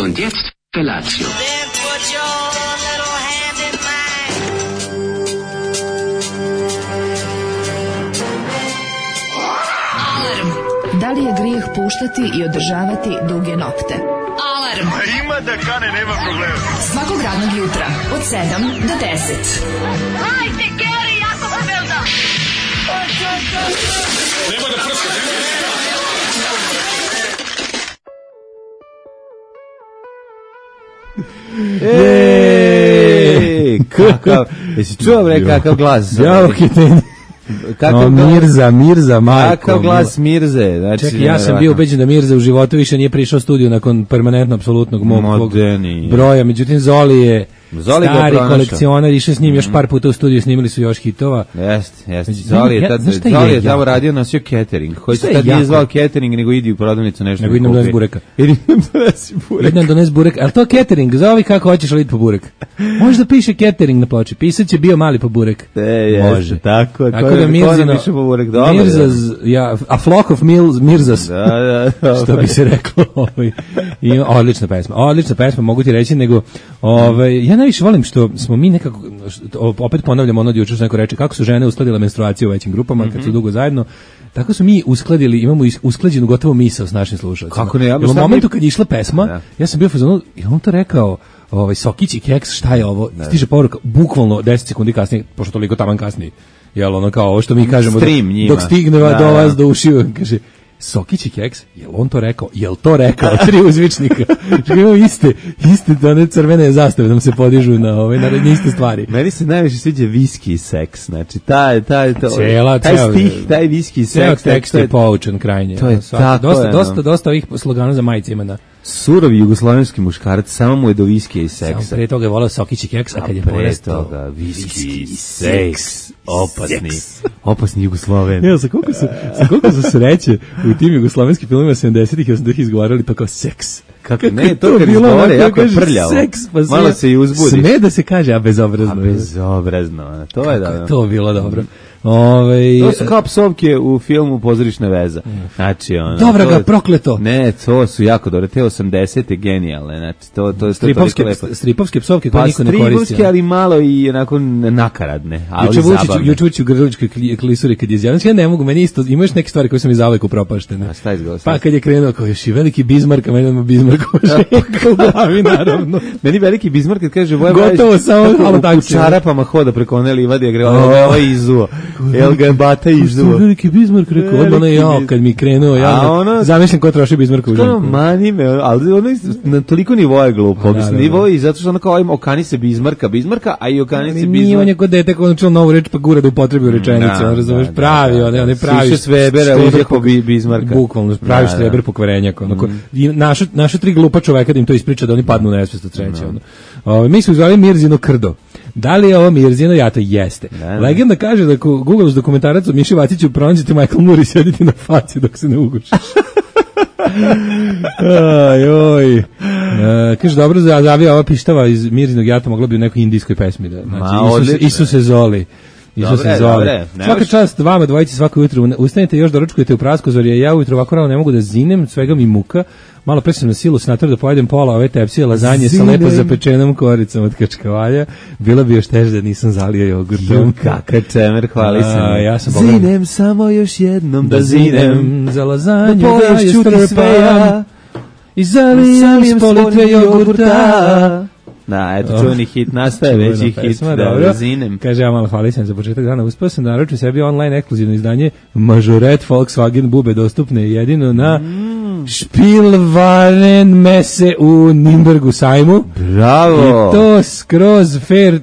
Und jetzt Felatio. Then put your little hand in mine. Da li je grijeh puštati i održavati duge nokte? Alarm! Ima da kane, nema problema. Svakog radnog jutra od 7 do 10. Hajde, Geri, jako se velda! Nema da prska, kakav, jesi čuo bre kakav glas? Ja, okej. Kakav Mirza, majko. Kakav glas Mirze? Znači, čekaj, ja sam bio ubeđen da Mirza u životu više nije prišao u studiju nakon permanentno apsolutnog mog broja, međutim Zoli je stari kolekcionar, išao s njim još par puta u studiju, snimili su još hitova. Jeste. Zoli je tamo radio, nosio catering. Koji se tad nije zvao catering, nego idi u prodavnicu nešto. Nego idem donesi bureka. Idem donesi burek. Ali to catering, zovi kako hoćeš, ali idi po burek. Može da piše catering na ploči, pisat će bio mali po burek. Može. Tako da Mirzino, Mirzaz, a flock of Mirzas, što bi se reklo. Odlična pesma, mogu ti reći, nego ja najviše volim što smo mi nekako, opet ponavljamo ono juče što neko reče, kako su žene uskladile menstruaciju u većim grupama, kad su dugo zajedno, tako su mi uskladili, imamo usklađenu gotovo misao s našim slušalcima. Kako ne? U momentu kad je išla pesma, ja sam bio u fazonu, i on to rekao, Sokić i Keks, šta je ovo? Stiže poruka, bukvalno 10 sekundi kasnije, pošto toliko taman kasnije, jel ono kao ovo što mi kažemo, dok stigne do vas do ušiju, kaže, Sokić i Keks, jel on to rekao? Jel to rekao? 3 uzvičnika. Imamo iste one crvene zastave nam se podižu na iste stvari. Meni se najviše sviđa viski i seks. Znači, taj stih, taj viski i seks. Tekst je poučen krajnje. To je tako. Dosta ovih slogana za majice ima na... Surovi jugoslovenski muškarac, samo mu je do viskija i seksa. Samo pre toga je volao Sokić i Keks, a kad je porastao... Pre toga, viski i seks. Opasni Jugosloven. Evo, sa koliko su sreće u tim jugoslovenskim filmima 70-ih i 80-ih izgovarali to kao seks. Kako ne, to kad izgovore jako je prljavo. Malo se i uzbudiš. Sme da se kaže, a bezobrazno. To je da. To bilo dobro. To su kao psovke u filmu Pozorišna veza. Znači, dobra ga, prokleto. Ne, to su jako dobre. Te 80-te genijalne. Znači, to je toliko lepo. Stripovske psovke koje niko ne koristi. Stripovske, ali malo i onako nakaradne. Juče Vučić u Grličkoj klisuri kad je izjavio. Ja ne mogu, meni isto, imaš neke stvari koje su mi zavek upropaštene. Pa kad je krenuo kao još i veliki Bizmark, a meni Bizmarkova ženka u glavi, naravno. Meni veliki Bizmark kad kaže gotovo samo malo tako. U čarapama hoda preko one livade, gre ovo je izuo. El ga bata izduo. Veliki Bizmark rekao, odmah ja kad mi krenuo, ja zamišljam ko troši Bizmarka u ženku. Mani me, ali ono na toliko nivoa je glupo. Nivo i zato što ono kao okani se Bizmarka, a i okani se Bizmarka. Nije on je kod dete koji naučio novu reč pa gura da upotrebi u rečenicu, razumeš, pravi, on je pravi. Siše Svebera uđe po Bizmarka. Bukvalno, pravi Štreber pokvarenjak. Naša 3 glupa čoveka da im to ispriča da oni padnu na nesvest od sreće. Mi smo zvali Mirzino krdo. Da li je ovo Mirzino? Ja to jeste. Legenda kaže da ako googlaš dokumentarac o Miši Vaciću pronađete Michael Moore i sediti na faci dok se ne ugušiš. Kaže, dobro, zavija ova pištava iz Mirzinog jata mogla bi u nekoj indijskoj pesmi. Isuse Zoli. Svaka čast vama dvojici svako jutro ustanete, još doručkujete u Praskozorje, ja ujutro ovako rano ne mogu da zinem, svega mi muka, malo pre sam na silu snator da pojedem pola ove tepsije lazanje sa lepo zapečenom koricom od kačkavalja, bilo bi još teže da nisam zalio jogurtom. Kakav čemer, hvali se mi. Ja sam zinem samo još jednom da zinem, za lazanju da je strpam i zalijem s politre jogurta. Da, eto čuveni hit, nastaje već i hit da zinem. Kaže, ja malo hvali sam za početak dana, uspio sam da naručim sebi online ekskluzivno izdanje Majoret Volkswagen bube dostupne jedino na Spielwaren mese u Nimbergu sajmu. Bravo! I to skroz fair,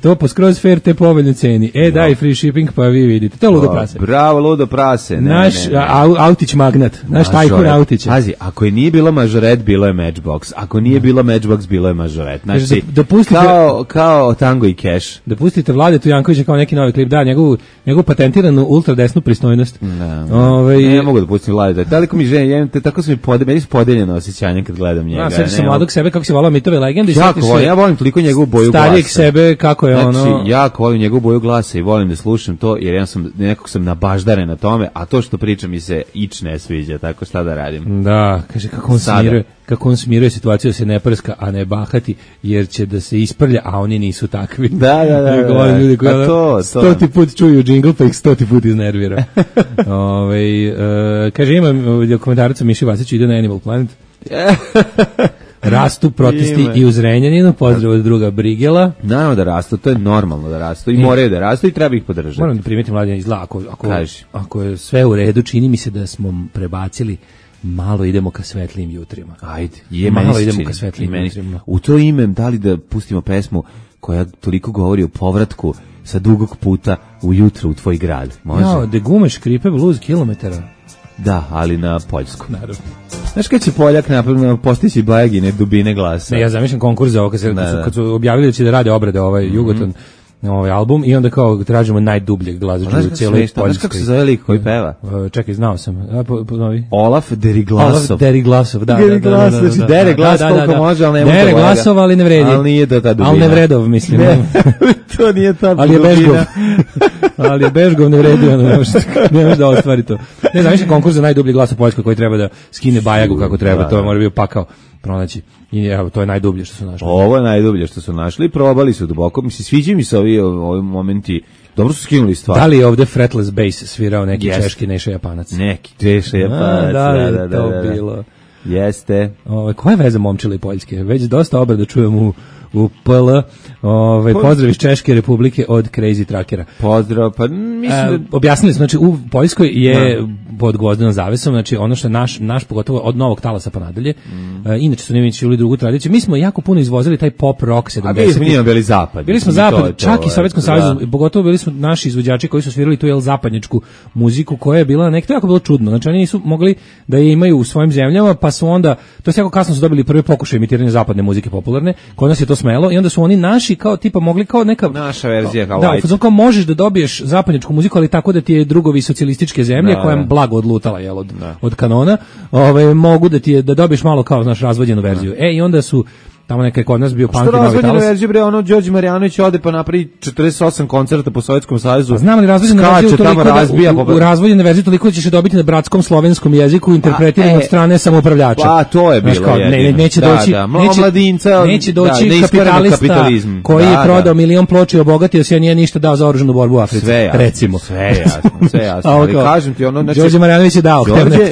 to po skroz fair te povoljnoj ceni. Daj free shipping pa vi vidite. To je ludo prase. Bravo, ludo prase. Naš autić magnat, naš tajkun autića. Pazi, ako je nije bilo Majoret, bilo je Matchbox. Ako nije bilo Matchbox, bilo je Majoret. Znači, kao Tango i Cash. Da pustite Vladetu Jankovića kao neki novi klip, da, njegovu patentiranu ultradesnu pristojnost. Ne mogu da pustim Vladetu. Toliko mi ženje, te tako onako su mi podeljeno osjećanje kad gledam njega. Ja sećam se mladog sebe kako se volao mitove legende. Ja volim toliko njegovu boju glasa. Starijeg sebe kako je ono. Znači, jako volim njegovu boju glasa i volim da slušam to, jer ja sam nekako sam nabaždaren na tome, a to što pričam mi se ič ne sviđa, tako šta da radim. Da, kaže kako on smiruje situaciju da se ne prska, a ne bahati, jer će da se isprlja, a oni nisu takvi. Da. Ljudi koji stoti put čuju džingl, pa ih stoti put iznervira. Kaže, imam dokumentarac o Miši Vasiću, ide na Animal Planet. Rastu protesti i u Zrenjaninu, pozdrav od druga Brigela. Naravno da rastu, to je normalno da rastu i moraju da rastu i treba ih podržati. Moram da primetim Mladen izgleda, ako je sve u redu, čini mi se da smo prebacili malo idemo ka svetlijim jutrima. Ajde, malo idemo ka svetlijim jutrima. U to ime, da li da pustimo pesmu koja toliko govori o povratku sa dugog puta ujutro u tvoj grad? Može? Ja, de gume škripe blues kilometara. Da, ali na poljskom. Naravno. Znaš kad će Poljak napravno postići bajagine dubine glasa? Ne, ja zamišljam konkurs za ovo, kad su objavili da će da rade obrade Jugoton, ovaj album, i onda kao tražimo najdubljeg glazđu u cijeloj Poljskoj. Znaš kako se zove lik koji peva? Čekaj, znao sam. Ponovi. Olaf Deriglasov. Deriglasov, da. Dere glas koliko može, ali nema Dere glasov, ali ne vredi. Ali nije da ta dubina. Ali ne vredov, mislim. To nije ta dubina. Ali je Bežgov. Ali je Bežgov ne vredi, ne može da ostvari to. Ne znam, više konkurs za najdublji glas u Poljskoj koji treba da skine bajagu kako treba, to mora bio pakao pronaći. I evo, to je najdublje što su našli. Ovo je najdublje što su našli i probali su duboko. Mislim, sviđa mi se ovi momenti. Dobro su skinuli stvar. Da li je ovde fretless bass svirao neki češki Neša Japanac? Neki Neša Japanac, da, to bilo. Jeste. Koja je veza Momčila i Poljske? Već dosta obrada čujem u PL. Pozdrav iz Češke Republike od Crazy Trackera. Pozdrav, pa mislim objasnili smo, znači u Poljskoj je pod gvozdenom zavesom, znači ono što je naš pogotovo od novog talasa pa nadalje. Inače su Nemački uli drugu tradiciju. Mi smo jako puno izvozili taj pop rock 70. A mi smo bili zapad. Bili smo zapad, čak i Sovjetskom savezu, pogotovo bili su naši izvođači koji su svirali tu zapadnjačku muziku koja je bila nekako jako bilo čudno. Znači oni nisu mogli da je imaju u svojim zemljama, pa su onda to jako kasno su dobili prvi pokušaj emitiranja zapadne muzike popularne. Kod nas je to smelo i onda su oni naši kao tipa mogli kao neka naša verzija kao da, kao možeš da dobiješ zapadnjačku muziku, ali tako da ti je drugovi socijalističke zemlje koja je blago odlutala od kanona, mogu da ti je da dobiješ malo kao znaš razvođenu verziju. I onda su tamo neka je kod nas bio punk i novi talas. Verziju bre, ono Đorđe Marjanović ode pa napravi 48 koncerta po Sovjetskom savezu. Znam li razvođenu verziju toliko u razvođenu verziju toliko ćeš dobiti na bratskom slovenskom jeziku interpretiran od strane samoupravljača. Pa to je bilo. Neće doći kapitalista koji je prodao milion ploča i obogatio se, a nije ništa dao za oružanu borbu u Africi. Recimo. Sve jasno. Ali kažem ti ono, znači Đorđe Marjanović je dao.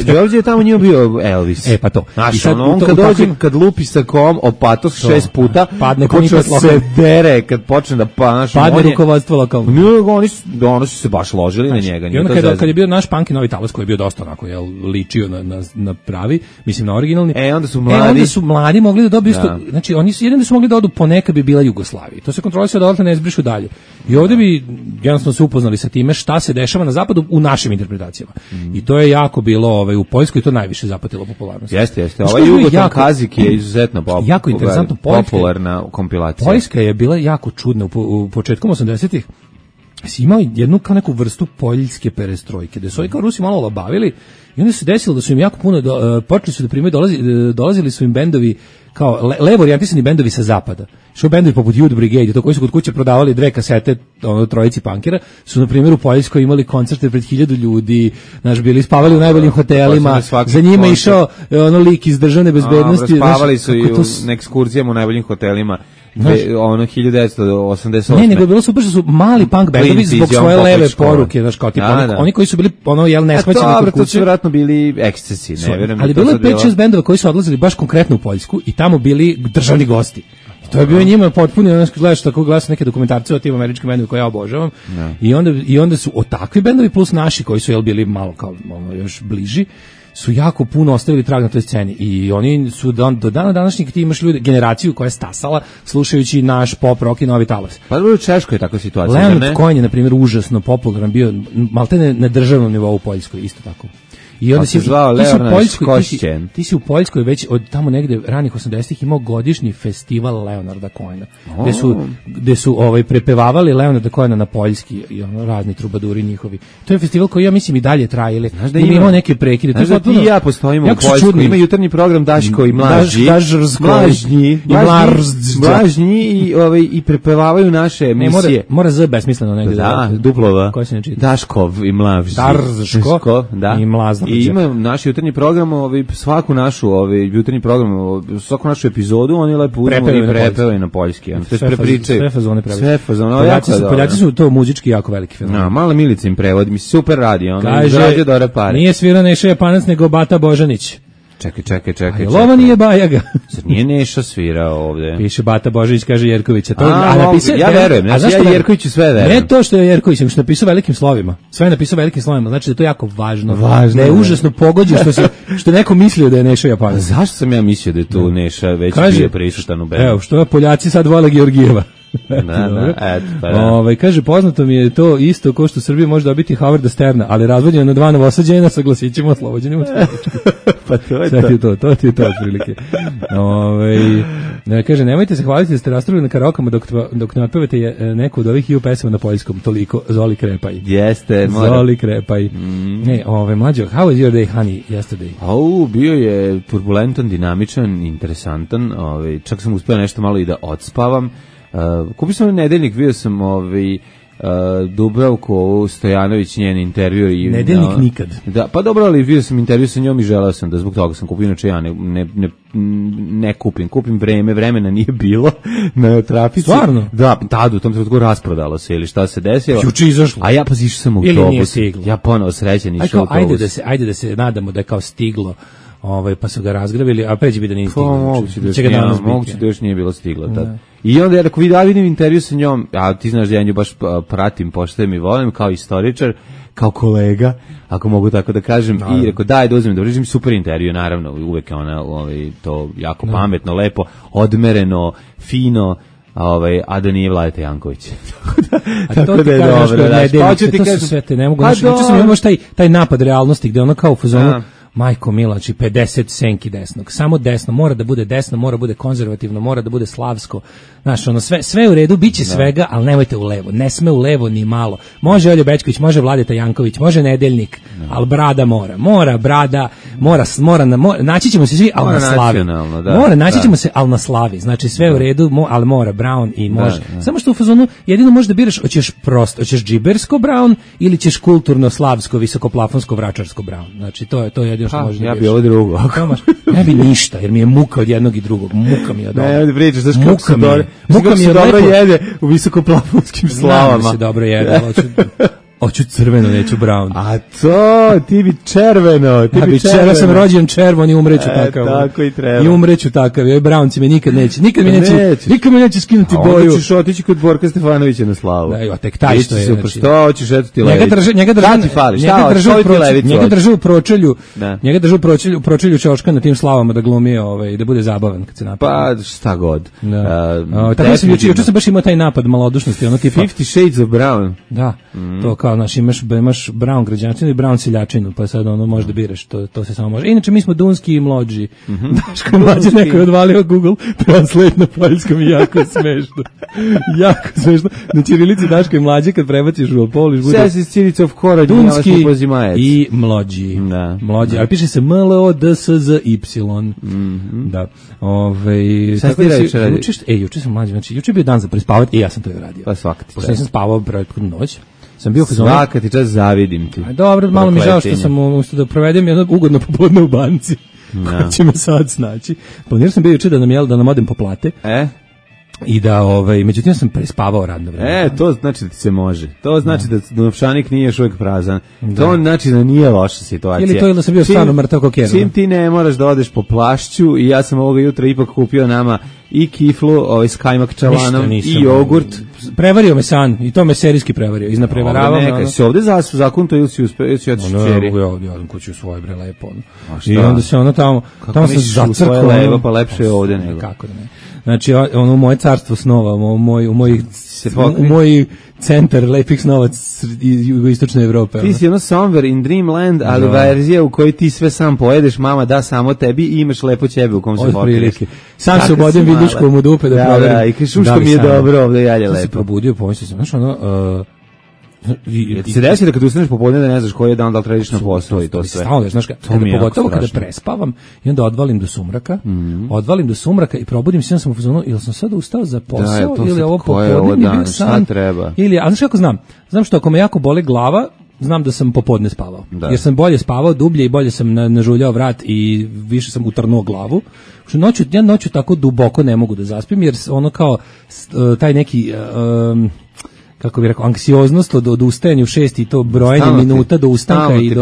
Đorđe je tamo njima bio Elvis. Pa to. I on kad dođe, kad lupi sa kom opato 6 puta, padne počne se dere, kad počne da padne rukovodstvo lokalno. Oni su se baš ložili na njega. I onda kad je bio naš punk i novi talas koji je bio dosta onako, ličio na pravi, mislim na originalni. Onda su mladi mogli da dobiju isto, znači oni su jedino su mogli da odu ponekad bi bila Jugoslavija. To se kontrolisalo da odatle ne izbrišu dalje. I ovdje bi jednostavno se upoznali sa time šta se dešava na zapadu u našim interpretacijama. I to je jako bilo u Poljskoj to najviše zapatilo popularnost. Jeste. Ovaj Jugoton Kazik je izuzetno jako interesantno popularna kompilacija. Poljska je bila jako čudna u početkom 80-ih. Si imao jednu kao neku vrstu poljske perestrojke, da su ovi kao Rusi malo olabavili i onda se desilo da su im jako puno, počeli su da primaju, dolazili su im bendovi kao levo orijentisani bendovi sa zapada. Što bendovi poput Youth Brigade, to koji su kod kuće prodavali 2 kasete trojici punkera, su na primjer u Poljskoj imali koncerte pred 1000 ljudi, bili spavali u najboljim hotelima, za njima išao lik iz državne bezbednosti. Spavali su i u ekskurzijama u najboljim hotelima. 1988. Ne, nego je bilo super što su mali punk bendovi zbog svoje leve poruke, kao tipa oni koji su bili neshvaćeni kod kuće. To su vjerojatno bili ekscesi, ne vjerujem. Ali bilo je 5-6 bendova koji su odlazili baš konkretno u Poljsku i tamo bili državni gosti. To je bio njima potpuno, gledaš tako, gledaš neke dokumentarce o tim američkim bendovima koje ja obožavam. I onda su takvi bendovi plus naši koji su bili malo kao još bliži, su jako puno ostavili trag na toj sceni i oni su do dana današnjeg ti imaš ljudi, generaciju koja je stasala slušajući naš pop rock i novi talas. Pa u Češkoj je takva situacija, Leonard Cohen je, na primjer, užasno popularan bio, maltene na državnom nivou u Poljskoj, isto tako. I onda si ti si u Poljskoj već od tamo negde ranih 80-ih imao godišnji festival Leonarda Cohena. Gde su prepevavali Leonarda Cohena na poljski i razni trubaduri njihovi. To je festival koji ja mislim i dalje traje, ili da imao neke prekide. Znaš da ti i ja postojimo u Poljskoj, ima jutarnji program Daško i Mlađi. Mlažnji i prepevavaju naše emisije. Mora z besmisleno negde. Da, duplova. Daškov i Mlažnji. Daško i Mlažnji. I ima naš jutarnji program, svaku našu jutarnji program, svaku našu epizodu oni lepo uzmu i prepevaju na poljski. Sve fazone prave. Sve fazone. Poljaci su to muzički jako veliki fenomen. No, mala Milica im prevodi, mi super radi. Kaže, nije svirao Neša Japanac, nego Bata Božanić. Čekaj. Lova nije Bajaga. Zar nije Neša svirao ovde? Piše Bata Božanić, kaže Jerkovića. Ja verujem, ja Jerkoviću sve verujem. Ne to što je Jerković, nego što je napisao velikim slovima. Sve je napisao velikim slovima, znači da je to jako važno. Da je užasno pogođen što neko mislio da je Neša Japanac. Zašto sam ja mislio da je tu Neša već bio prisutan u bendu? Evo, što Poljaci sad vole Georgijeva. Kaže, poznato mi je to isto ko što Srbija može dobiti Howarda Sterna, ali razvodnjeno na 2 novosađena sa glasićima oslobođenim od pa to je to ti je to otprilike. Kaže, nemojte se hvaliti da ste raspravili na karaokama dok ne otpevate neku od ovih pesama na poljskom, toliko Zoli Krepaj. Jeste, Zoli Krepaj. Mlađo, how was your day, honey, yesterday? Bio je turbulentan, dinamičan, interesantan, čak sam uspio nešto malo i da odspavam. Kupio sam nedeljnik, vidio sam Dubravku Stojanović, njen intervju i nedeljnik nikad. Da, pa dobro, ali vidio sam intervju sa njom i želeo sam da zbog toga sam kupio, inače ja ne kupim vremena nije bilo na trafici. Stvarno? Da, tad u tom trenutku rasprodalo se ili šta se desilo. Juče izašlo. A ja pa išao sam u autobus. Ja ponovo srećan išao u autobus. Ajde da se nadamo da je kao stiglo. Pa su ga razgravili, a pređe bi da nije stiglo. Moguće da još nije bilo stiglo tad. I onda, ako vidim intervju sa njom, a ti znaš da ja nju baš pratim, poštujem i volim, kao istoričar, kao kolega, ako mogu tako da kažem, i rekao, daj da uzmem, da uređem super intervju, naravno, uvek je ona to jako pametno, lepo, odmereno, fino, a da nije Vladeta Janković. Tako da je dobro. To su sve te, ne mogu. Juče sam imao taj napad realnosti, gde ono kao u fazonu, majko mila, znači 50 senki desnog, samo desno, mora da bude desno, mora da bude konzervativno, mora da bude slavsko, znaš, ono, sve u redu, bit će svega, ali nemojte u levo, ne sme u levo ni malo, može Oljo Bećković, može Vladeta Janković, može Nedeljnik, ali brada mora brada, naći ćemo se svi, ali na slavi, naći ćemo se, ali na slavi, znači sve u redu, ali mora Brown i može, samo što u fazonu, jedino možeš da biraš, hoćeš džibersko Brown ili ćeš kulturno, slavsko, visokoplafonsko, vračarsko Brown, znači to je jedino što možeš da biraš. Ja bi ovo drugo. Ne bi ništa, jer mi je muka od jednog i drugog. Muka mi je dobro. Ne, pričaš, znaš kako se dobro jede u visokoplafonskim slavama. Ne se dobro jede, hoću crveno, neću brown. A to, ti bi červeno. Ja sam rođen červon i umreću takav. Tako i treba. I umreću takav. Brownci me nikad mi neće skinuti boju. Hoćeš otići kod Borka Stefanovića na slavu. Da, tek taj što je. Što hoćeš, eto ti levicu. Njega drže u pročelju. Njega drže u pročelju Čoška na tim slavama da glumi da bude zabavan kad se napada. Pa šta god. Tako sam juče sam baš imao taj napad malodušnosti, ono tipa 50 Shades of Brown. Da. To kao imaš brown građančinu i brown seljačinu, pa sad ono možda biraš, to se samo može. Inače mi smo Dunski i Mlođi. Daško i Mlađe neko je odvalio Google Translate na poljskom i jako smešno. Jako smešno. Na ćirilici Daško i Mlađe kad prebaciš u Polish bude Says is Cirica of Kora, Dunski i Mlođi. Mlođi, ali piše se MLODSZY. Da. Juče sam Mlađe, znači juče je bio dan za prespavati i ja sam to i radio. Pa svakati. Pošto nisam spavao prethodnu noć. Svaka ti čas zavidim ti. Dobro, malo mi žao što sam umjesto da provedem jednog ugodno popodne u banci. Ko će me sad snaći. Planirao sam bio juče da nam odem po plate. I da, međutim sam prespavao radno vreme. To znači da ti se može. To znači da novčanik nije još uvijek prazan. To znači da nije loša situacija. Ili to da sam bio stvarno mrtav kokerno. Čim ti ne moraš da odeš po plašću i ja sam ovoga jutra ipak kupio nama i kiflu, s kajmak čalanom i jogurt. Prevario me san i to me serijski prevario. Iznaprevaravao me. Si ovde zakon to ili si otišao čeri? Ja odem kući u svoje bre lepo. I onda se ono tamo sam zacrkao. Pa lepše je ovde nego. Kako da ne. Znači, ono moje carstvo snova, u moj se u moj centar lepih snovac iz jugoistočne Evrope. Ti si ono somewhere in dreamland, ali verzija u kojoj ti sve sam pojedeš, mama da samo tebi i imaš lepo ćebe u kom se mokriš. Sam se ubodem viduškom u dupe da proverim. Da, i kažeš što mi je dobro, ovdje jalje lepo. Se probudio, pomislio sam, znaš ono... Ti se desi da kad ustaneš popodne da ne znaš koji je dan, da li trediš na posao i to sve. Stalno, znaš, pogotovo kada prespavam i onda odvalim do sumraka i probudim se, ja sam u fazonu, ili sam sad ustao za posao, ili ovo popodne bio san, ili, a znaš kako znam što ako me jako bole glava, znam da sam popodne spavao, jer sam bolje spavao, dublje i bolje sam nažuljao vrat i više sam utrnuo glavu, što noću tako duboko ne mogu da zaspim, jer ono kao taj neki... kako bih rekao, anksioznost od ustajanja u 6 i to brojanje minuta do ustanka i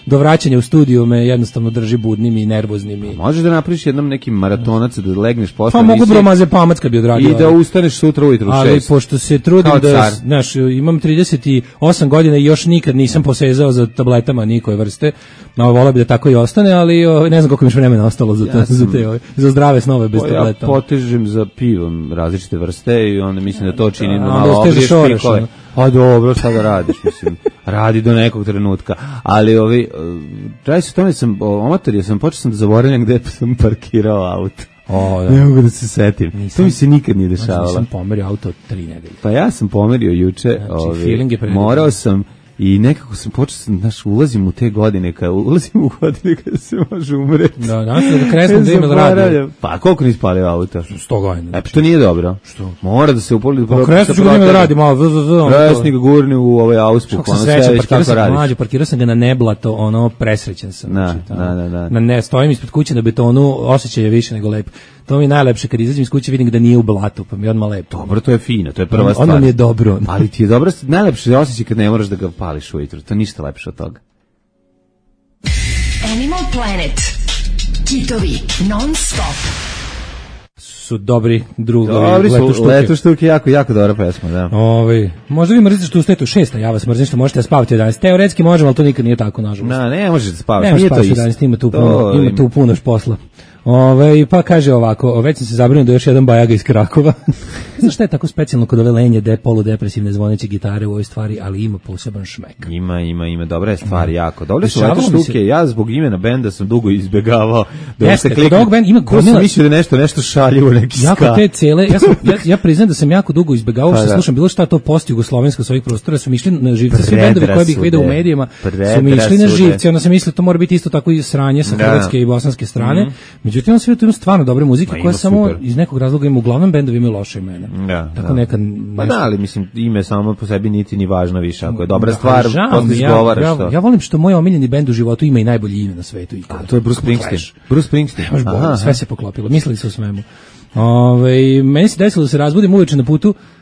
do vraćanja u studiju me jednostavno drži budnim i nervoznim. Možeš da napraviš jednom neki maratonac da legneš posle. Pa mogu bromaze pamac kad bi odradio. I da ustaneš sutra ujutru u 6. Ali pošto se trudim da, znaš, imam 38 godina i još nikad nisam posezao za tabletama nikoje vrste. Voleo bi da tako i ostane, ali ne znam koliko mi još vremena ostalo za zdrave snove bez tableta. Ja potežem za pivom različite vrste i onda mislim da to čini malo obriješ pikove. A dobro, šta da radiš, mislim, radi do nekog trenutka. Ali radi se o tome, amator, počeo sam da zaboravljam gde sam parkirao auto. Ne mogu da se setim. To mi se nikad nije dešavalo. Nisam pomerio auto 3 nedelje. Pa ja sam pomerio juče, morao sam i nekako sam počeo, ulazim u te godine, kada se može umreti. Da kresnem da ima radio. Pa koliko nisi palio auto? 100 godina. To nije dobro. Što? Mora da se upoli. Pa kresnu ću ga da radi malo. Kresni ga gurni u ovaj auspuh. Kako sam srećan, parkirao sam ga na neblato, presrećan sam. Da. Stojim ispred kuće na betonu, osjećaj je više nego lepo. To mi je najlepše, kad izađem iz kuće vidim da nije u blatu, pa mi je odmah lepo. Dobro, to je fino, to je prva stvar. Onda mi je dobro. Ali ti je dobro, najlepše osjećaj kad ne moraš da ga pališ ujutru, to je ništa lepše od toga. Animal Planet. Kitovi non stop. Su dobri drugovi. Dobri su, Letu štuke, jako dobra pesma, da. Možda vi mrzite što ustajete u 6, ja vas mrzim što možete da spavate u 11. Teoretski možemo, ali to nikad nije tako, nažalost. Ne možeš da spavaš, nije to isto. Ima tu puno posla. Pa kaže ovako, već sam se zabrinuo da još jedan bajaga iz Krakova. Znaš šta je tako specijalno kod ove lenje, poludepresivne zvoneće gitare u ovoj stvari, ali ima poseban šmek. Ima, dobra je stvar, jako. Dobre su Letu štuke, ja zbog imena benda sam dugo izbegavao. Kod ovog benda ima gomila. Sam mislio da nešto šaljivo, neki ska. Jako te cele, ja priznam da sam jako dugo izbegavao, što slušam bilo šta to post-jugoslovensko s ovih prostora, su mi išli na živce, svi bendovi koje bih vidio u medijima, su mi išli na živce, onda sam mislio to mora biti isto tako i sranje sa hrvatske i bosanske strane. Međutim, on sve tu ima stvarno dobre muzike koje samo iz nekog razloga ima, uglavnom bendovi imaju loše imena. Tako nekad... Pa da, ali mislim, ime samo po sebi niti ni važno više. Ako je dobra stvar, posle izgovaraš to. Ja volim što moj omiljeni bend u životu ima i najbolje ime na svetu. A to je Bruce Springsteen. Bruce Springsteen. Sve se poklopilo, mislili su o svemu. Meni se desilo da se razbudim uveče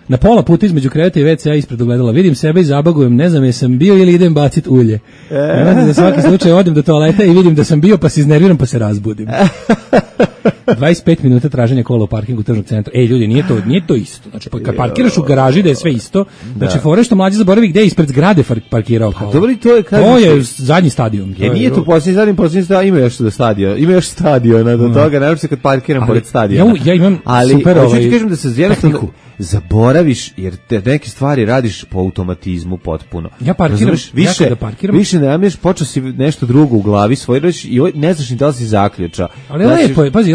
na pola puta između kreveta i WC-a ispred ogledala. Vidim sebe i zabagujem, ne znam jesam bio ili idem bacit ulje. Za svaki slučaj odem do toaleta i vidim da sam bio, pa se iznerviram, pa se razbudim. 25 minuta traženja kola u parkingu tržnog centra. Ljudi, nije to isto. Znači, kad parkiraš u garaži da je sve isto, znači, fore što mlađi zaboravi gde je ispred zgrade parkirao kola. Dobro, to je zadnji stadion. Nije to posljednji stadion, ima još stadion. Ima još stadiona do toga, naravno se kad parkiram pored stadiona. Ja imam super ali, kažem da se jednostavno zaboraviš, jer te neke stvari radiš po automatizmu potpuno. Ja parkiram, više ne namješ, počeo si nešto drugo u glavi svojiraš i ne znaš ni da li si zaključa. Ali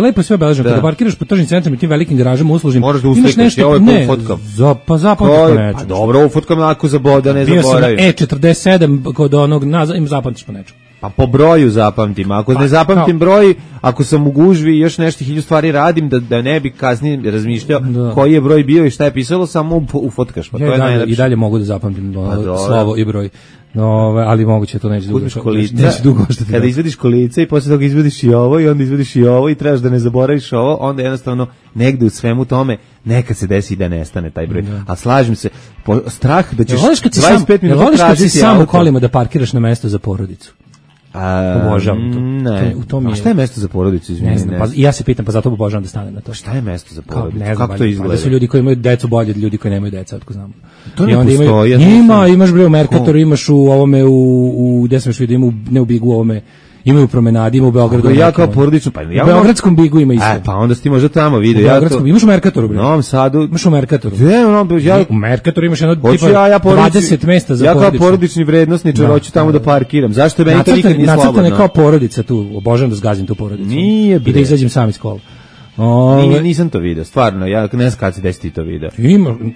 lepo je sve obeleženo. Kada parkiraš po tržnim centrima i tim velikim garažama uslužnim, moraš da uslikaš, ja ovo je fotkam. Pa zapamtiš po nečemu. Pa dobro, ovo fotkam ako da ne zaboravim. Bio sam E47 kod onog, im zapamtiš po nečemu. Pa po broju zapamtim, ako ne zapamtim broj, ako sam u gužvi i još nešto 1000 stvari radim, da ne bi kasnije razmišljao koji je broj bio i šta je pisalo, samo ufotkaš. Pa ja i dalje mogu da zapamtim slovo i broj. Ali moguće to neće dugo ostati. Kada izvediš kolice i posle toga izvediš i ovo i onda izvediš i ovo i trebaš da ne zaboraviš ovo, onda jednostavno negde u svemu tome nekad se desi da nestane taj broj. A slažem se, strah da ćeš 25 minuta tražiti auto. Voliš kad si sam u kolima da parkiraš na mesto za porodicu? Obožavam to. Ne. A šta je mesto za porodicu, izvini? Ne znam, ja se pitam, pa zato obožavam da stanem na to. Šta je mesto za porodicu? Kako to izgleda? Da su ljudi koji imaju decu bolje od ljudi koji nemaju deca, otko znamo. To ne postoji. Imaš bre u Merkatoru, imaš u ovome, gde sam još vidio, ima ne u Bigu, ovome, Imaju u Promenadi, ima u Beogradu. Ja kao porodično, pa ja u Beogradskom Bigu ima isto. Pa onda si ti možda tamo video. U Beogradskom, imaš u Merkatoru, bre. U Novom Sadu. Imaš u Merkatoru. U Merkatoru imaš jedno tipa 20 mesta za porodicu. Ja kao porodični vrednosničar hoću tamo da parkiram. Zašto meni to nikad nije slobodno? Nacrtane kao porodica tu, obožavam da zgazim tu porodicu. Nije, bre. I da izađem sam iz kola. Nisam to video, stvarno, ja ne znam kad si desiti to video.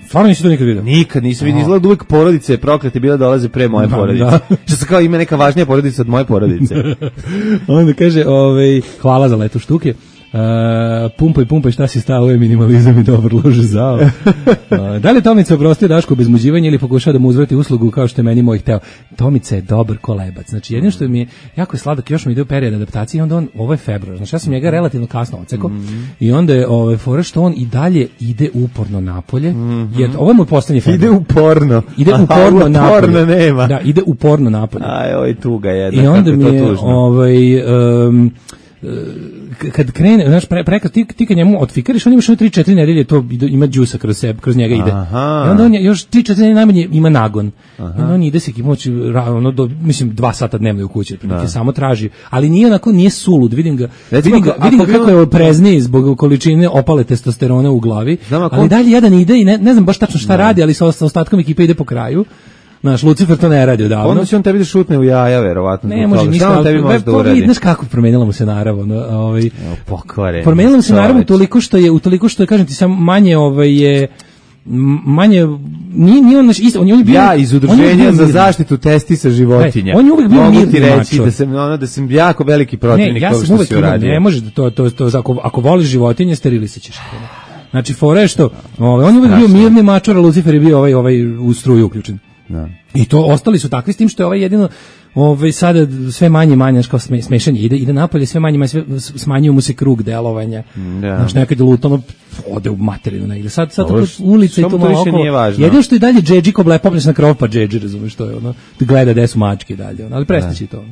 Stvarno nisi to nikad video? Nikad nisam vidio, izgleda uvijek porodice proklete bila dolaze pre moje porodice. Što se kao ima neka važnija porodica od moje porodice. Onda kaže, hvala za leto štuke. Pumpaj, šta si stao, je minimalizam i dobro lože zao. Da li Tomica oprostio Dašku bez muđivanja ili pokušao da mu uzvrati uslugu kao što je meni moj hteo? Tomica je dobar kolebac. Znači, jedino što mi je jako je sladak, još mi ide u period adaptacije i onda ovo je februar. Znači, ja sam njega relativno kasno ocekao i onda je fora što on i dalje ide uporno napolje, jer ovo je moj poslednji februar. Ide uporno napolje. Porno nema. Da, ide uporno napolje. Aj, oj, tuga jedna. I onda mi je, kad krene, znaš, ti kad njemu otfikariš, on ima još 3-4 nedelje, to ima džusa kroz njega ide. I onda on još 3-4 nedelje najmanje ima nagon. I onda on ide se kimoći, mislim, 2 sata dnevno u kući, samo traži, ali nije sulud, vidim ga kako je prezniji zbog količine opale testosterona u glavi, ali dalje jedan ide i ne znam baš tačno šta radi, ali sa ostatkom ekipe ide po kraju. Naš Lucifer to ne radi odavno. Onda će on tebi da šutne u jaja, verovatno. Ne može ništa. Tebi može da uradi. Znaš kako promenila mu se narav. Pokvare. Promenila mu se narav utoliko što je, kažem ti, sam manje manje nije on isto, on je bio iz udruženja za zaštitu testisa životinja. On je uvijek bio mirni mačo. Da sam jako veliki protivnik toga što se uradio. Ne može to ako voliš životinje, sterilisaćeš. Znači fora je što on je uvijek bio mirni mačor, a Lucifer je bio ovaj u struju uključen. Da. I to ostali su takvi s tim što je jedino sada sve manje kao smešanje ide napolje, sve manje smanjuje mu se krug delovanja. Znaš, nekad je lutano ode u materinu negdje. Sad tako ulica i to malo okolo. Jedino što je dalje džedži ko blepopleš na krov pa džedži, razumeš, to je da gleda gde su mačke dalje, ali prestaći to.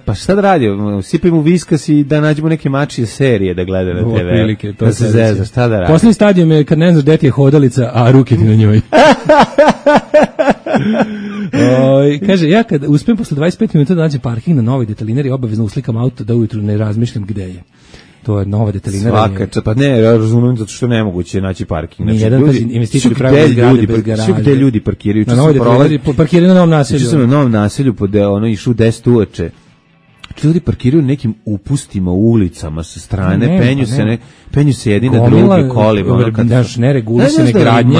Pa šta da radi? Sipaj mu viskas i da nađemo neke mačije serije da gleda na TV. Da se zeza, šta da radi? Poslednji stadijum je kad ne znaš gde ti je hodalica, a ruke ti na njoj. Kaže, ja kad uspijem posle 25 minuta da nađem parking na Novoj Detalinari, obavezno uslikam auto da ujutru ne razmišljam gde je. To je Nova Detalinara. Svaka, pa ne, ja razumijem zato što nemoguće naći parking. Znači, jedan investitori pravi zgrade bez garaže. Gde ljudi parkiraju? Na Novoj Detalinari, parkiraju na Novom naselju. Išao sam na Novom naselju, išu 10 uveče. Ljudi parkiraju nekim upustima u ulicama sa strane, penju se jedni na drugi kolima. Neregulisane gradnje.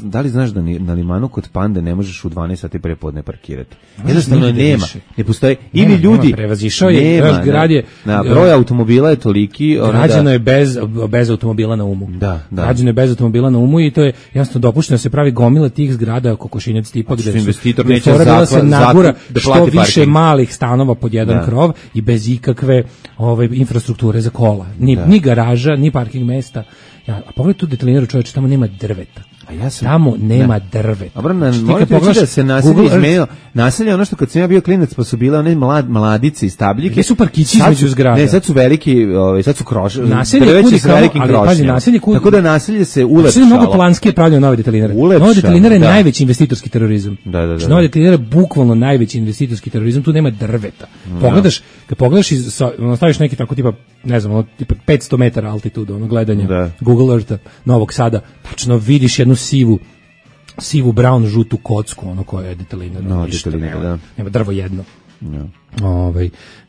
Da li znaš da na Limanu kod Pande ne možeš u 12 sati prepodne parkirati? Jednostavno nema. Ne postoji. Ili ljudi... Prevazišao je, grad je... Broj automobila je toliki... Građano je bez automobila na umu. Građano je bez automobila na umu i to je jasno dopušteno da se pravi gomila tih zgrada kokošinjac tipa gde investitor neće nagura što više malih stanova pod jedan krov i bez ikakve infrastrukture za kola. Ni garaža, ni parking mesta. A pogledaj tu Detalinaru, čovječe, tamo nema drveta. Tamo nema drveta. Dobro, morate reći da se naselje izmenilo. Naselje ono što kad sam ja bio klinac pa su bile one mladice i stabljike. Gdje su parkići između zgrada? Ne, sad su veliki, sad su drveći s velikim krošnjama. Tako da naselje se ulepšalo. Naselje mnogo planski je pravljeno Nova Detalinara. Nova Detalinara je najveći investitorski terorizam. Nova Detalinara je bukvalno najveći investitorski terorizam, tu nema drveta. Kad pogledaš, staviš neki tako tipa, ne znam, tipa 500 metara altitudu, gledanja Google Eartha Novog Sada, tačno vidiš jednu sivu brown žutu kocku, koja je Detalinara. Nema drvo jedno.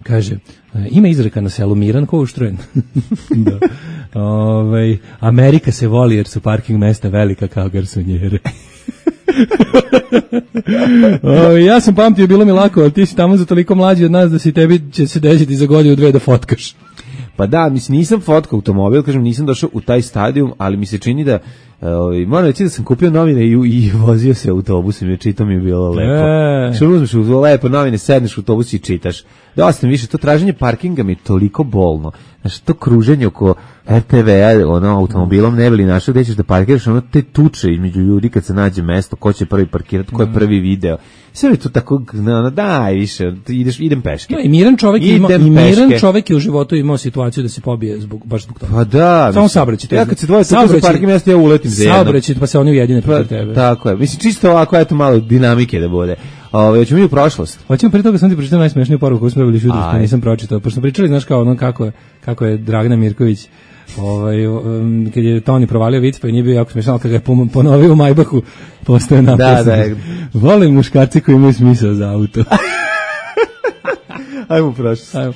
Kaže, ima izreka na selu Miran ko uštrujen. Amerika se voli jer su parking mesta velika kao garsonjere. Ja sam pamtio, bilo mi lako, ali ti si tamo za toliko mlađi od nas da si tebi će se desiti za godinu 2 da fotkaš. Pa da, mislim, nisam fotkao automobil, kažem, nisam došao u taj stadijum, ali mi se čini da, moram reći da sam kupio novine i vozio se autobusom, jer čito mi je bilo lepo. Što uzmeš lepo novine, sedneš u autobus i čitaš. Dosta mi više, to traženje parkinga mi je toliko bolno. Znači, to kruženje oko RTV-a, automobilom ne bili našao, gde ćeš da parkiraš, te tuče između ljudi kad se nađe mesto, ko će prvi parkirati, ko je prvi video. Sve je to tako, daj više, idem peške. I miran čovjek je u životu imao situaciju da se pobije baš zbog toga. Pa da. Samo saobraćaj. Ja kad se dvoje tuče za parking mjesto, ja uletim za jedno. Saobraćaj, pa se oni ujedine protiv tebe. Tako je. Mislim, čisto ovako, eto malo dinamike da bude. Hoćemo mi u prošlost. Hoćemo pre toga sam ti pročitao najsmešniju poruku koju smo dobili iz jutros, nisam pročitao. Pošto smo pričali, znaš kao ono kako je Dragana Mirković kad je Toni provalio vic, pa je nije bio jako smešan, ali kad ga je ponovio u Majbahu, postoje napis. Da. Volim muškarci koji imaju smisao za auto. Ajmo u prošlost. Ajmo.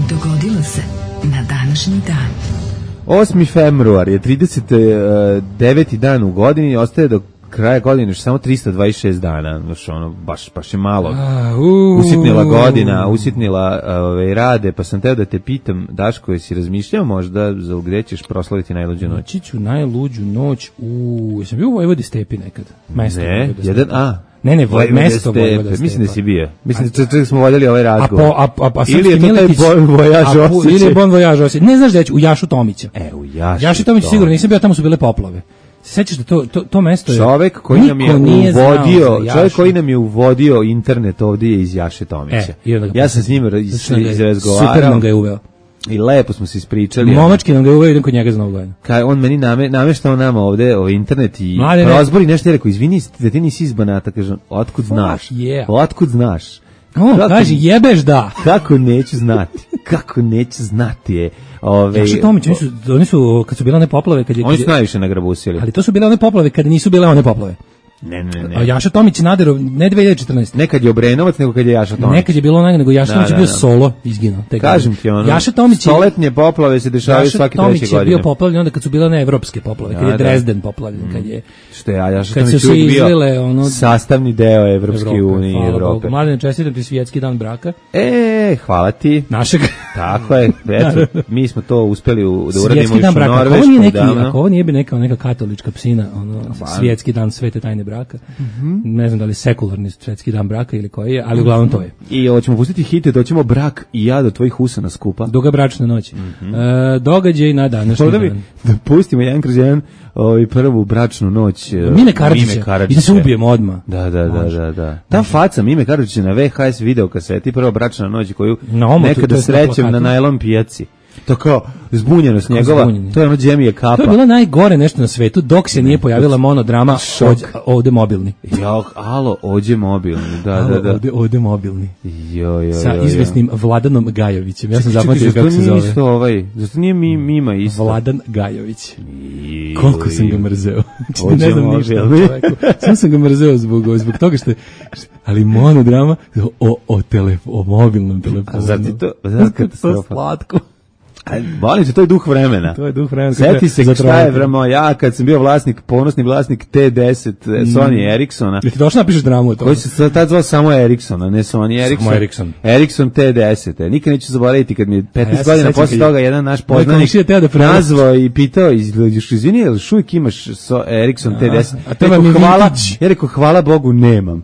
Dogodilo se na današnji dan. 8. februar je 39. dan u godini, ostaje do kraja godine još samo 326 dana, znači ono baš je malo. Usitnila godina, usitnila rade, pa sam teo da te pitam, Daško, jesi razmišljao možda za gde ćeš proslaviti najluđu noć? Noći ću najluđu noć jesam bio u Vojvodi Stepi nekad? Mesto ne, Ne, mesto Vojvoda Stepa. Mislim da si bio. Mislim da smo voljeli ovaj razgovor. Ili je to taj Bon Voyage osjećaj? Ili je Bon Voyage osjećaj? Ne znaš da je u Jašu Tomića. U Jašu. Jašu Tomića sigurno, nisam bio, tamo su bile poplave. Sećaš da to mesto je... Čovek koji nam je uvodio internet ovdje je iz Jaše Tomića. Ja sam s njim izrazgovarao. Super nam ga je uveo. I lepo smo se ispričali. Momački nam ga uveo, idem kod njega za Novu godinu. On meni nameštao nama ovde internet i prozbori nešto, je rekao, izvini da ti nisi iz Banata, kažem, otkud znaš? Otkud znaš? Kaži, jebeš da. Kako neću znati je. Jaša Tomić, oni su, kad su bile one poplave... Oni su najviše nagrabusili. Ali to su bile one poplave kada nisu bile one poplave. Ne. A Jaša Tomić je naderao, ne 2014. Nekad je Obrenovac, nego kad je Jaša Tomić. Nekad je bilo onaj, nego Jaša Tomić je bio solo izginuo. Kažem ti ono, Jaša Tomić stoletnje poplave se dešavaju svake 3. godine. Jaša Tomić je bio poplavljen onda kad su bile one evropske poplave, kad je Dresden poplavljen, kad je... Što je, Jaša Tomić uvijek bio sastavni deo Evropske unije i Evrope. Mladen, čestitam ti svjetski dan braka. Hvala ti. Našeg. Tako je, eto, mi smo to uspeli da uradimo još u Norvešku. Ako ovo nije bi neka katolička psina, svjetski dan svete tajne braka. Ne znam da li sekularni svetski dan braka ili koji je, ali uglavnom to je. I hoćemo pustiti hite, doćemo Brak i ja do tvojih usana skupa. Duga bračna noć. Događaj na današnji dan. Da pustimo jedan kroz jedan prvu bračnu noć Mime Karadžića. I da se ubijemo odmah. Da. Ta faca Mime Karadžića na VHS video kaseti, prva bračna noć koju nekada srećem na najlon pijaci. To kao zbunjenost njegova, to je ono Džemije kapa. To je bilo najgore nešto na svetu, dok se nije pojavila monodrama Ovde mobilni. Ovdje mobilni, da. Ovde mobilni. Sa izvesnim Vladanom Gajovićem. Ja sam zapamtio kako se zove. Zašto nije Mima isto? Vladan Gajović. Koliko sam ga mrzeo. Ne znam ništa o čoveku. Sam sam ga mrzeo zbog toga što je... Ali monodrama o mobilnom telefonu. Zar ti to slatko? Volim se, to je duh vremena. Sjeti se šta je ja kad sam bio ponosni vlasnik T10 Sony Ericssona. Ti došao napišeš dramu o tome? Koji se tad zvao samo Ericssona, ne Sony Ericsson. Ericsson T10. Nikad neću zaboraviti kad mi je 15 godina posle toga jedan naš poznanik nazvao i pitao, izvini, jel uvijek imaš Ericsson T10? Ja rekao, hvala Bogu, nemam.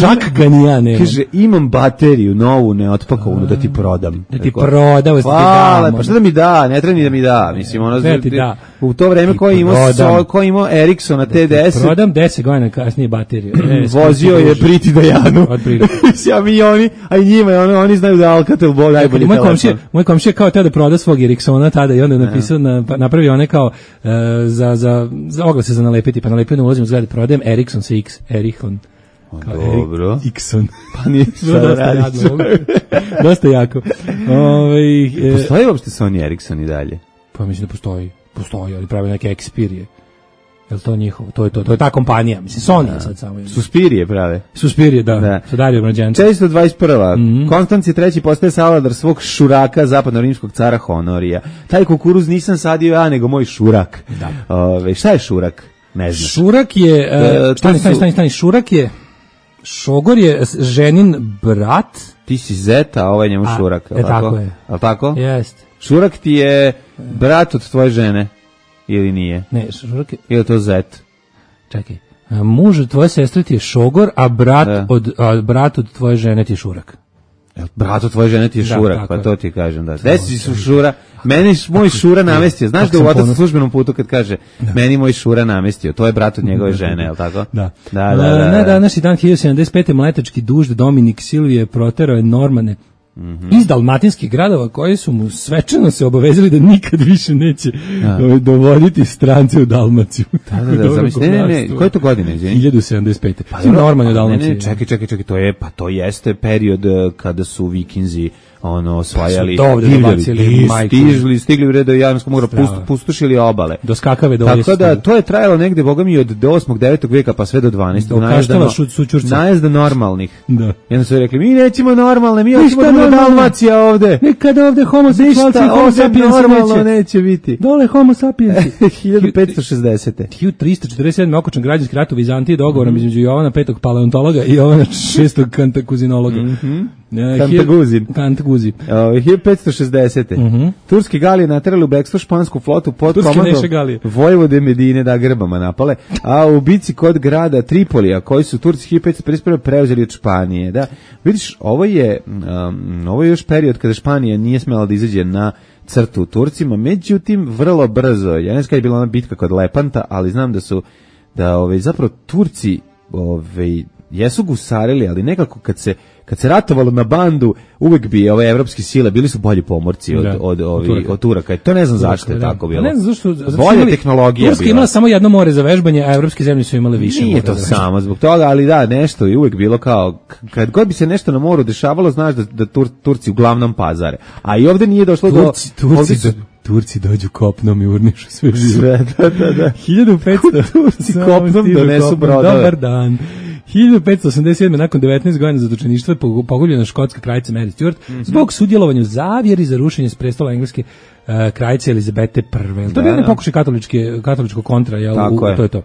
Čak ga ni ja nemam. Kaže, imam bateriju novu, neotpakovanu, da ti prodam. Da ti prodam, hvala, pa šta da mi da, ne treba ni da mi da, mislim, u to vreme ko imao Ericssona T10, prodam 10 godina kasnije bateriju. Vozio je Priti Dajanu, oni, a i njima, oni znaju da Alcatel bol najbolji telefon. Moj komšija kao teo da proda svog Ericssona tada i onda je napisao, napravio one kao za oglase za nalepiti, pa nalepio na ulazim u zgrade, prodajem Ericsson sa X, Ericsson. Dobro. Ikson. Pa nije što da radiš. Dosta jako. Postoji uopšte Sony Ericsson i dalje? Pa mislim da postoji. Postoji, ali pravi neke Xperia. Je li to njihovo? To je ta kompanija. Mislim, Sony sad samo. Suspirije prave. Suspirije, da. Sa Dario Mlađanca. 421. Konstanci III. Postaje savladar svog šuraka zapadno-rimskog cara Honorija. Taj kukuruz nisam sadio ja, nego moj šurak. Da. Šta je šurak? Ne znam. Šurak je... Stani. Šurak je... Šogor je ženin brat. Ti si zeta, a ovaj njemu šurak. Tako je. Ali tako? Jeste. Šurak ti je brat od tvoje žene. Ili nije? Ne, šurak je... Ili to zet? Čekaj. Muž od tvoje sestre ti je šogor, a brat od tvoje žene ti je šurak. Brat od tvoje žene ti je šurak, pa to ti kažem. Desi su šura, meni moj šura namestio. Znaš da u otac na službenom putu kad kaže meni moj šura namestio, to je brat od njegove žene, je li tako? Da. Na današnji dan 1075. mletački dužd Dominik Silvije proterao je Normane iz dalmatinskih gradova koji su mu svečano se obavezali da nikad više neće dovoditi strance u Dalmaciju. Ne, koje to godine? 1075. Pa normalno u Dalmaciji. Ne, čekaj, to jeste period kada su Vikinzi osvajali, stigli u redu Jadranskog mora, pustošili obale. Do Skakave do Tako da to je trajalo negde, boga mi, od 8. 9. veka pa sve do 12. Najezda normalnih. Da. Jedno su rekli, mi nećemo normalne, mi hoćemo da bude Dalmacija ovde. Nikada ovde homoseksualci i homo sapiens neće biti. Dole homo sapiens. 1560. 1347. okončan građanski rat u Vizantiji dogovorom između Jovana V. paleontologa i Jovana VI. kantakuzinologa. Kantaguzin. 1560. Turski Galije naterali u bekstvo špansku flotu pod komandom Vojvode Medine da Grbama napale, a u bici kod grada Tripolija, koji su Turci 1551 preuzeli od Španije. Da, vidiš, ovo je još period kada Španija nije smela da izađe na crtu Turcima, međutim vrlo brzo, ja ne znam kada je bila ona bitka kod Lepanta, ali znam da zapravo Turci jesu gusarili, ali nekako kad se ratovalo na bandu, uvek bi ove evropske sile bili su bolji pomorci od Turaka. To ne znam zašto je tako bilo. Ne znam zašto. Bolja tehnologija. Turska imala samo jedno more za vežbanje, a evropske zemlje su imale više. Nije to samo zbog toga, ali da, nešto je uvek bilo kao, kad god bi se nešto na moru dešavalo, znaš da Turci uglavnom pazare. A i ovde nije došlo do... Turci dođu kopnom i urnišu sve živo. Da. 1500. Turci kopnom donesu brodove. Dobar dan. 1587. nakon 19 godina zatočeništva je pogubljena škotska kraljica Mary Stuart zbog sudjelovanja u zavjeri za rušenje s prestola engleske kraljice Elizabete I. To je jedan pokušaj katoličkog kontra, to je to.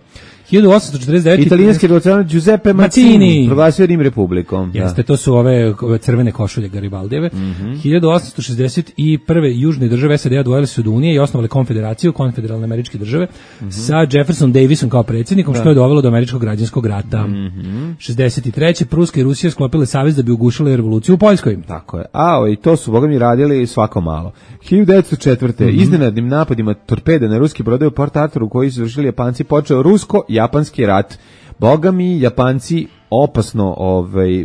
1849. Italijanski revolucionar Giuseppe Mazzini proglasio Rim republikom. Jeste, to su ove crvene košulje Garibaldijeve. 1861. južne države SAD odvojile se od Unije i osnovale konfederaciju, konfederalne američke države, sa Jefferson Davisom kao predsjednikom, što je dovelo do američkog građanskog rata. 63. Pruska i Rusija sklopile savez da bi ugušile revoluciju u Poljskoj. Tako je. I to su, boga mi, radili svako malo. 1904. Iznenadnim napadima torpede na ruski brodove u Port Arturu koji su vršili Japanci počeo rusko-japanski rat. Boga mi, Japanci opasno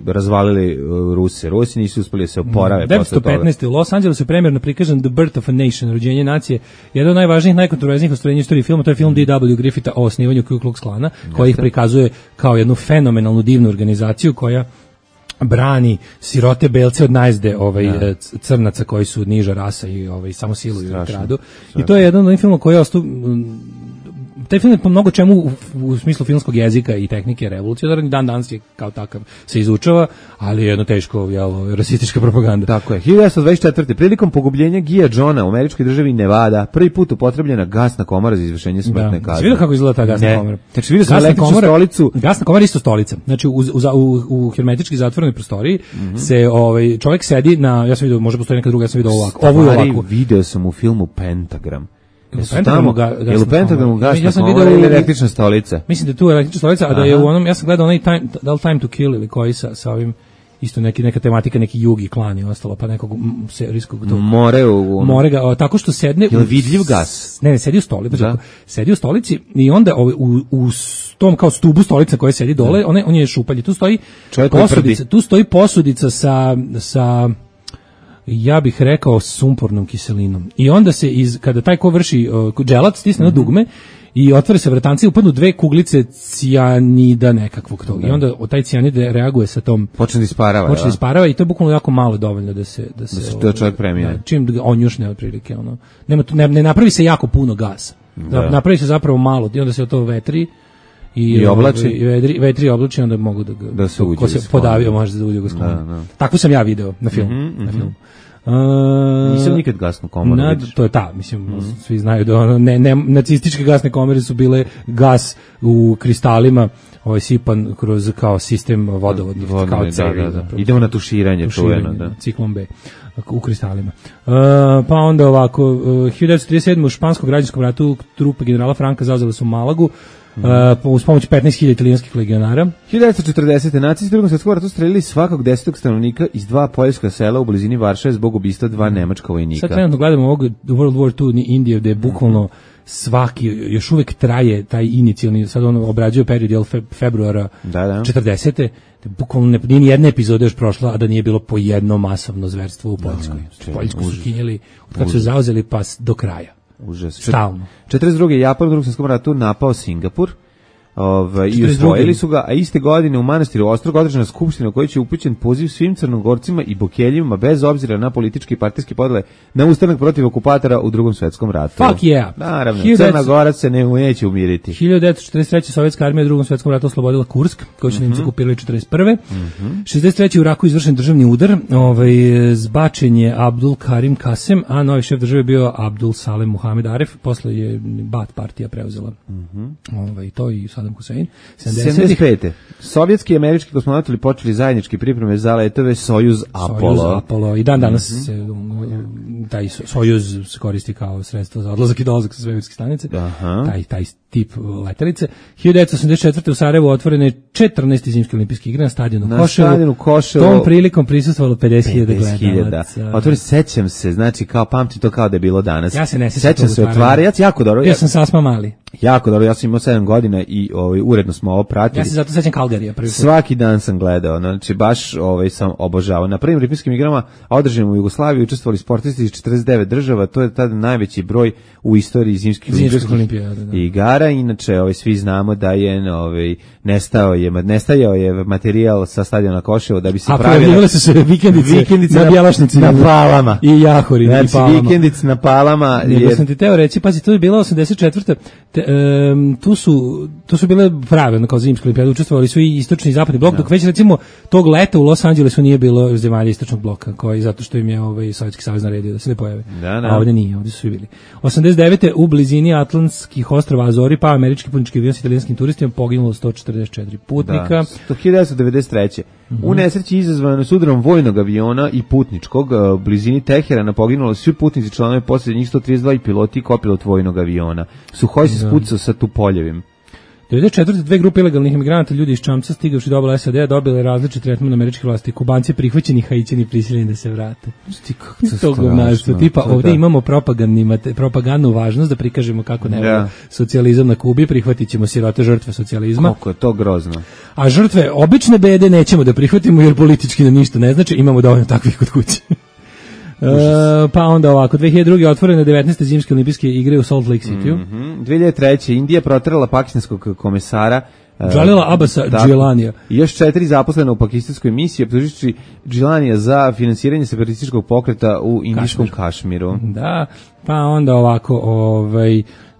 razvalili Ruse. Rusi nisu uspeli da se oporave posle toga. 1915. u Los Angelesu je premjerno prikazan The Birth of a Nation, rođenje nacije. Jedan od najvažnijih, najkontroverznijih ostvarenja istorije filma, to je film D.W. Griffitha o osnivanju Ku Klux Klana, koji ih prikazuje kao jednu fenomenalnu divnu organizaciju koja brani sirote belce od najezde crnaca koji su niža rasa i samo siluju i kradu. I to je jedan od filmova koji je ostao... Taj film je po mnogo čemu u smislu filmskog jezika i tehnike revolucionaran, dan danas je kao takav se izučava, ali je jedno teško rasistička propaganda. Tako je. 1924. prilikom pogubljenja Gia Johna u američkoj državi Nevada prvi put upotrebljena gasna komora za izvršenje smrtne kazne. Vidio kako izgleda ta gasna komora? Znači vidio sam električnu stolicu. Gasna komora je isto stolica. Znači u hermetički zatvorenoj prostoriji se čovjek sedi na, ja sam vidio, može postoji neka druga, ja sam vidio ovako. Ovo je ovako. Video sam u filmu Pentagram. Jel u Pentagramu gasna komora ili električna stolica? Mislim da je tu električna stolica, a da je u onom, ja sam gledao onaj Time to Kill ili koji sa ovim, isto neka tematika, neki Jugi klan i ostalo, pa nekog serijskog more ga, tako što sedne... Jel vidljiv gas? Ne, sedi u stolici, sedi u stolici i onda u tom kao stubu stolica koja sedi dole, on je šupalj, tu stoji posudica sa ja bih rekao sumpornom kiselinom. I onda se kada taj ko vrši dželat stisne na dugme i otvore se vratanci i upadnu dve kuglice cijanida nekakvog tog. I onda taj cijanid reaguje sa tom... Počne da isparava. I to je bukvalno jako malo dovoljno da se čovjek premije. Čim on njušne otprilike. Ne napravi se jako puno gasa. Napravi se zapravo malo i onda se to vetri. I oblači. Vetri i oblači, onda mogu da se uđe. Ko se podavio može da uđe u sklonu. Tako sam ja video na filmu. Nisam nikad gasnu komoru vidiš. To je svi znaju da nacističke gasne komore su bile gas u kristalima sipan kroz kao sistem vodovodnih, kao cevi. Idemo na tuširanje, ciklon B u kristalima. Pa onda ovako, 1937. u španskom građanskom ratu trupe generala Franka zauzele su Malagu, uz pomoć 15.000 italijanskih legionara. 1940. nacisti u Drugom svjetskom ratu streljali svakog 10. stanovnika iz 2 poljska sela u blizini Varšave zbog ubistva 2 nemačka vojnika. Sad trenutno gledamo ovog World War II Indije, gde je bukvalno svaki, još uvek traje taj inicijalni, sad on obrađuje period februara 40. Bukvalno nije ni jedna epizoda još prošla, a da nije bilo po jedno masovno zverstvo u Poljskoj. Poljsku su kinjeli od kad su zauzeli pas do kraja. Užas. Stalno. 42. Japan u Drugom svjetskom ratu napao Singapur. I osvojili su ga, a iste godine u manastiru Ostrog održana skupština u kojoj će upućen poziv svim Crnogorcima i Bokeljima bez obzira na političke i partijske podele na ustanak protiv okupatora u Drugom svjetskom ratu. Fuck yeah. Naravno, Crna Gora se neće umiriti. 1943. Sovjetska armija u Drugom svjetskom ratu oslobodila Kursk, koji su Nemci okupirali 1941. 63. u Iraku izvršen državni udar, zbačen je Abdul Karim Kasem, a novi šef države bio Abdul Salem Muhamed Aref, posle je Baath partija preuzela. To i Saddam Hussein. 75. Sovjetski i američki kosmonauti počeli zajedničke pripreme za letove Sojuz Apollo. I dan danas se taj Sojuz se koristi kao sredstvo za odlazak i dolazak sa svemirske stanice. Taj tip letelice. 1984. u Sarajevu otvorene 14. zimske olimpijske igre na stadionu Koševo. Tom prilikom prisustvovalo 50.000 gledalaca. Otvoreno, sećam se, znači kao pamtim to kao da je bilo danas. Ja se ne sjećam. Sećam se otvara, ja jako dobro. Ja sam sasma mali. Jako dobro, ja sam imao 7 godina i uredno smo ovo pratili. Ja se zato sećam Calgaryja prvi put. Svaki dan sam gledao, znači baš sam obožavao. Na prvim olimpijskim igrama održanim u Jugoslaviji učestvovali sportisti iz 49 država, to je tada najveći broj u istoriji zimskih olimpijskih igara. Inače, svi znamo da je nestajao je materijal sa stadiona Koševo da bi se pravile. A pojavile su se vikendice na Bjelašnici na Palama. I Jahori znači, i Palama. Vikendice na Palama. Nego sam ti teo reći, pazi, to je bila 84. Tu su bile prave kao zimske olimpijade, učestvovali su i istočni i zapadni blok, dok već recimo tog leta u Los Angelesu nije bilo zemalja istočnog bloka, koji zato što im je Sovjetski savez naredio da se ne pojave. A ovdje nije, ovdje su svi bili. 89. u blizini Atlantskih ostrava Azori pa američki putnički avion s italijanskim turistima poginulo 144 putnika. 1993. U nesreći izazvanoj s udarom vojnog aviona i putničkog u blizini Teherana poginulo svi putnici, članovi posade, njih 132 i piloti i kopilot vojnog aviona. Suhoj se spucao sa Tupoljevim. 94. dve grupe ilegalnih emigranata, ljudi iz Čamca stigavši do obale SAD-a, dobile različit tretman američkih vlasti. Kubanci prihvaćeni, Hajićani prisiljeni da se vrate. To govnaštvo. Tipa, ovdje imamo propagandnu važnost da prikažemo kako ne socijalizam na Kubi, prihvatit ćemo sirote žrtve socijalizma. Koliko je to grozno. A žrtve obične bede nećemo da prihvatimo jer politički nam ništa ne znači, imamo dovoljno takvih kod kuće. Pa onda ovako, 2002. otvorene 19. zimske olimpijske igre u Salt Lake City. 2003. Indija proterala pakistanskog komesara Jalila Abasa Džilanija. I još 4 zaposlena u pakistanskoj misiji, optužujući Džilanija za finansiranje separatističkog pokreta u indijskom Kašmiru. Da, pa onda ovako,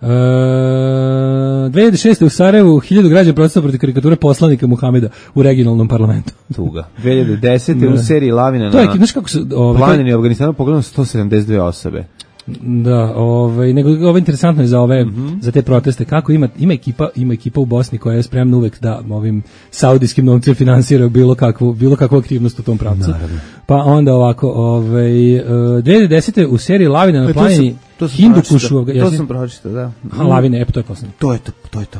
2006. u Sarajevu 1000 građana protestovalo protiv karikature poslanika Muhameda u regionalnom parlamentu. Tuga. 2010. u seriji Lavina to je, znaš kako su planini u Afganistanu pogledano 172 osobe. Da, nego ovo interesantno je za za te proteste, kako ima ekipa u Bosni koja je spremna uvek da ovim saudijskim novcem finansira bilo kakvu aktivnost u tom pravcu. Naravno. Pa onda ovako, 2010. u seriji Lavina na planini Hindukušu. To sam pročitao, da. Lavine, to je poslednje. To je to.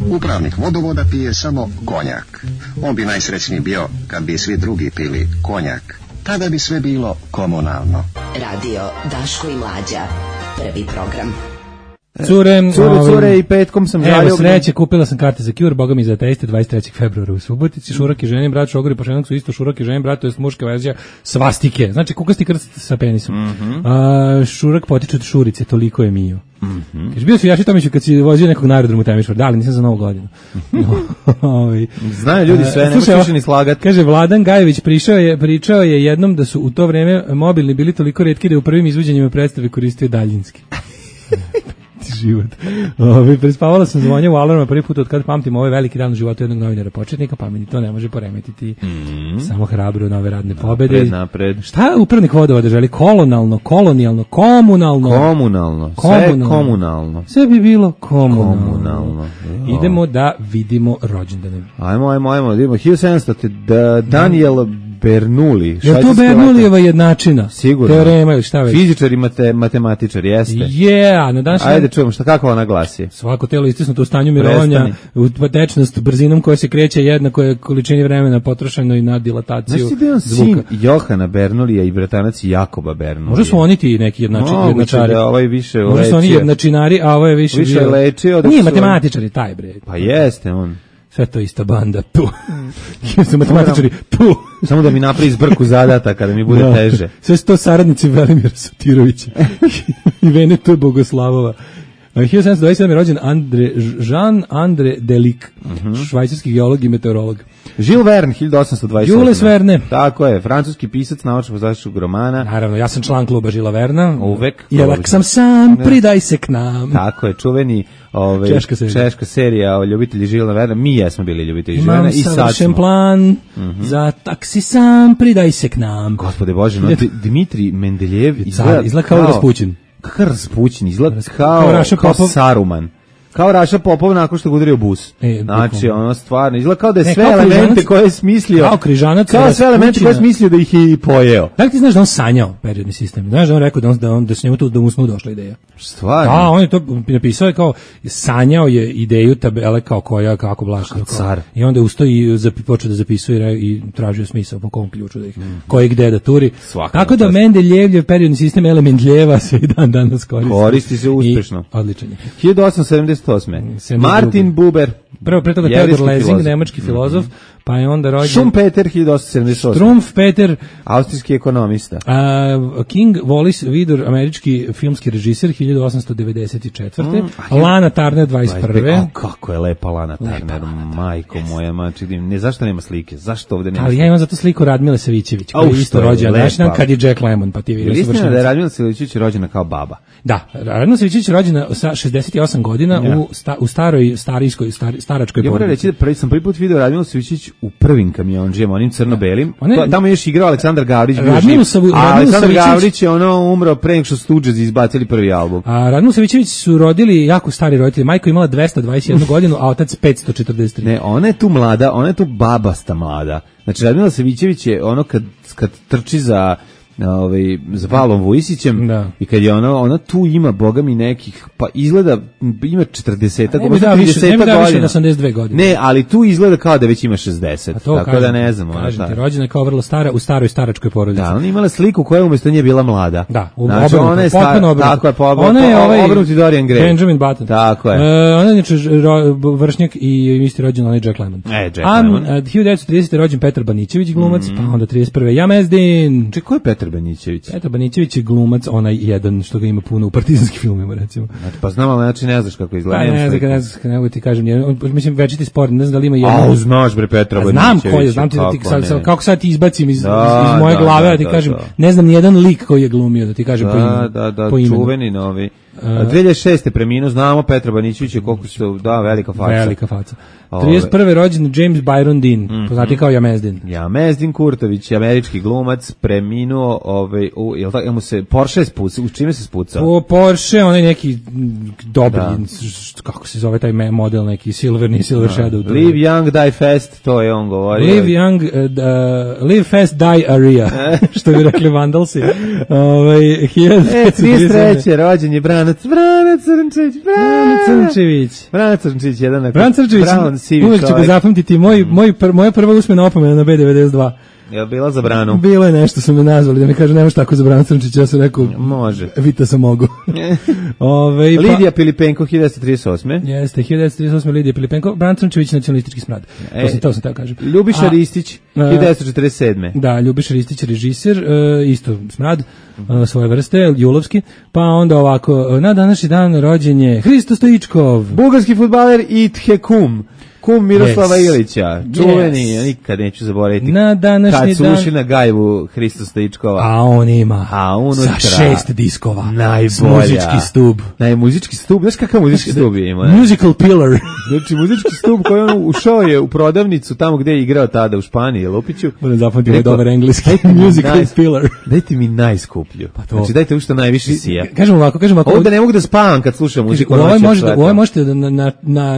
Upravnik vodovoda pije samo konjak. On bi najsrećniji bio kad bi svi drugi pili konjak. Tada bi sve bilo komunalno. Radio Daško i Mlađa. Prvi program. Cure i petkom sam žalio. Evo sreće, kupila sam karte za Cure, boga mi za teiste 23. februara u Subotici. Šurak i ženin brat, šogor i pošenak su isto Šurak i ženin brat, to je muška verzija svastike. Znači kukasti krst sa penisom. Šurak potiče od Šurice, toliko je mio. Kaže, bio su Jaši Tomiću kad si vozio nekog na aerodromu Temišvar, da, ali nisam za Novu godinu. Znaju ljudi sve, nema više ni slagati. Kaže, Vladan Gajević pričao je jednom da su u to vreme mobilni bili toliko retki da u prvim izvođenjima predstave koristio daljinski. Život. Prespavala sam zvonje u alarma prvi put od kad pamtim ovaj veliki dan u životu jednog novinara početnika, pa mi to ne može poremetiti. Samo hrabro nove radne pobede. Napred. Šta upravnik vodovoda želi? Kolonijalno, kolonijalno, komunalno. Sve komunalno. Sve bi bilo komunalno. Idemo da vidimo rođendane. Ajmo, vidimo. 1700. Daniel Bernoulli. Je to Bernoullijeva jednačina? Sigurno. Teorema ili šta već? Fizičar i matematičar, jeste. Na današnji... Ajde čujemo, kako ona glasi? Svako telo istisnuto u stanju mirovanja, tečnost brzinom koja se kreće jednako je količini vremena potrošeno i na dilataciju zvuka. Znaš ti da on sin Johana Bernoulija i bratanac Jakoba Bernoulija? Možda su oni ti neki jednačari. Da ovaj više možda su oni jednačinari, a ovo je više lečio. Nije matematičari taj bre. Pa jeste on. Sve to ista banda. Su matematičari. Samo da mi napravi zbrku zadata da mi bude teže. Sve su to saradnici Velimira Sotirovića i Venetu Bogoslavova. 1727. je rođen Jean-André Delic, švajcarski geolog i meteorolog. Jules Verne, 1827. Jules Verne. Tako je, francuski pisac naučno-fantastičkog romana. Naravno, ja sam član kluba Žila Verna. Uvek. Jelak sam sam, pridaj se k nam. Tako je, čuveni češka serija o ljubitelji Žila Verna. Mi jesmo bili ljubitelji Žila Verna i sad smo. Imam savršen plan, za taksi sam, pridaj se k nam. Gospode Bože, no, Dmitrij Mendeljev izgleda kao Raspućin. Kakav Raspućin, izgleda kao Saruman. Kao Raša Popov nakon što ga udario bus. Znači, ono stvarno, izgleda kao da je sve elemente koje je smislio. Kao križanac. Kao sve elemente koje je smislio da ih je i pojeo. Da li ti znaš da on sanjao periodni sistem? Znaš da on rekao da se njemu tu da mu smo došla ideja? Stvarno? Da, on je to napisao je kao, sanjao je ideju tabele kao koja, kako blašno. Car. I onda ustao i počeo da zapisuje i tražio smisao po kom ključu da ih, koji gde da turi. Tako da Mendeljevljev periodni sistem Mendljeva se i dan danas koristi. Koristi se uspešno. Odličan je. 1878. Martin Buber. Pre toga Theodor Lessing, nemački filozof, pa je onda rođen Schumpeter 1878. Schumpeter, austrijski ekonomista. King Wallace Vidor, američki filmski režiser 1894. Lana Turner 21. Kako je lepa Lana Turner, majko moja, ne zašto nema slike? Zašto ovde nema? Ali ja imam zato sliku Radmile Savićević, koja je isto rođena naš dan kad je Jack Lemmon, pa ti vidiš. Istina da je Radmila Savićević rođena kao baba. Da, Radmila Savićević je rođena sa 68 godina u staroj staračkoj porodici. Ja moram reći da sam prvi put video Radmilu Savićević u prvim kamionđijama, onim crno-belim. Tamo je još igrao Aleksandar Gavrić. Aleksandar Gavrić je umro pre nego što Stooges izbacili prvi album. A Radmilu Savićević su rodili jako stari roditelji. Majko imala 221 godinu, a otac 543. Ne, ona je tu mlada, ona je tu babasta mlada. Znači Radmila Savićević je ono kad trči za Valom Vujisićem i kad je ona tu ima bogami nekih, pa izgleda ima 40-ak, ne mi da više na 82 godine. Ne, ali tu izgleda kao da već ima 60, tako kažem, da ne znam. Kažem ti, rođena je kao vrlo stara, u staroj staračkoj porodici. Da, ona imala sliku koja umjesto nje bila mlada. Da, znači, ona je tako je, ona je obrnuti Dorian Gray. Benjamin Button. Tako je. Ona je vršnjak i isti rođen onaj Jack Lemmon. Jack Lemmon. 1930. rođen Petar Banićević, glumac, pa onda 31. Jamezdin. Čekaj, ko je Petar Banićević? Petar Banićević je glumac, onaj jedan što ga ima puno u partizanskim filmima, recimo. Pa znam, ali znači ne znaš kako izgleda. Ne znam, nego ti kažem, mislim, večiti sport, ne znam da li ima jedan. Znaš bre Petra Banićevića. Znam ko je, znam ti da ti kako sad ti izbacim iz moje glave, da ti kažem, ne znam ni jedan lik koji je glumio, da ti kažem po imenu. Da, čuveni novi. 2006. preminuo, znamo Petra Banićevića, koliko su, velika faca. Velika faca. 31. rođen James Byron Dean, poznati kao Jamezdin. Jamezdin Kurtović, američki glumac, preminuo, jel mu se Porsche spucao, u čime se spucao? Porsche, onaj neki dobri, kako se zove taj model, neki Silver Shadow. Live young, die fast, to je on govorio. Live fast, die area, što bi rekli Vandalsi. 33. rođen je Branac Crnčević, jedan Bran Crnčević, uvijek ću ga zapamtiti, moja prva usmena opomena na B92. Je li bila za Branu? Bilo je nešto, su me nazvali, da mi kaže nemaš tako za Branu Crnčića, ja sam rekao, može. Vita sam mogu. Lidija Pilipenko, 1938. Jeste, 1938. Lidija Pilipenko, Bran Crnčević, nacionalistički smrad. To sam teo kažem. Ljubiša Ristić, 1947. Da, Ljubiša Ristić, režiser, isto smrad, svoje vrste, julovski, pa onda ovako, na današnji dan rođen je Hristo Stoičkov, bugarski fudbaler i Tchekum. Kum Miroslava Ilića, čuveni, nikad neću zaboraviti. Na današnji kad su ušli na gajbu Hristo Stoičkova. A on ima unutra, sa 6 diskova. Najbolja. Muzički stub. Muzički stub, znaš kakav muzički stub ima? Musical pillar. Znači, muzički stub koji on ušao je u prodavnicu tamo gde je igrao tada u Španiji, Lupiću. Budem zapamtio dobar engleski. Musical pillar. Dajte mi najskuplju. Pa znači, dajte u što najviše sija. Kažem ovako. Ovdje ne mogu da spavam kad slušam muziku. Ovo možete da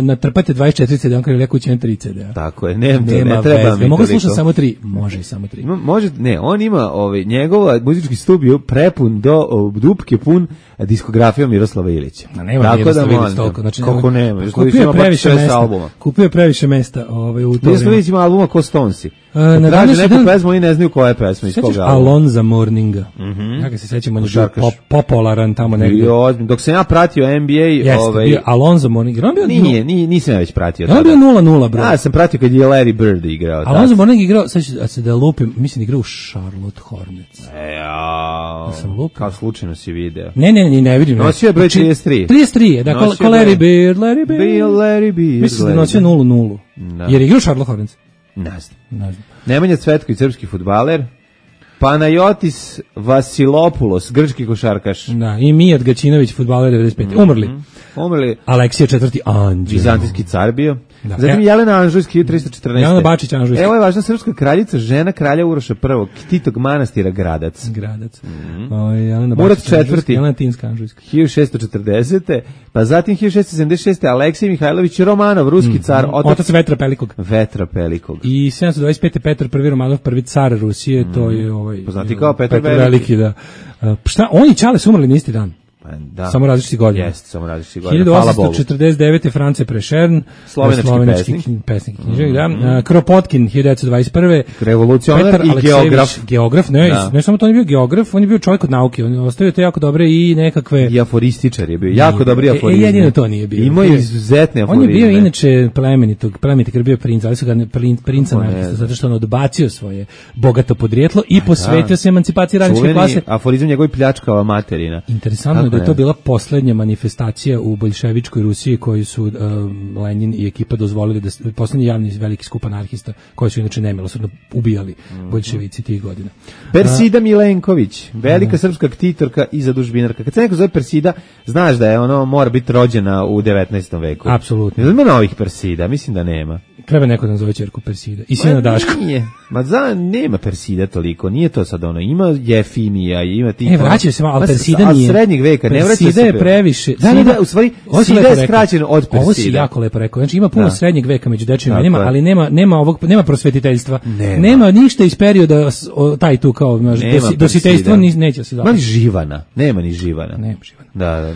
natrpate 24 CD, on kaže ali ja kući imam 3 CD-a. Tako je, ne treba mi. Mogu slušati samo 3, može i samo 3. Može, ne, on ima njegov muzički studio prepun do dupke pun diskografijom Miroslava Ilića. Nema Miroslava Ilića toliko. Znači, kako nema? Kupio je previše mesta u to. Miroslava Ilić ima albuma ko Stonesi. Traže neku pesmu, oni ne znaju koja je pesma iz koga. Alonza Morninga. Ja ga se sećam, on je bio popularan tamo negdje. Dok sam ja pratio NBA... Jeste, bio Alonza Morninga. Nisam ja već pratio. On bio 0-0, bro. Ja sam pratio kad je Larry Bird igrao. Alonza Morninga igrao, sad se da lupim, mislim igrao u Charlotte Hornets. Kao slučajno si video. Ne vidim. Nosio je broj 33. 33, da, ko Larry Bird. Mislim da nosio 0-0. Jer je igrao u Charlotte Hornets. Ne znam. Nemanja Cvetković, srpski fudbaler. Panajotis Vasilopoulos, grčki košarkaš. Da, i Mijat Gaćinović, fudbaler 95. Umrli. Aleksija IV. Anđeo. Vizantijski car bio. Da. Zatim Jelena Anžujski, 1314. Jelena Bačić Anžujski. Evo je važna srpska kraljica, žena kralja Uroša I, Ktitog manastira Gradac. Murat IV. Jelena Tinska Anžujska. 1640. Pa zatim 1676. Aleksij Mihajlović Romanov, ruski car. Otac Vetra Pelikog. I 725. Petar I. Romanov, prvi car Rusije, to je poznati kao Petar Veliki. Da. Šta, oni i Čale su umrli na isti dan. Da. Samo različiti godina. Jeste, samo različiti godina. 1849. France Prešern, slovenački pesnik i književnik, da. Kropotkin, 1921. Revolucionar i geograf. Ne samo to, on je bio geograf, on je bio čovjek od nauke, on je ostavio to jako dobre i nekakve... I aforističar je bio, jako dobri aforizmi. Jedino to nije bio. Imao je izuzetne aforizme. On je bio inače plemeniti, jer bio princ, ali su ga princa napisali, zato što on odbacio svoje bogato podrijetlo i posvetio se emancipaciji radničke klase. Čuveni aforizam njegov pljačkava materina. Interesantno da je to bila poslednja manifestacija u boljševičkoj Rusiji koju su Lenin i ekipa dozvolili, da poslednji javni veliki skup anarhista koji su inače nemilosrdno ubijali boljševici tih godina. Persida Milenković, velika srpska ktitorka i zadužbinarka. Kad se neko zove Persida, znaš da je mora biti rođena u 19. veku. Apsolutno. Ima novih Persida, mislim da nema. Treba neko da nazove ćerku Persida. I sina Daško. Nije. Nema Persida toliko, nije to sad ima Jefimija, ima ti... vraćaju se malo, Persida nije. Od srednjeg veka, ne vraća se... Persida je previše... U stvari, Persida je skraćeno od Persida. Ovo si jako lepo rekao. Znači, ima puno srednjeg veka među dečjim imenima, ali nema prosvetiteljstva. Nema ništa iz perioda, taj tu kao, dositejstvo neće se zapati. Nema ni Živana. Da.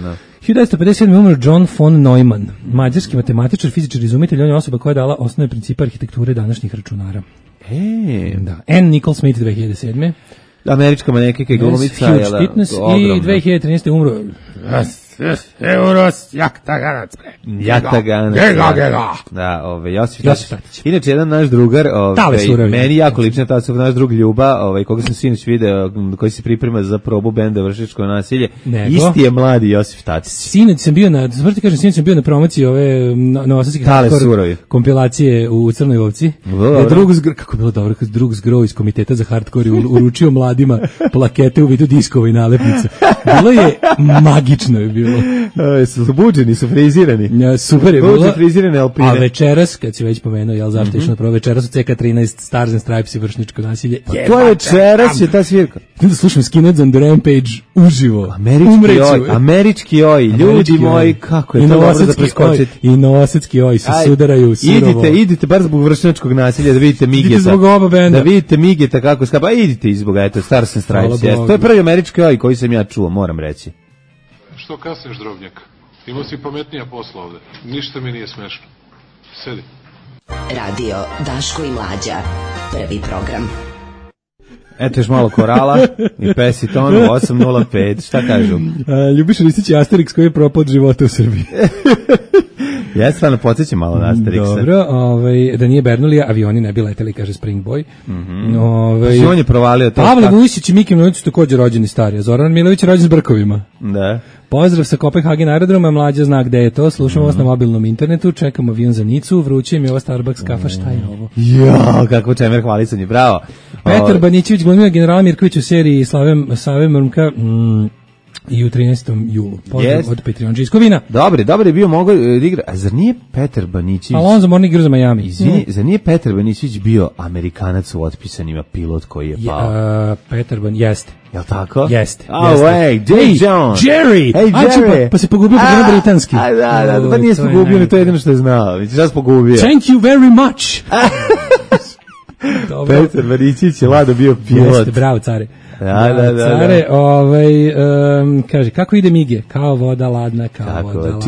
1957. umro John von Neumann, mađarski matematičar, fizičar i izumitelj, on je osoba koja je dala osnovne principe arhitekture današnjih računara. Da. Anne Nicole Smith 2007. Američka manekenka i glumica. Huge fitness i 2013. umro Euros Jaktaganac. Da, Josif Tatić. Inače, jedan naš drugar, meni jako lično naš drug Ljuba, koga sam sinoć video, koji se priprema za probu benda Vršnjačko nasilje, isti je mladi Josif Tatić. Sinoć sam bio na promociji ove novosadske kompilacije u Crnoj Vovci. Kako je bilo dobro, kad drug Zgrov iz Komiteta za hardcore uručio mladima plakete u vidu diskova i nalepnica. Bilo je magično je bilo. Su buđeni, su frizirani. Super je bilo. Frizirane alpine. A večeras, kad si već pomenuo, zašto išao na prvo, večeras u CK13 Stars and Stripes i Vršnjačko nasilje. To je večeras je ta svirka. Da slušam Skinheads on the Rampage uživo. Američki oj, ljudi moji, kako je to dobro da preskočiti. I novosadski oj se sudaraju surovo. Idite bar zbog Vršnjačkog nasilja da vidite Migeta. Idite zbog oba benda. Da vidite Migeta kako skapa. Idite izbog, Stars and Stripes. To je prvi američki oj koji sam ja čuo, moram reći. Što kasniš, drobnjak? Imao si pametnija posla ovde. Ništa mi nije smešno. Sedi. Radio Daško i Mlađa. Prvi program. Eto još malo korala i Pesitonu 805. Šta kažu? Ljubiš Ristić Asterix koji je propao od života u Srbiji. Ja stvarno podsjećam malo na Asterixa. Dobro, da nije Bernulija, avioni ne bi leteli, kaže Spring Boy. On je provalio to. Pavle Vujsić i Miki Milović su također rođeni stari. Zoran Milović je rođen s brkovima. Da. Pozdrav sa Kopenhagen aerodroma, Mlađa zna gde je to, slušamo vas na mobilnom internetu, čekamo avion za Nicu, vruće mi je ovo Starbucks kafa, šta je ovo? Jo, kakvo čemer hvalisanje, bravo. Petar Banićević glumio generala Mirković u seriji Save Mrmka, I u 13. julu. Pozdrav od Patreon Džiskovina. Dobre je bio mogao da igra. A zar nije Petar Banićić? Alonso Morning igra za Miami. Izvini, zar nije Petar Banićić bio Amerikanac u Otpisanima, pilot koji je pao? Petar Banićić, jeste. Jel tako? Jeste. Oh, hey, Jones. Jerry! Hey, Jerry! Pa se pogubio po britanski. Da, pa nije se pogubio, to je jedino što je znao. Mislim, šta se pogubio? Thank you very much! Petar Banićić je Lado bio pilot. Jeste, bravo, care. Da. Care, kaže, kako ide mige? Kao voda ladna, kao voda ladna.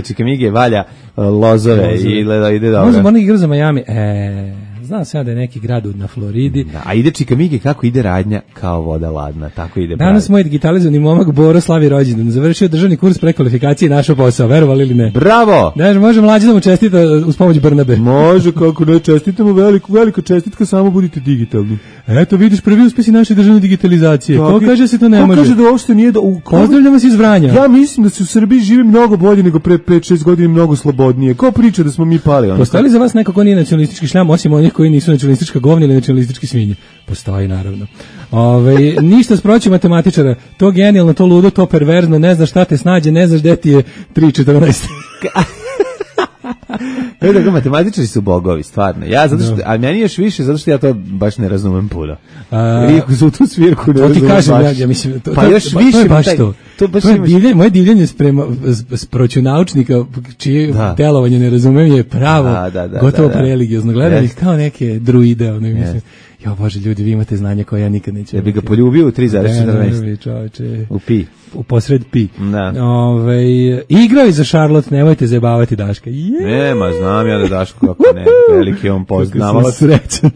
Čika mige, valja lozove i ide dobro. Možemo onih igra za Miami. Znam se ja da je neki grad na Floridi. Da, a ide Čika mige kako ide radnja, kao voda ladna, tako ide. Danas moj digitalizovani momak Boro slavi rođendan. Završio državni kurs prekvalifikacije i našao posao, verovali ili ne? Bravo! Da, može mlađi da mu čestita uz pomoć Brnabe. Može, kako ne, čestitamo velika čestitka, samo budite digitalni. Eto, vidiš prvi uspesi naše državne digitalizacije. Ko kaže da se to ne može? Ko kaže da uopšte nije Pozdravljamo se iz Vranja. Ja mislim da se u Srbiji živi mnogo bolje nego pre 5-6 godina, mnogo slobodnije. Ko priča da smo mi pali? Postoji li za vas neko ko nije nacionalistički šljam, osim onih koji nisu nacionalistička govna ili nacionalistički svinje? Postoji, naravno. Ništa sproći matematičara. To genijalno, to ludo, to perverzno, ne znaš šta te snađe, ne znaš gde ti je 3,14. Tako, matematičari su bogovi, stvarno. Ja zato što, a meni još više zato što ja to baš ne razumem puno. Iako za tu svirku ne razumem. To ti kažem, ja mislim, pa još više to je baš to. Moje divljenje s proću naučnika čije delovanje ne razumem je pravo, gotovo preligiozno. Gledam ih kao neke druide, mislim. Jo Bože, ljudi, vi imate znanje koje ja nikad neću. Ja bih ga poljubio u 3,14. U pi. U posred pi. Da. Igrao je za Charlotte, nemojte zajebavati Daška. Nema, znam ja da Daško, kako ne, veliki on poznavalac. Srećan.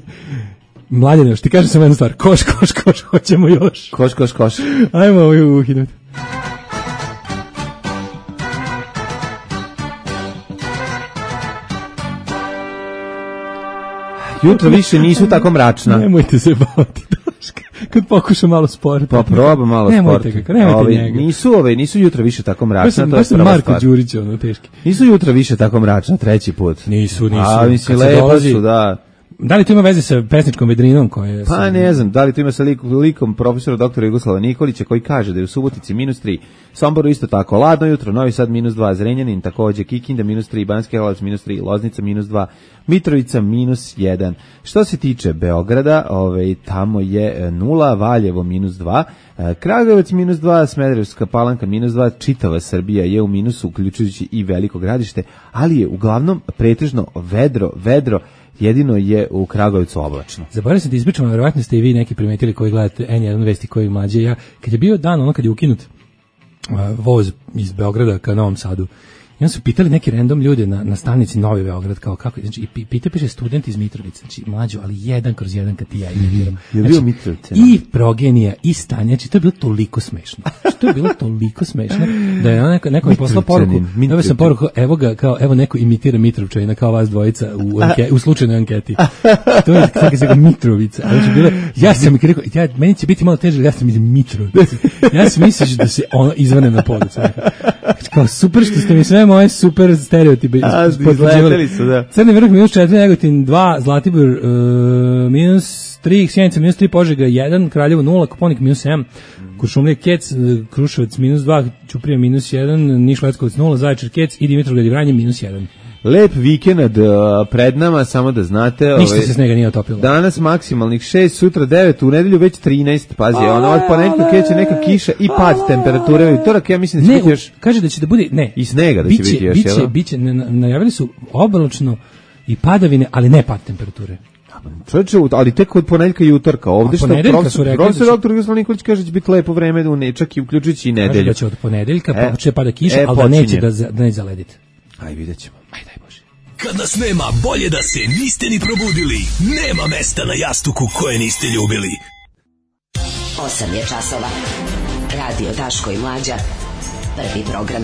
Mlađane, još ti kažem samo jednu stvar. Koš, hoćemo još. Koš. Ajmo ovo uhinuti. Jutro više nisu tako mračna. Nemojte se baviti Daška. Kad pokušam malo sporta. Pa probam malo sporta. Nemojte njega. Nisu jutro više tako mračna. Baš sam Marko Đurić, teški. Nisu jutro više tako mračna, treći put. Nisu. A mislim, lepo su, da. Da li to ima veze sa pesničkom vedrinom koje... Pa ne znam, da li to ima sa likom profesora doktora Jugoslava Nikolića koji kaže da je u Subotici -3, Somboru isto tako, ladno jutro, Novi Sad -2, Zrenjanin takođe, Kikinda -3, Banski Karlovac -3, Loznica -2, Mitrovica -1. Što se tiče Beograda, tamo je 0, Valjevo -2, Kragujevac -2, Smederevska Palanka -2, čitava Srbija je u minusu, uključujući i Veliko Gradište, ali je uglavnom pretežno vedro, jedino je u Kragujevcu oblačno. Zaboravio sam da ispričam, verovatno ste i vi neki primetili koji gledate N1 vesti koji mlađe. Ja, kad je bio dan, kad je ukinut voz iz Beograda ka Novom Sadu, i onda su pitali neki random ljude na stanici Novi Beograd, kao kako, znači, i piše student iz Mitrovice, znači mlađo, ali 1/1 kad ti ja imitiram. Je bio Mitrovice? I Progenija, i Stanja, znači to je bilo toliko smešno. Da je neko mi poslao poruku, dobio sam poruku, evo neko imitira Mitrovčanina kao vas dvojica u slučajnoj anketi. To je kako se ga Mitrovica, ali će bilo, ja sam mi rekao, meni će biti malo teže, ja sam iz Mitrovice. Ja sam mislio da se ono izvane na podu. Kao super što ste mi sve moje super stereotipe izgledali su, da. Crni vrh -4, Negotin 2, Zlatibor -3, Sjenica -3, Požega 1, Kraljevo 0, Koponik -7, Kuršumlija Kec, Kruševac -2, Ćuprija -1, Niš Leskovac 0, Zaječar Kec i Dimitrovgrad i Vranje -1. Lep vikend pred nama, samo da znate. Ništa se snega nije otopilo. Danas maksimalnih 6, sutra 9, u nedelju već 13, pazi, od ponedjeljka kreće neka kiša i pad temperature, u utorak ja mislim da će biti još... Kaže da će da bude, i snega da će biti još, jel? Biće, najavili su oblačno i padavine, ali ne pad temperature. Čovječe, ali tek od ponedjeljka i utorka. Ovdje što profesor doktor Jugoslav Nikolić kaže da će biti lepo vreme, čak i uključujući i nedelju. Kaže da će od ponedjeljka počne pada kiša, ali da neće da ne zalediti. Aj, vidjet ćemo. Aj, daj Bože. Kad nas nema, bolje da se niste ni probudili. Nema mesta na jastuku koje niste ljubili. 8 je časova. Radio Daško i Mlađa. Prvi program.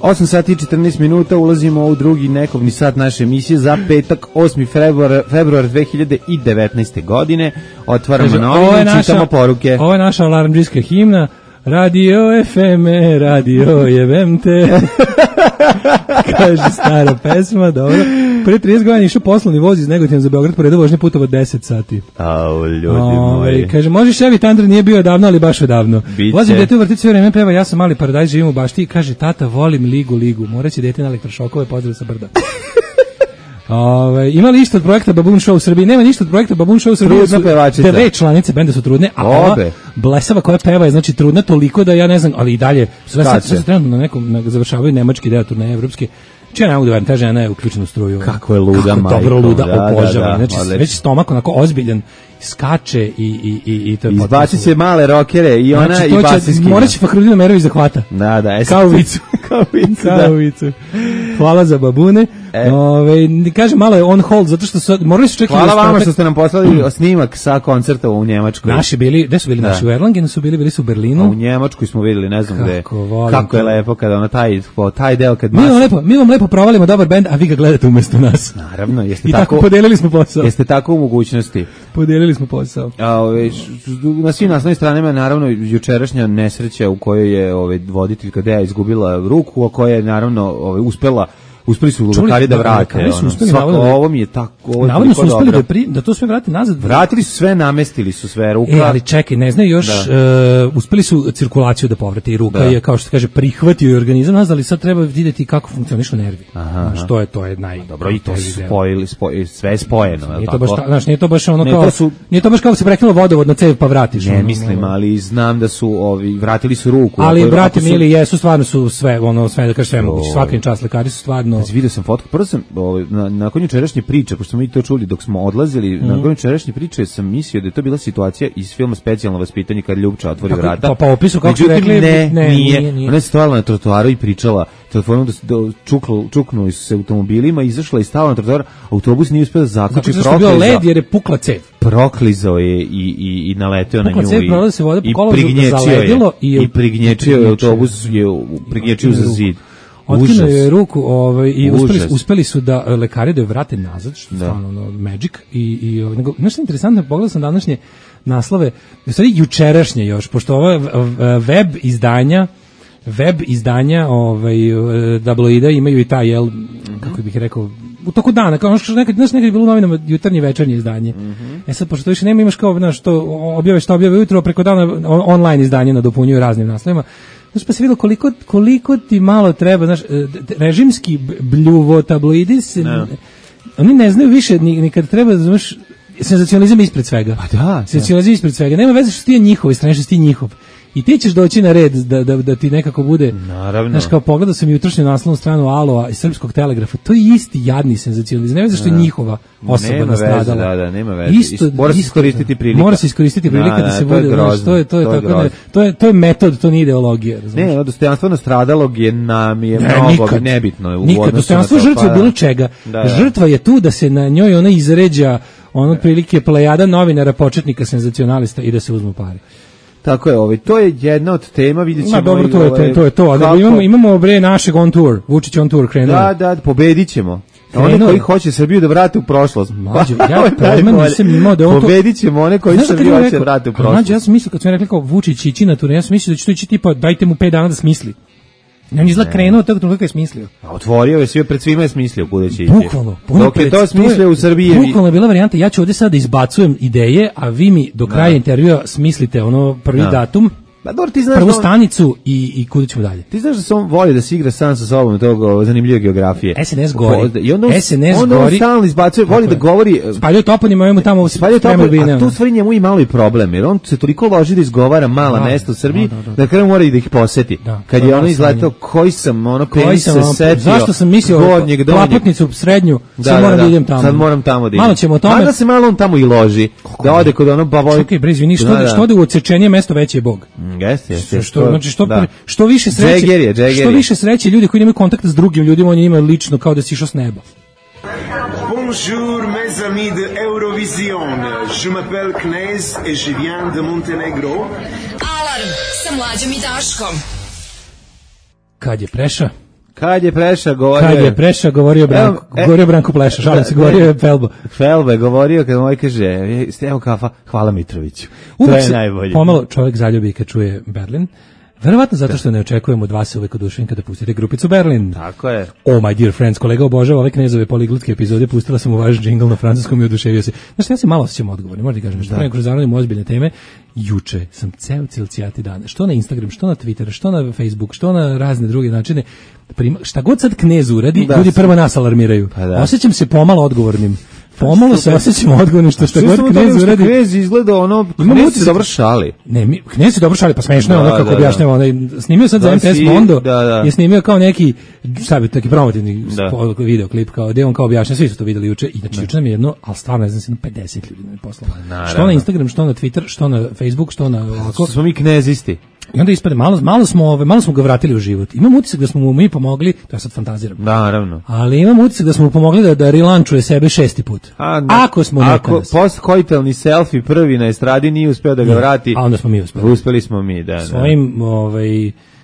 8 sati i 14 minuta, ulazimo u drugi nekovni sat naše emisije za petak, 8. februar 2019. godine. Otvaramo novine i čitamo poruke. Ovo je naša alarmdžijska himna. Radio FM, radio jebem te. Kaže stara pesma, dobro. pre 30 godina išao poslovni voz iz Negotina za Beograd, pored vožnje putovo 10 sati. Au, ljudi moji. Kaže, može Chevy Thunder nije bio davno, ali baš odavno. Vozim dete u vrtić sve vreme, peva, ja sam mali paradajz, živim u bašti i kaže, tata, volim ligu. Moraće dete na elektrošokove, pozdrav sa brda. Ima li išta od projekta Baboon Show u Srbiji? Nema ništa od projekta Baboon Show u Srbiji. Dve članice benda su trudne, a ova blesava koja peva je znači trudna toliko da ja ne znam, ali i dalje sve trenutno na nekom završavaju nemački deo turneje evropske. Čija ne mogu da verujem, ta žena je uključena u struju. Kako je luda, majko. Dobro luda, obožava. Znači, već stomak onako ozbiljan, skače i to je potpuno. Izbacit će male rokere i ona znači, i basiskinja. Morat će Fahrudin Omerović da hvata. Da. Kao vicu. Kao vicu. Hvala za babune. Kažem, malo je on hold, zato što morali su čekati... Hvala vama što ste nam poslali snimak sa koncerta u Njemačkoj. Naši bili, gde su bili naši? U Erlangenu su bili su u Berlinu. A u Njemačkoj smo vidjeli, ne znam gde. Kako je lepo kada ona taj deo kad... Mi vam lepo provalimo dobar bend, a vi ga gledate umjesto nas. Naravno, jeste i tako podelili smo posao. Jeste tako u mogućnosti. Podelili smo posao. Na svim naslovnim stranama je naravno jučerašnja nesreća u kojoj je voditeljka Deja izgubila ruku, a koja je naravno uspeli su lekari da vrate. Ovo mi je tako... Navodno su uspeli da to sve vrate nazad. Vratili su sve, namestili su sve ruka. Ali čekaj, ne znaju još, uspeli su cirkulaciju da povrate i ruka je, kao što se kaže, prihvatio organizam nazad, ali sad treba vidjeti kako funkcionišu nervi. Što je, to je Dobro, i to su spojili, sve je spojeno. Nije to baš ono kao... Nije to baš kao se prekinulo vodovod na cev pa vratiš. Ne mislim, ali znam da su vratili su ruku. Ali brate mili, jesu, stvarno su sve, da kažem, sve moguće. Svakim čas lekari su stvarno... Vidio sam fotku, prvo sam nakon jučerašnje priče, pošto smo mi to čuli dok smo odlazili, nakon jučerašnje priče sam mislio da je to bila situacija iz filma Specijalno vaspitanje kad Ljubča otvori vrata. Pa opisu kako su rekli, nije. Ona je stajala na trotoaru i pričala telefonom da čuknuli su se automobilima, izašla i stala na trotoar, autobus nije uspio da zaključi, znači, bio led jer je pukla cev. Proklizao je i naleteo na nju i prignječio je autobus, prignječio za zid. Otkinuo je ruku i uspeli su da lekari da je vrate nazad, što je stvarno magic. Nešto interesantno, pogledao sam današnje naslove, u stvari jučerašnje još, pošto ova web izdanja tabloida imaju i taj, kako bih rekao, u toku dana, kao što nekad je bilo u novinama jutarnje večernje izdanje. Sad, pošto to više nema, imaš kao, što objave ujutro, preko dana online izdanje nadopunjuju raznim naslovima. Znači, pa se vidio koliko ti malo treba, znaš, režimski bljuvo tabloidi, oni ne znaju više ni kad treba, znaš, senzacionalizam ispred svega. Pa da. Senzacionalizam ispred svega. Nema veze što ti je njihov, strane što ti je njihov. I ti ćeš doći na red da ti nekako bude... Naravno. Znaš, kao pogledao sam jutrošnju naslovnu stranu Aloa iz Srpskog telegrafa, to je isti jadni senzacionalizam. Nema veze što je njihova osoba nastradala. Da, nema veze. Mora se iskoristiti prilika. Mora se iskoristiti prilika da se bude... To je metod, to nije ideologija. Ne, dostojanstvo nastradalog je mnogo nebitno. Nikad, dostojanstvo žrtve bilo čega. Žrtva je tu da se na njoj ona izređa otprilike plejada novinara, početnika, senzacionalista i da se uzmu pare. Tako je, to je jedna od tema, vidjet ćemo. Dobro, to je to, ali imamo našeg on tour, Vučić on tour krenuo. Da, pobedit ćemo. One koji hoće Srbiju da vrate u prošlost. Ja pojma nisam imao da on to... Pobedit ćemo one koji Srbiju hoće da vrate u prošlost. Ja sam mislio, kad sam rekli kao Vučić ići na tur, ja sam mislio da će to ići tipa, dajte mu 5 dana da smisli. On izgleda krenuo tako kako je smislio. A otvorio je sve, pred svima je smislio kuda će ići. Bukvalno. Dok je to smislio u Srbiji. Bukvalno je bila varijanta, ja ću ovdje sada izbacujem ideje, a vi mi do kraja intervjua smislite prvi datum, prvu stanicu i kuda ćemo dalje. Ti znaš da se on voli da se igra sam sa sobom tog zanimljive geografije. SNS gori. SNS gori. Stalno izbacuje, voli da govori. Spaljuje toponima, imamo tamo spremljubine. A tu stvari njemu i malo i problem, jer on se toliko loži da izgovara mala mesta u Srbiji, da kraju mora i da ih poseti. Kad je ono izletao, koji sam penis se setio. Zašto sam mislio Plapotnicu srednju, sad moram da idem tamo. Sad moram tamo da idem. Malo ćemo o tome. Mada se malo on tamo i loži. Da ode kod ono bavoj. Čekaj, bre, izvini, što ode u odsečenije mesto veći je Bog. Jeste. Što više sreće, što više sreće ljudi koji nemaju kontakta s drugim ljudima, oni imaju lično kao da si išao s neba. Bonjour mes amis de Eurovision. Je m'appelle Knez et je viens de Montenegro. Alarm sa Mlađom i Daškom. Kad je Preša? Kad je Preša govorio Branko, govorio Branko Pleša, šalim se, govorio je Felbo. Felbo je govorio kad moj kaže, evo kafa, hvala Mitroviću. To je najbolje. Pomalo čovjek zaljubi kad čuje Berlin. Verovatno zato što ne očekujemo od vas uvek oduševljen kada pustite grupicu Berlin. Tako je. Oh my dear friends, kolega obožava ove Knezove poliglotske epizode, pustila sam u vaš džingl na francuskom i oduševio se. Znaš, ja se malo osjećam odgovorni, možda ti kažem, što pre kroz zanudimo ozbiljne teme. Juče sam ceo cijati dan, što na Instagram, što na Twitter, što na Facebook, što na razne druge načine, šta god sad Knez uradi, ljudi prvo nas alarmiraju. Osjećam se pomalo odgovornim. Pomalo se osjećam odgovornim što god Knez uradi. Knez izgleda ono, Knez se dobro šali. Ne, Knez se dobro šali, pa smešno je ono kako objašnjava. Snimio sad za MTS Mondo, je snimio kao neki, šta bi, taki promotivni videoklip, kao gde on kao objašnja, svi su to videli juče, i znači juče nam je jedno, ali stvarno ne znam se, 50 ljudi nam je poslalo. Što na Instagram, što na Twitter, što na Facebook, što na ovako. Smo mi Knezisti. I onda ispade, malo smo ga vratili u život. Imam utisak da smo mu mi pomogli, to ja sad fantaziram. Naravno. Ali imam utisak da smo mu pomogli da relančuje sebe 6. put. Ako smo Ako post-koitalni selfie prvi na estradi nije uspeo da ga vrati. A onda smo mi uspeli. Uspeli smo mi, da. Svojim,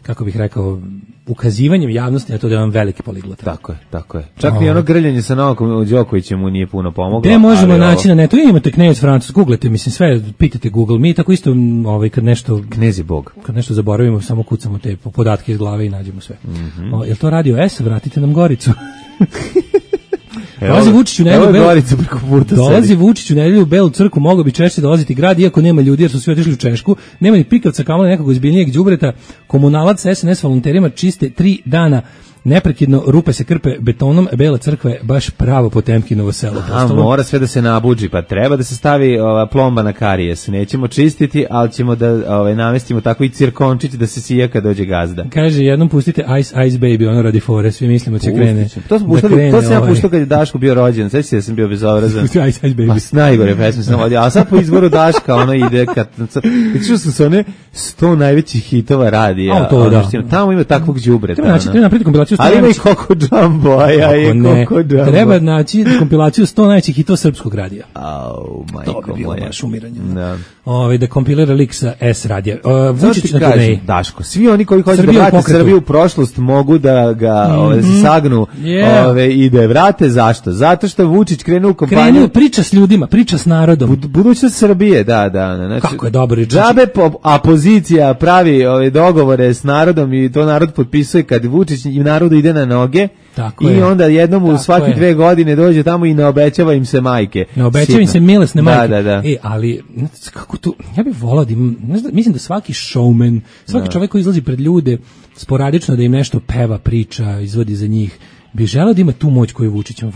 kako bih rekao, ukazivanjem javnosti na to da je on veliki poliglot. Tako je. Čak i ono grljanje sa Novakom Đokovićem mu nije puno pomoglo. Gde možemo naći na netu? Imate Knez Francus, googlete, mislim sve, pitajte Google. Mi tako isto, kad nešto... Knez je Bog. Kad nešto zaboravimo, samo kucamo te podatke iz glave i nađemo sve. Jel to Radio S? Vratite nam Goricu. Dolazi Vučić u nedelju u Belu crkvu, mogao bi češće dolaziti grad, iako nema ljudi jer su svi otišli u Češku, nema ni pikavca, kamoli nekog ozbiljnijeg đubreta. Komunalac sa SNS volonterima čiste 3 dana neprekidno, rupe se krpe betonom, Bela crkva je baš pravo Potemkinovo selo. Mora sve da se nabuđi, pa treba da se stavi plomba na karijes. Nećemo čistiti, ali ćemo da namestimo tako i cirkončić da se sija kad dođe gazda. Kaže, jednom pustite Ice Ice Baby, ono radi fore, svi mislimo će krene. To sam ja puštao kad je Daško bio rođen, sveći se da sam bio bezobrazan. Ice Ice Baby. Najgore pesme sam vodio, a sad po izboru Daška ono ide kad... Čuo sam se one 100 najvećih hitova radija. Tamo ima takvog đubreta. Treba napraviti kompilaciju. Ali ima i Koko Džambo, treba naći kompilaciju 100 najvećih hitova srpskog radija. To bi bilo baš umiranje. Da kompilira lik sa S radija. Vučić na turneji. Daško, svi oni koji hoće da vrate Srbiju u prošlost mogu da ga sagnu i da je vrate. Zašto? Zato što Vučić krenuo u kompaniju. Krenuo priča s ljudima, priča s narodom. Budućnost Srbije, da. Kako je dobro. Džabe opozicija pravi dogovore s narodom i to narod potpisuje kad Vučić i narodu ide na noge. I onda jednom u svaki 2 godine dođe tamo i ne obećava im se majke. Ne obećava im se milosne majke. Da. Ali, kako tu, ja bih volao da im, mislim da svaki showman, svaki čovjek koji izlazi pred ljude, sporadično da im nešto peva, priča, izvodi za njih, bi želeo da ima tu moć koju Vučić ima.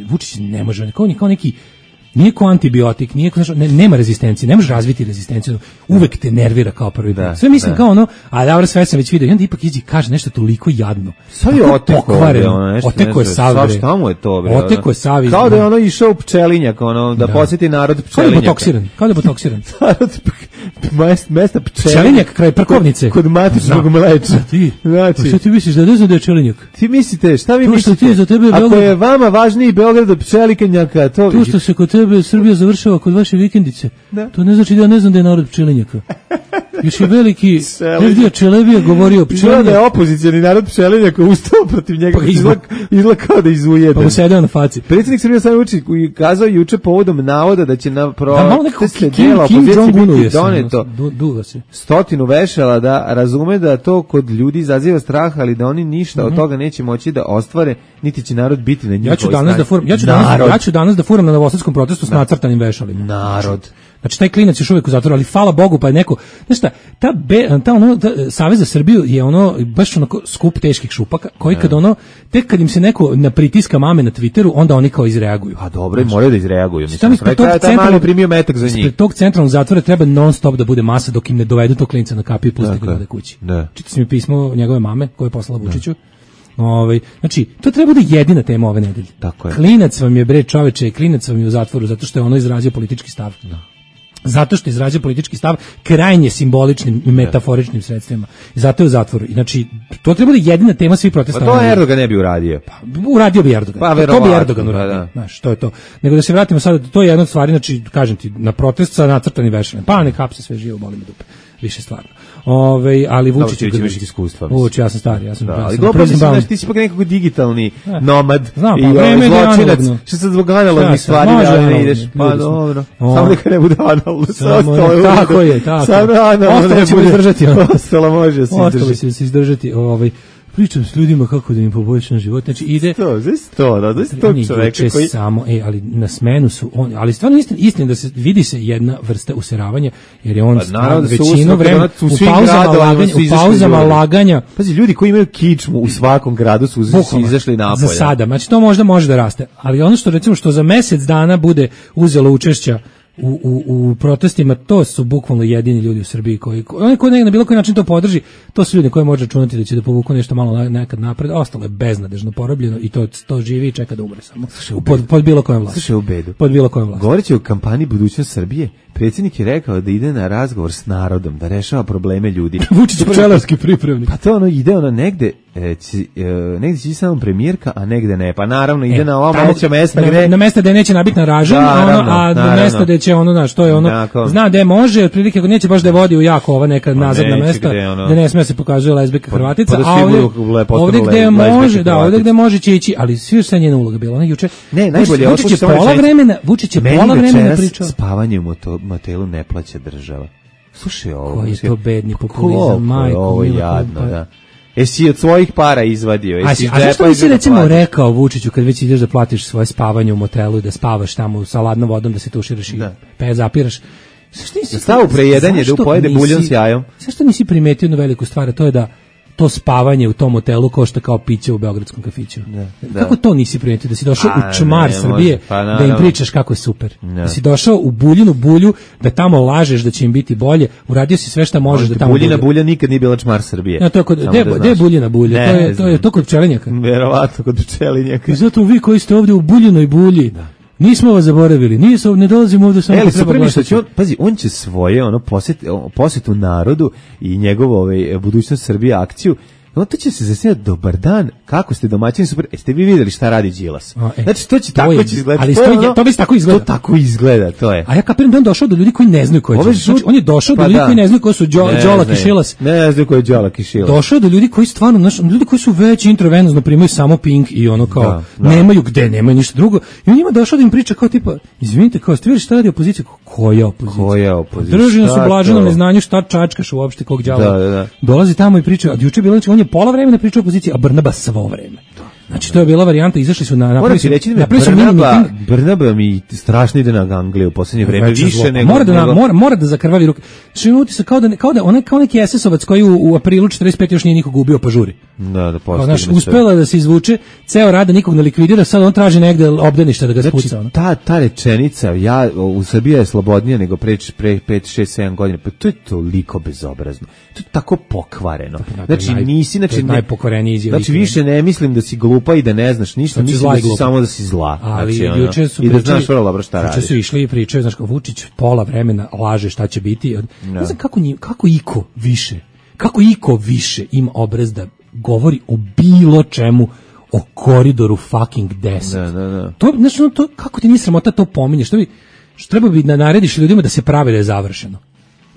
Vučić ne može, kao neki, nije ko antibiotik, nema rezistencije, ne može razviti rezistenciju, uvek te nervira kao prvi put. Sve mislim kao ono, a dobro, sve sam već vidio, i onda ipak iđi kaže nešto toliko jadno. Sad je oteko je sav, bre. Šta mu je to, bre? Oteko je sav. Kao da je ono išao u Pčelinjak, da posjeti narod Pčelinjaka. Kao da je botoksiran. Mesta Pčelinjak kraj parkovnice. Kod matičnog mleča. Znači, šta ti misliš, da ne znam da je Pčelinjak? Ti mislite, šta vi mislite? Ako Ako je vama važniji Beograd od Pčelinjaka, to što se kod tebe Srbija završava kod vaše vikendice, to ne znači da ja ne znam da je narod Pčelinjaka. Još je veliki Evdija Čelebija govorio o Pčelinjaku. Da je opozicijani narod Pčelinjaka ustao protiv njega, izlakao da izujede. Pa mu sedeo na faci. Predsjednik Srbije Aleksandar Vučić kazao juče povodom navoda da će na proteste dela opozicije biti doneto 100 vešala, da razume da to kod ljudi izaziva strah, ali da oni ništa od toga neće moći da ostvare, niti će narod biti na njihovoj strani. Ja ću danas da furam na novosadskom protestu s nacrtanim vešalima. Narod. Znači taj klinac još uvijek u zatvoru, ali hvala Bogu pa je neko, znaš šta, ta Savez za Srbiju je ono baš onako skup teških šupaka koji kad tek kad im se neko napritiska mame na Twitteru, onda oni kao izreaguju. A dobro, i moraju da izreaguju. Mislim, taj mali primio metak za njih. Ispred tog centralnog zatvora treba non stop da bude masa dok im ne dovedu tog klinca na kapiju i pusti ga da kući. Čitao sam mi pismo njegove mame koje je poslala Vučiću. Znači, to treba da jedina tema ove nedelje. Klinac vam je, bre čoveče, klinac vam je u zatvoru zato što je ono izrazio politički stav. Zato što izrazio politički stav krajnje simboličnim i metaforičnim sredstvima. I zato je u zatvoru. Znači, to treba da jedina tema svih protesta. Pa to Erdogan ne bi uradio. Uradio bi Erdogan. To bi Erdogan uradio. Znaš, to je to. Nego da se vratimo sad, to je jedna od stvari, znači, kažem ti, na protest sa nacrtanim vešaljem. Pa ne hapse sve živo, boli me dupe. Više stvarno. Ali Vučić će imati iskustva. Vučić, ja sam stari, ja sam. Ali dobro, ti si pa nekako digitalni nomad i zločinac. Što se zbog analognih stvari ne ideš? Pa dobro. Samo neka ne bude analogno. Tako je, tako. Ostalo ćemo izdržati. Ostalo može se izdržati. Ostalo će se izdržati. Pričam s ljudima kako da im poboljšam život. Znači ide to čovjek koji samo, ali na smenu su oni, ali stvarno istina da se vidi se jedna vrsta useravanja, jer je on većinu vremena u pauzama laganja. Pazi, ljudi koji imaju kičmu u svakom gradu su izašli napolje. Za sada, znači to možda može da raste, ali ono što recimo što za mesec dana bude uzelo učešća u protestima, to su bukvalno jedini ljudi u Srbiji koji na bilo koji način to podrži, to su ljudi koji može računati da će da povuku nešto malo nekad napred, a ostalo je beznadežno porobljeno i to živi i čeka da umre samo. Pod bilo kojom vlasti. Slušaj u bedu. Pod bilo kojom vlasti. Govoreći o kampanji Budućnost Srbije, predsjednik je rekao da ide na razgovor s narodom, da rešava probleme ljudi. Vučić pčelarski pripravnik. Pa to ide negde će samo premijerka, a negde ne. Pa naravno ide na ova moguća mesta gde... Na mesta gde neće nabiti na ražanj, a na mesta gde će što je zna gde može, otprilike ako neće baš da vodi u jako neka nazadna mesta, gde ne sme se pokazuje lezbijka Hrvatica, a ovdje gde može, ovdje gde može će ići, ali svi sa njena uloga bila. Ona juče, najbolje, Vučić je pola vremena pričao. Spavanje u motelu ne plaća država. Slušaj ovo. Koji je to bedni populizam, majko. Ovo je jadno, da. Jesi od svojih para izvadio? A zašto nisi recimo rekao Vučiću kad već ideš da platiš svoje spavanje u motelu i da spavaš tamo sa ladnom vodom, da se tuširaš i zapiraš? Stavu prejedanje da pojede buljon s jajom. Zašto nisi primetio jednu veliku stvar, a to je da to spavanje u tom hotelu košta kao piće u beogradskom kafiću. Kako to nisi primetio? Da si došao u čmar Srbije, da im pričaš kako je super. Da si došao u Buljinu bulju, da tamo lažeš da će im biti bolje, uradio si sve što možeš da tamo bude. Buljina bulja nikad nije bila čmar Srbije. Gde je Buljina bulja? To kod pčelinjaka. Verovatno kod pčelinjaka. I zato vi koji ste ovdje u Buljinoj bulji, nismo vas zaboravili, ne dolazimo ovdje samo pazi, on će svoje posjetu narodu i njegovu Budućnost Srbije akciju, on to će se zasnijati, dobar dan, kako ste domaćini, super, jeste vi vidjeli šta radi Đilas? Znači, to će tako izgledati. Ali to bi tako izgleda. To tako izgleda, to je. A ja kapiram da on došao do ljudi koji ne znaju ko je Đilas. Znači, on je došao do ljudi koji ne znaju ko su Đolak i Šilas. Ne znaju ko je Đolak i Šilas. Došao do ljudi koji stvarno, ljudi koji su već intravenozno primaju samo Pink i kao, nemaju gde, nemaju ništa drugo. I on njima došao da im priča kao tipa, izvinite, kao, ste vidjeli šta radi opozicija? Koja opozicija? Drži nas u blaženom neznanju šta čačkaš uopšte kog đavola. Dolazi tamo i priča, a juče bilo on je pola vremena pričao opoziciji, a Brnaba svo vreme. Znači to je bila varijanta, izašli su na Brnaba mi strašno ide na Angliju u posljednje vreme, više nego mora da zakrvavi ruke. Što ima utisak kao neki SS-ovac koji u aprilu 45 još nije nikog ubio pa žuri. Da postigne. Znači uspela da se izvuče, ceo rad nikog ne likvidira, sad on traži negde obdaništa da ga spuca. Ta rečenica, u Srbiji je slobodnija nego pre 5, 6, 7 godina, pa to je toliko bezobrazno. To je tako pokvareno. Znači nisi, najpokvareniji izjav. Znači više ne mislim da si glupa i da ne znaš ništa, mislim da si samo da si zla. Ali juče su išli i pričaju, znaš, kao Vučić pola vremena laže šta će biti. Ne znam kako iko više ima obraz da govori o bilo čemu, o koridoru fucking 10. To, znači, to, kako ti nije sramota to pominješ? Što treba bi da narediš ljudima da se pravi da je završeno.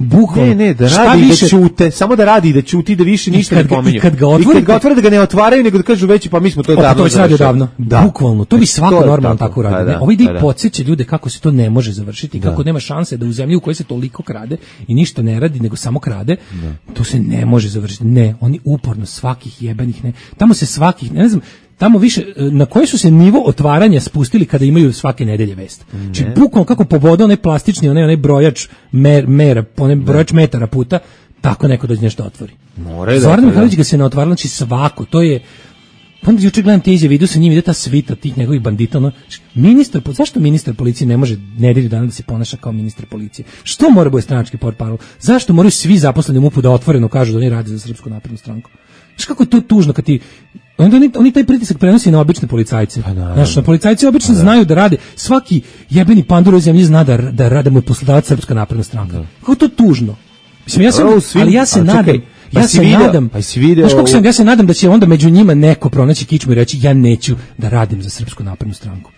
Bukvalno. Ne, da radi i da ćute, samo da radi i da ćuti, da više ništa ne pominju. I kad ga otvore da ga ne otvaraju, nego da kažu veći, pa mi smo to davno završili. Bukvalno, to bi svako normalno tako radi. Ovi ide i podsjeća ljude kako se to ne može završiti, kako nema šanse da u zemlji u kojoj se toliko krade i ništa ne radi, nego samo krade, to se ne može završiti. Ne, oni uporno svakih jebenih, tamo se svakih, ne znam, tamo više, na koji su se nivo otvaranja spustili kada imaju svake nedelje vest. Znači, bukvalno kako poboda onaj plastični, onaj brojač mera, onaj brojač metara puta, tako neko dođe nešto otvori. Zoran Mihajlović ga se ne otvarala, znači svako, to je, onda juče gledam te izjave, vidio sa njim, ide ta svita tih njegovih bandita, zašto ministar policije ne može nedelju dana da se ponaša kao ministar policije? Što mora bude stranački portparol? Zašto moraju svi zaposleni u MUP-u da otvoreno kažu da oni rade za Srpsku naprednu stranku? Znaš kako je to tužno kad ti... Onda oni taj pritisak prenosi na obične policajce. Znaš, na policajci obično znaju da rade. Svaki jebeni pandur u zemlji zna da rade mu je poslodavac Srpska napredna stranka. Kako je to tužno? Mislim, ja se nadam da će onda među njima neko pronaći kičmu i reći ja neću da radim za Srpsku naprednu stranku.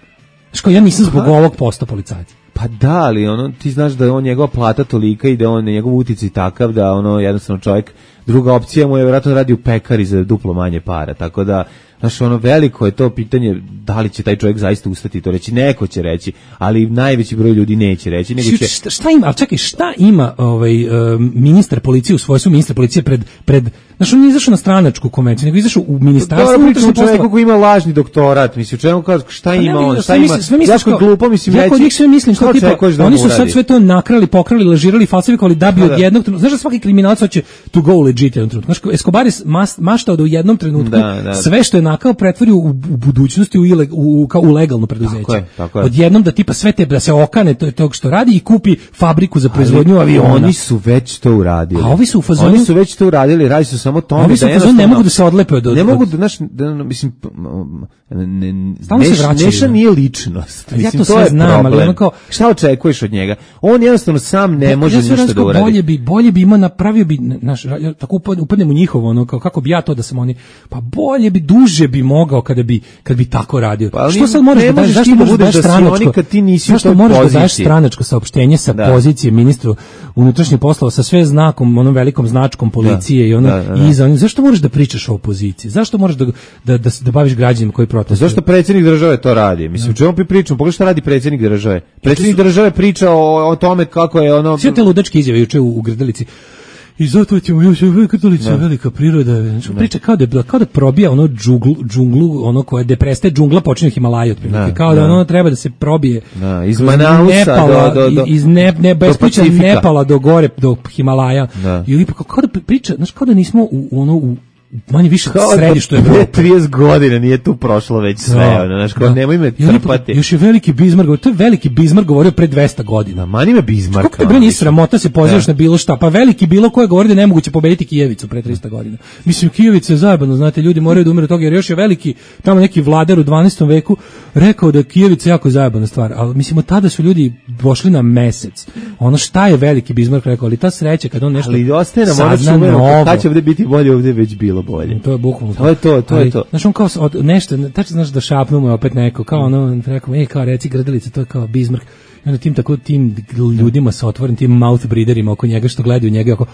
Znaš, ja nisam zbog ovog posta policajca. Pa da, ali ti znaš da je on njegova plata tolika i da on njegov uticaj takav da jednostavno čovjek, druga opcija mu je vjerojatno radi u pekari za duplo manje para, tako da znaš, veliko je to pitanje da li će taj čovjek zaista ustati to reći, neko će reći, ali najveći broj ljudi neće reći, nego će... Šta ima, ali čekaj, šta ima ministar policije u svojstvu ministra policije pred znaš, on nije izašao na stranačku konvenciju, nego izašao u ministarstvo. Dobro, pričamo čovjeku koji ima lažni doktorat, mislim, u čemu kaže, šta ima on, šta ima, jako glupo, mislim, ja kod njih sve mislim, što tipa, oni su sad sve to nakrali, pokrali, lažirali, falsifikovali da bi od jednog trenutka, znaš da svaki kriminalac hoće to go legit jednom trenutku, znaš, Escobar je maštao da u jednom trenutku sve što je nakao pretvori u budućnosti u legalno preduzeće. Tako je. Odjednom da tipa sve te, da se okane tog što radi i kupi fabriku za proizvodnju aviona. Oni su već to uradili. A ovi su u fazonu... Oni su već to uradili, radi se samo tome da jednostavno ne mogu da se odlepe od... Ne mogu da, mislim, Neša nije ličnost. Ja to sve znam, ali ono kao... Šta očekuješ od njega? On jednostavno sam ne može ništa da uradi. Bolje bi ima, napravio bi, tako upadnem u njihovo, ono, kako bi ja to da sam oni... Pa bolje bi, duže bi mogao kada bi tako radio. Pa, što sad moraš da daš, zašto moraš da daš stranačko? Zašto moraš da daš stranačko saopštenje sa pozicije ministru unutrašnjih poslova sa sve znakom, onom velikom značkom policije i ono iza onih? Zašto moraš da pričaš o opoziciji? Zašto moraš da baviš građanima koji protestuju? Zašto predsjednik države to radi? Mislim, čemu pričamo? Pogledaj šta radi predsjednik države. Predsjednik države priča o tome kako je ono... Sve te ludačke izjave juče u Grdelici. I zato ćemo još Grdelica velika priroda. Priča kao da probija ono džunglu, ono koje da prestaje džungla počinje Himalaja otprilike. Kao da ono treba da se probije iz Manausa iz Nepala do gore do Himalaja. I kao da priča, znaš, kao da nismo u manje više središtu Evrope. 30 godina nije tu prošlo već sve, znaš, kao nemoj me trpati. Još je veliki Bismarck, to je veliki Bismarck govorio pre 200 godina. Mani me Bismarck. Kako te bre nije sramota se pozivaš na bilo šta? Pa veliki bilo ko je govorio da je nemoguće pobediti Kijevicu pre 300 godina. Mislim, Kijevica je zajebano, znate, ljudi moraju da umiru od toga, jer još je veliki, tamo neki vladar u 12. veku rekao da je Kijevica jako zajebana stvar, ali mislim, od tada su ljudi došli na mesec. Ono šta je veliki Bismarck rekao, ali ta sreća kad on nešto... Ali ostaje nam ono čuveno, kad će ovdje biti bolje, ovdje već bilo bolje. To je bukvalno. To je to. Znaš, on kao nešto, tačno znaš da šapnu mu opet neko, kao ono, rekao, kao reci Grdelica, to je kao Bismarck. I onda tim ljudima sa otvorenim, tim mouth breederima oko njega što gledaju njega, ako...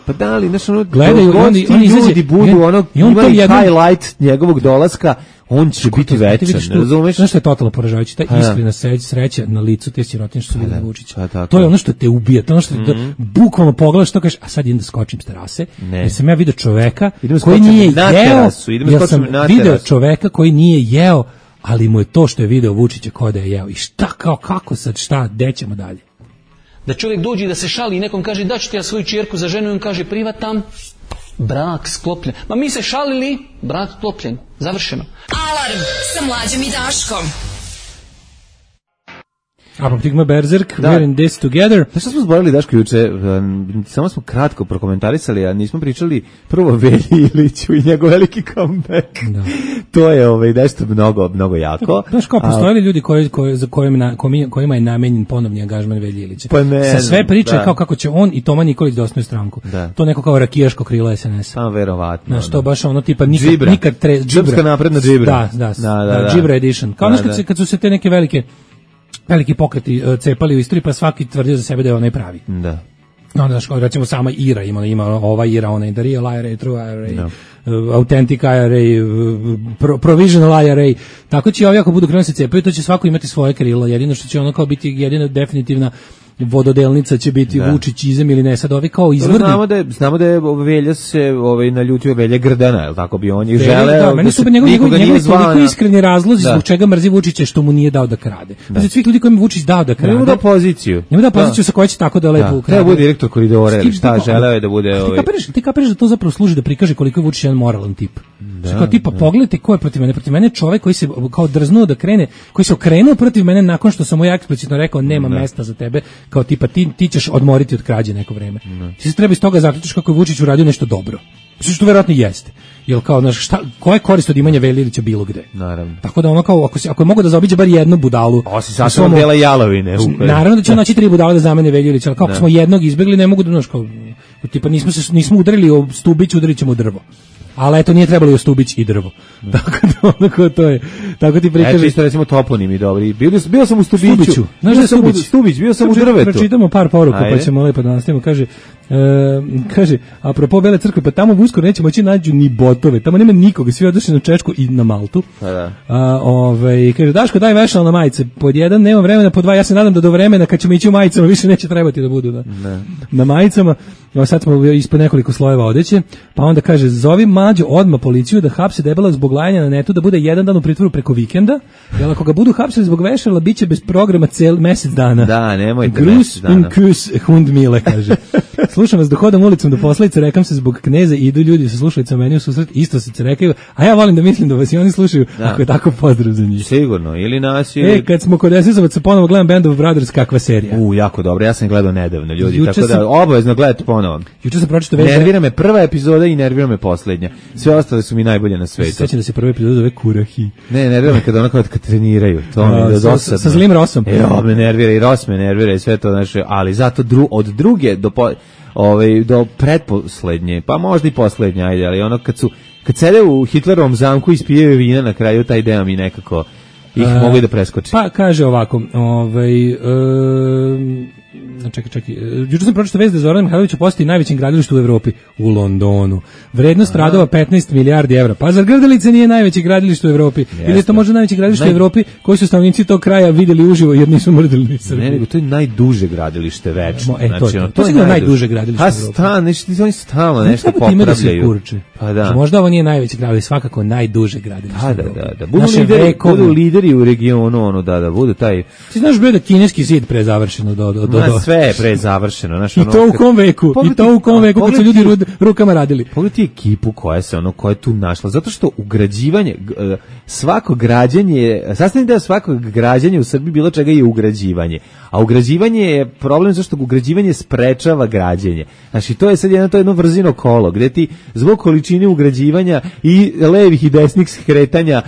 Pa da li, znaš, ono, gledaju, oni ljudi budu, ono, imali highlight njegovog dolaska, on će biti večan, razumeš? Znaš što je totalno poražavajuće, ta iskrena sreća na licu te sirotinje što su vidjeli Vučića. To je ono što te ubija, to je ono što te bukvalno pogledaš, to kažeš, a sad idem da skočim s terase, jer sam ja vidio čoveka koji nije jeo, jer sam vidio čoveka koji nije jeo, ali mu je to što je video Vučića kao da je jeo. I šta, kao, kako sad, šta, gde ćemo dalje? Da čovjek dođe i da se šali i nekom kaže da ću ti ja svoju ćerku za ženu i on kaže privatam, brak sklopljen. Ma mi se šalili, brak sklopljen, završeno. Alarm sa Mlađom i Daškom. Apoptigma Berserk, we're in this together. Šta smo zborili, Daško, juče? Samo smo kratko prokomentarisali, a nismo pričali prvo Velji Iliću i njegov veliki comeback. Da. To je nešto mnogo jako. Znaš kao, postojali ljudi kojima je namenjen ponovni angažman Velji Ilića. Pa ne, sa sve priče kao kako će on i Toma Nikolić da osnuju stranku. Da. To neko kao rakijaško krilo SNS. Pa verovatno. Znaš, to baš ono tipa nikad Džibra napredna Džibra. Da, Džibra edition. Kao kad su se te neke veliki pokreti cepali u istoriji, pa svaki tvrdio za sebe da je onaj pravi. Da. Onda, recimo, sama IRA ima ova IRA, onaj the real IRA, true IRA, authentic IRA, provisional IRA. Tako će ovi ako budu krenuli se cepaju, to će svako imati svoje krilo. Jedino što će ono kao biti jedina definitivna vododelnica će biti Vučićizam ili ne, sad ovi kao izvrni. Znamo da je Velja se naljutio Velja Grdana, je tako bi on je želeo. Da, meni su njegovi toliko iskreni razlozi zbog čega mrzi Vučića što mu nije dao da krade. Znači svih ljudi kojima Vučić dao da krade. Nema da poziciju. Sa kojoj će tako da lepo ukrade. Treba bude direktor koridora ili šta želeo je da bude. Ti kapiraš da to zapravo služi da prikaže koliko je Vučić jedan moralan tip. Kao tipa pogledajte ko je protiv mene. Protiv mene čovjek koji se kao drznuo da krene, koji se okrenuo protiv mene nakon što sam mu ja eksplicitno rekao nema mesta za tebe, kao tipa ti ćeš odmoriti od krađe neko vreme. Ti se treba iz toga zaključiš kako je Vučić uradio nešto dobro. Što verovatno jeste. Jel kao, znaš, koja je korist od imanja Velje Ilića bilo gde? Naravno. Tako da ono kao, ako je mogo da zaobiđe bar jednu budalu... Osim sasvom dela jalovine. Naravno da će naći 3 budale da zamene Velju Ilića, ali kako smo jednog izbjegli, ne mogu da, znaš, kao, tipa nismo udarili o stubić, udarit ćemo drvo. Ali eto, nije trebalo i Stubić i drvo. Tako to je. Tako ti prikaže. Eto isto recimo toponimi dobri. Bio sam u Stubiću. Znaš da je Stubić, bio sam u drvetu. Pročitamo par poruka, pa ćemo lepo da nastavimo. Kaže, apropo Bele crkve, pa tamo uskoro neće moći nađu ni botove. Tamo nema nikoga, svi odošli na Češku i na Maltu. Kaže, Daško, daj vešalo na majice. Pod jedan, nema vremena, pod dva, ja se nadam da do vremena kad ćemo ići u majicama više neće trebati da budu na majicama. Sad smo ispod nekoliko slojeva odeće, pa onda kaže, zovi Mađo odmah policiju da hapse debela zbog lajanja na netu, da bude jedan dan u pritvoru preko vikenda, jer ako ga budu hapsili zbog vešala, bit će bez programa cel mesec dana. Da, nemojte mesec dana. Grus in kus hund mile, kaže. Slušam vas dok hodam ulicom do posledice, rekam se zbog kneza, idu ljudi sa slušalicama meni u susret, isto se rekaju, a ja volim da mislim da vas i oni slušaju, ako je tako pozdrav za njih. Sigurno, ili nas ili... kad smo kod SS-ovaca ponovo gledam Band of Brothers, kakva serija. Jako dobro, ja sam gledao nedavno, ljudi, tako da obavezno gledajte ponovo. Juče sam pročitao nervira me prva epizoda i nervira me poslednja. Sve ostale su mi najbolje na svetu. Sećam da se prva epizoda zove Kurahi. Ne, nervira me kad treniraju. To mi je dosadno. Sa zlim Rosom. Me nervira i Ros me nervira i sve to naše, ali zato od druge do pretposlednje, pa možda i poslednje, ajde, ali ono kad sede u Hitlerovom zamku i ispijaju vina na kraju, taj deo mi nekako ih mogu i da preskoči. Pa kaže ovako, čekaj. Juče sam pročitao vest da Zoran Mihajlović postaje najvećim gradilištem u Evropi, u Londonu. Vrednost radova 15 milijardi evra. Pa zar Grdelica nije najveće gradilište u Evropi? Ili je to možda najveće gradilište u Evropi koji su stanovnici tog kraja vidjeli uživo jer nisu mrdili ni Srbiju? Ne, nego to je najduže gradilište večno. To je najduže gradilište u Evropi. Oni stalno nešto popravljaju. Pa da. Možda ovo nije najveće gradilište, svakako najduže gradilište u Evropi. Da. Budu lideri u regionu, da budu taj... Ti znaš bre da kineski zid prezavršeno sve je prezavršeno. I to u kom veku, kad su ljudi rukama radili. Pogledaj ekipu koja je tu našla, zato što ugrađivanje, svako građenje, sastavni deo svakog građenja u Srbiji bilo čega je ugrađivanje. A ugrađivanje je problem zašto ugrađivanje sprečava građenje. Znači, to je sad jedno vrzino kolo, gde ti zbog količine ugrađivanja i levih i desnih skretanja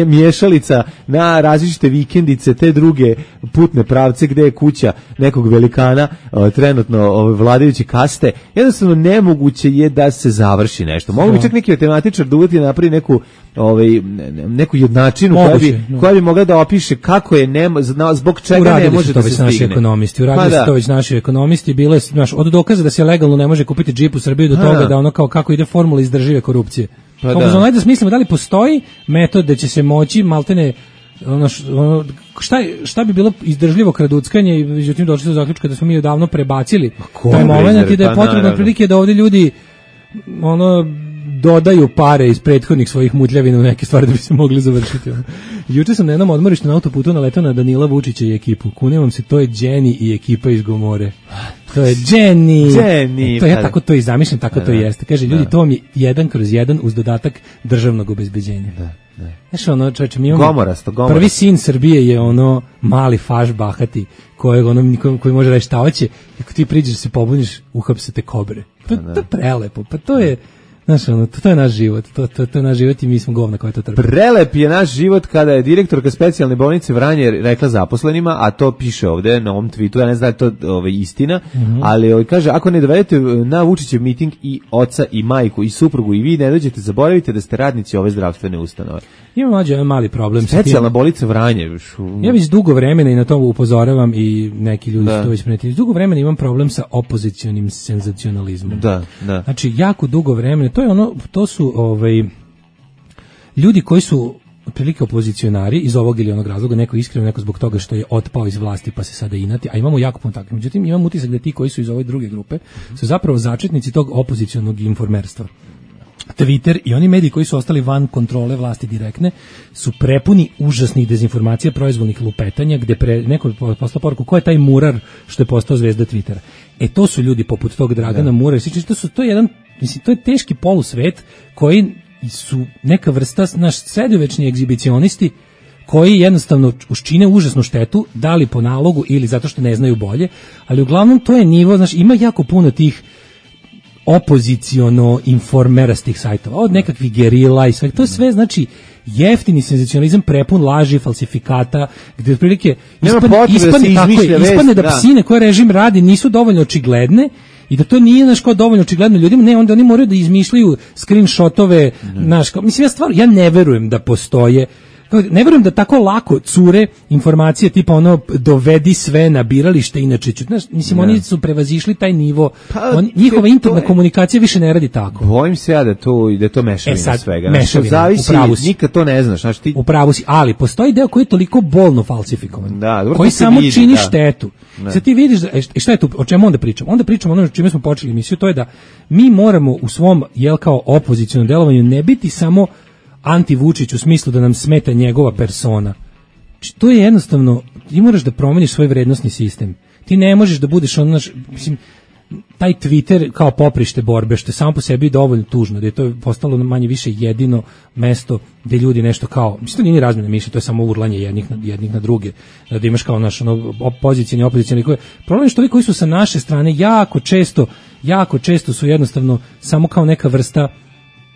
miješalica na različite vikendice, te druge putne pravce gde je kuća nekog velikana, trenutno vladajući kaste, jednostavno nemoguće je da se završi nešto. Mogu bi čak neki matematičar da uvati napravi neku jednačinu koja bi mogla da opiše kako je zbog čega ne može da se stigne. Uradili su to već naši ekonomisti, bilo je od dokaza da se legalno ne može kupiti džip u Srbiji do toga da ono kako ide formula izdržive korupcije. Da smislimo da li postoji metod da će se moći maltene šta bi bilo izdržljivo kraduckanje i međutim došli do zaključka da smo mi odavno prebacili taj moment i da je potrebno prilike da ovdje ljudi dodaju pare iz prethodnih svojih mutljavina u neke stvari da bi se mogli završiti. Juče sam na jednom odmorištu na autoputu naletao na Danila Vučića i ekipu. Kunem vam se, to je Jenny i ekipa iz Gomore. To je Jenny. To ja tako to i zamišljam, tako to jeste. Kaže, ljudi, to vam je 1/1 uz dodatak državnog obezbeđenja. Znaš, čovječe, mi imamo gomorasto. Prvi sin Srbije je mali faš bahati koji može reći šta hoće, i ako ti priđeš se pobuniš, uhapse te kobre. To je prelepo, pa to je... Znaš, to je naš život, to je naš život i mi smo govna koja to trpi. Prelep je naš život kada je direktorka specijalne bolnice Vranje rekla zaposlenima, a to piše ovde na ovom tweetu, ja ne znam da je to istina, ali kaže, ako ne dovedete na Vučićev miting i oca i majku i suprugu i vi ne dođete, zaboravite da ste radnici ove zdravstvene ustanove. Ima mali problem. Specijalna bolnica Vranje. Ja već dugo vremena i na to upozoravam i neki ljudi su to već primetili. Dugo vremena imam problem sa opozicionim senzacionalizmom. Da. Znači, jako dugo vremena. To su ljudi koji su otprilike opozicionari iz ovog ili onog razloga, neko iskreno, neko zbog toga što je otpao iz vlasti pa se sada inati, a imamo jako puno takvih. Međutim, imam utisak da ti koji su iz ove druge grupe su zapravo začetnici tog opozicionog informerstva. Twitter i oni mediji koji su ostali van kontrole vlasti direktne su prepuni užasnih dezinformacija, proizvoljnih lupetanja, gde neko posla poruku ko je taj murar što je postao zvezda Twittera. To su ljudi poput tog Dragana Murara. To je teški polusvet koji su neka vrsta sredovečni egzibicionisti koji jednostavno učine užasnu štetu, da li po nalogu ili zato što ne znaju bolje, ali uglavnom to je nivo, ima jako puno tih opoziciono informerastih sajtova, od nekakvih gerila i sve, to je sve jeftini senzacionalizam prepun laži, falsifikata, gdje otprilike ispadne da psine koje režim radi nisu dovoljno očigledne I da to nije naš kao dovoljno očigledno ljudima, ne, onda oni moraju da izmišljaju screenshotove, mislim ja ne verujem da postoje, ne verujem da tako lako cure informacije tipa ono dovedi sve na biralište, inače ću, mislim oni su prevazišli taj nivo, njihova interna komunikacija više ne radi tako. Bojim se ja da je to mešavina svega. Mešavina, zavisi, nikad to ne znaš. Ti... U pravu si, ali postoji deo koji je toliko bolno falsifikovan, koji samo čini štetu. Sad ti vidiš, šta je tu, o čemu onda pričamo? Onda pričamo ono čime smo počeli emisiju, to je da mi moramo u svom, kao opozicionom delovanju ne biti samo anti-Vučić u smislu da nam smeta njegova persona. To je jednostavno, ti moraš da promeniš svoj vrednosni sistem. Ti ne možeš da budeš mislim, taj Twitter kao poprište borbe, što je samo po sebi dovoljno tužno, da je to postalo manje više jedino mesto gde ljudi nešto kao, mislim, to nije ni razmjena mišljenja, to je samo urlanje jednih na druge, da imaš kao naš opozicijni. Problem je što ovi koji su sa naše strane jako često su jednostavno samo kao neka vrsta,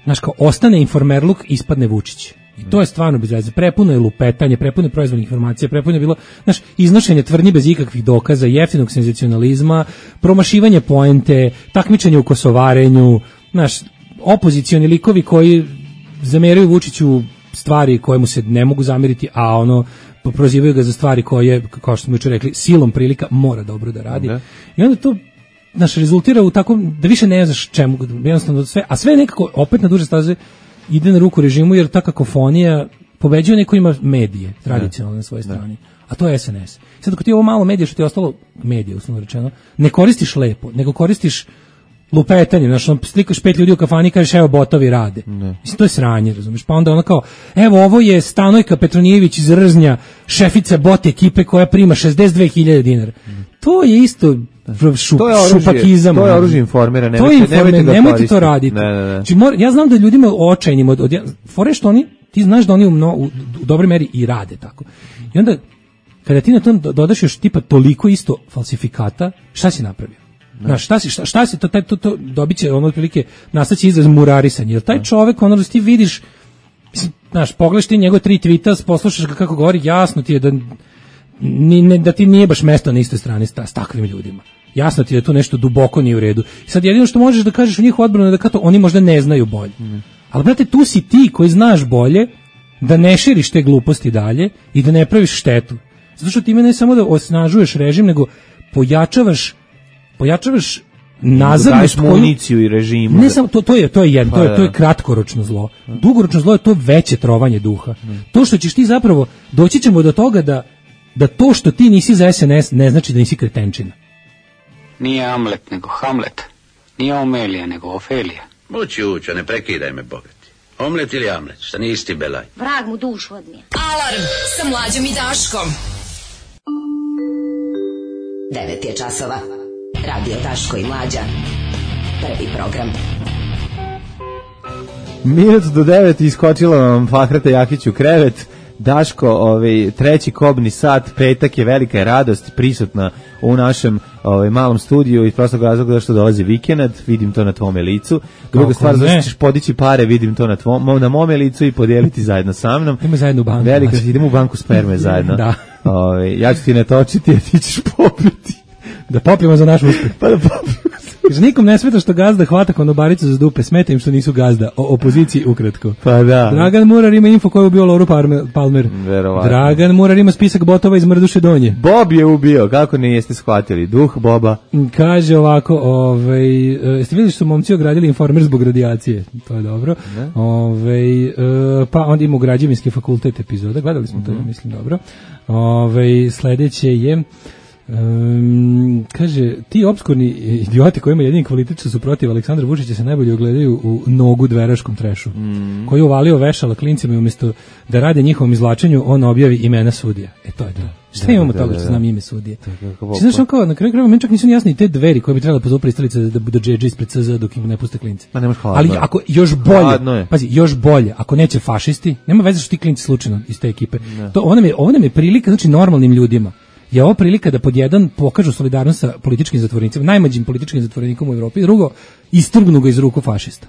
znaš, kao ostane informerluk, ispadne Vučić. I to je stvarno bez veze. Prepuno je lupetanje, prepuno je proizvodnih informacija, prepuno je bilo, znaš, iznošenje tvrdnji bez ikakvih dokaza, jeftinog senzacionalizma, promašivanje poente, takmičenje u kosovarenju, znaš, opozicioni likovi koji zameraju Vučiću stvari koje mu se ne mogu zameriti, a prozivaju ga za stvari koje, kao što smo jučer rekli, silom prilika mora dobro da radi. I onda to rezultira u tako da više ne znaš čemu, jednostavno sve, a sve nekako opet na duže staze ide na ruku režimu, jer ta kakofonija pobeđuje neko ima medije tradicionalno na svojoj strani, a to je SNS. Sad ako ti ovo malo medije što ti je ostalo, medije uslovno rečeno, ne koristiš lepo, nego koristiš lupetanje, znaš, slikaš 5 ljudi u kafani i kažeš evo botovi rade. Mislim, to je sranje, razumiješ, pa onda kao evo ovo je Stanojka Petronijević iz Rznja, šefica bot ekipe koja prima 62.000 dinara. To je isto šupakizam. To je oružje informera, nemojte to raditi. Ja znam da ljudima očajnim fore što ti znaš da oni u dobroj meri i rade tako. I onda kada ti na to dodaš još tipa toliko isto falsifikata, šta si napravio? Znaš, šta si to dobit će otprilike nastaće izraz murarisanje, jer taj čovek da ti vidiš, znaš, pogledaš ti njegove 3 tweeta, poslušaš ga kako govori, jasno ti je da ti nije baš mesto na istoj strani s takvim ljudima. Jasno ti je da tu nešto duboko nije u redu. I sad jedino što možeš da kažeš u njihovu odbranu je da kao to, oni možda ne znaju bolje. Ali brate, tu si ti koji znaš bolje da ne širiš te gluposti dalje i da ne praviš štetu. Zato što ti ne samo da osnažuješ režim, nego pojačavaš nazadnost, municiju i režimu. Ne samo to je kratkoročno zlo. Dugoročno zlo je to veće trovanje duha. To što ćeš ti zapravo, doći ćemo do toga da to što ti nisi za SNS ne znači da nisi kretenčina. Nije Amlet nego Hamlet. Nije Omelija nego Ofelija. Mući uća, ne prekidaj me, bogati. Omlet ili Amlet, šta nisi ti belaj? Vrag mu dušu odnije. Alarm sa Mlađom i Daškom. 9 je časova. Radio Daško i Mlađa. Prvi program. Minut do 9 iskočila vam Fahrata Jakić u krevet. Daško, treći kobni sat, petak je, velika je radost prisutna u našem malom studiju iz prostog razloga što dolazi vikend, vidim to na tvome licu. Druga stvar, zašto ćeš podići pare, vidim to na mome licu i podijeliti zajedno sa mnom. Idemo zajedno u banku. Idemo u banku sperme zajedno. Da. Ja ću ti natočiti, a ti ćeš popiti. Da popijemo za naš uspeh. Pa da popijemo. Kaže, nikom ne smeta što gazda hvata konobaricu za dupe, smeta im što nisu gazda. O opoziciji ukratko. Pa da. Dragan Murar ima info koju je ubio Loru Palmer. Verovatno. Dragan Murar ima spisak botova iz Mrduše Donje. Bob je ubio, kako ne jeste shvatili? Duh Boba. Kaže ovako, jeste vidjeli što su momci ogradili Informer zbog radijacije? To je dobro. Pa onda ima građevinski fakultet epizoda, gledali smo to, mislim, dobro. Sledeće je... kaže, ti opskurni idioti koji ima jedini kvalitet što su protiv Aleksandra Vučića se najbolje ogledaju u nogu dveraškom trešu, koji je uvalio vešala klincima i umjesto da rade njihovom izvlačenju, on objavi imena sudija. To je to. Šta imamo toga što znam ime sudije? Znaš, kao, na kraju krajeva, meni čak nisu jasni te dveri koje bi trebalo pozovu pristalice da džedže ispred CZ dok im ne puste klince. Ali ako još bolje, pazi, još bolje, ako neće fašisti, nema veze što ti klinci slučajno iz te ekipe. Ovo nam je prilika, znači normalnim ljudima. Je ovo prilika da pod jedan pokažu solidarnost sa političkim zatvorenicima, najmlađim političkim zatvorenikom u Evropi, drugo, istrgnu ga iz ruku fašista.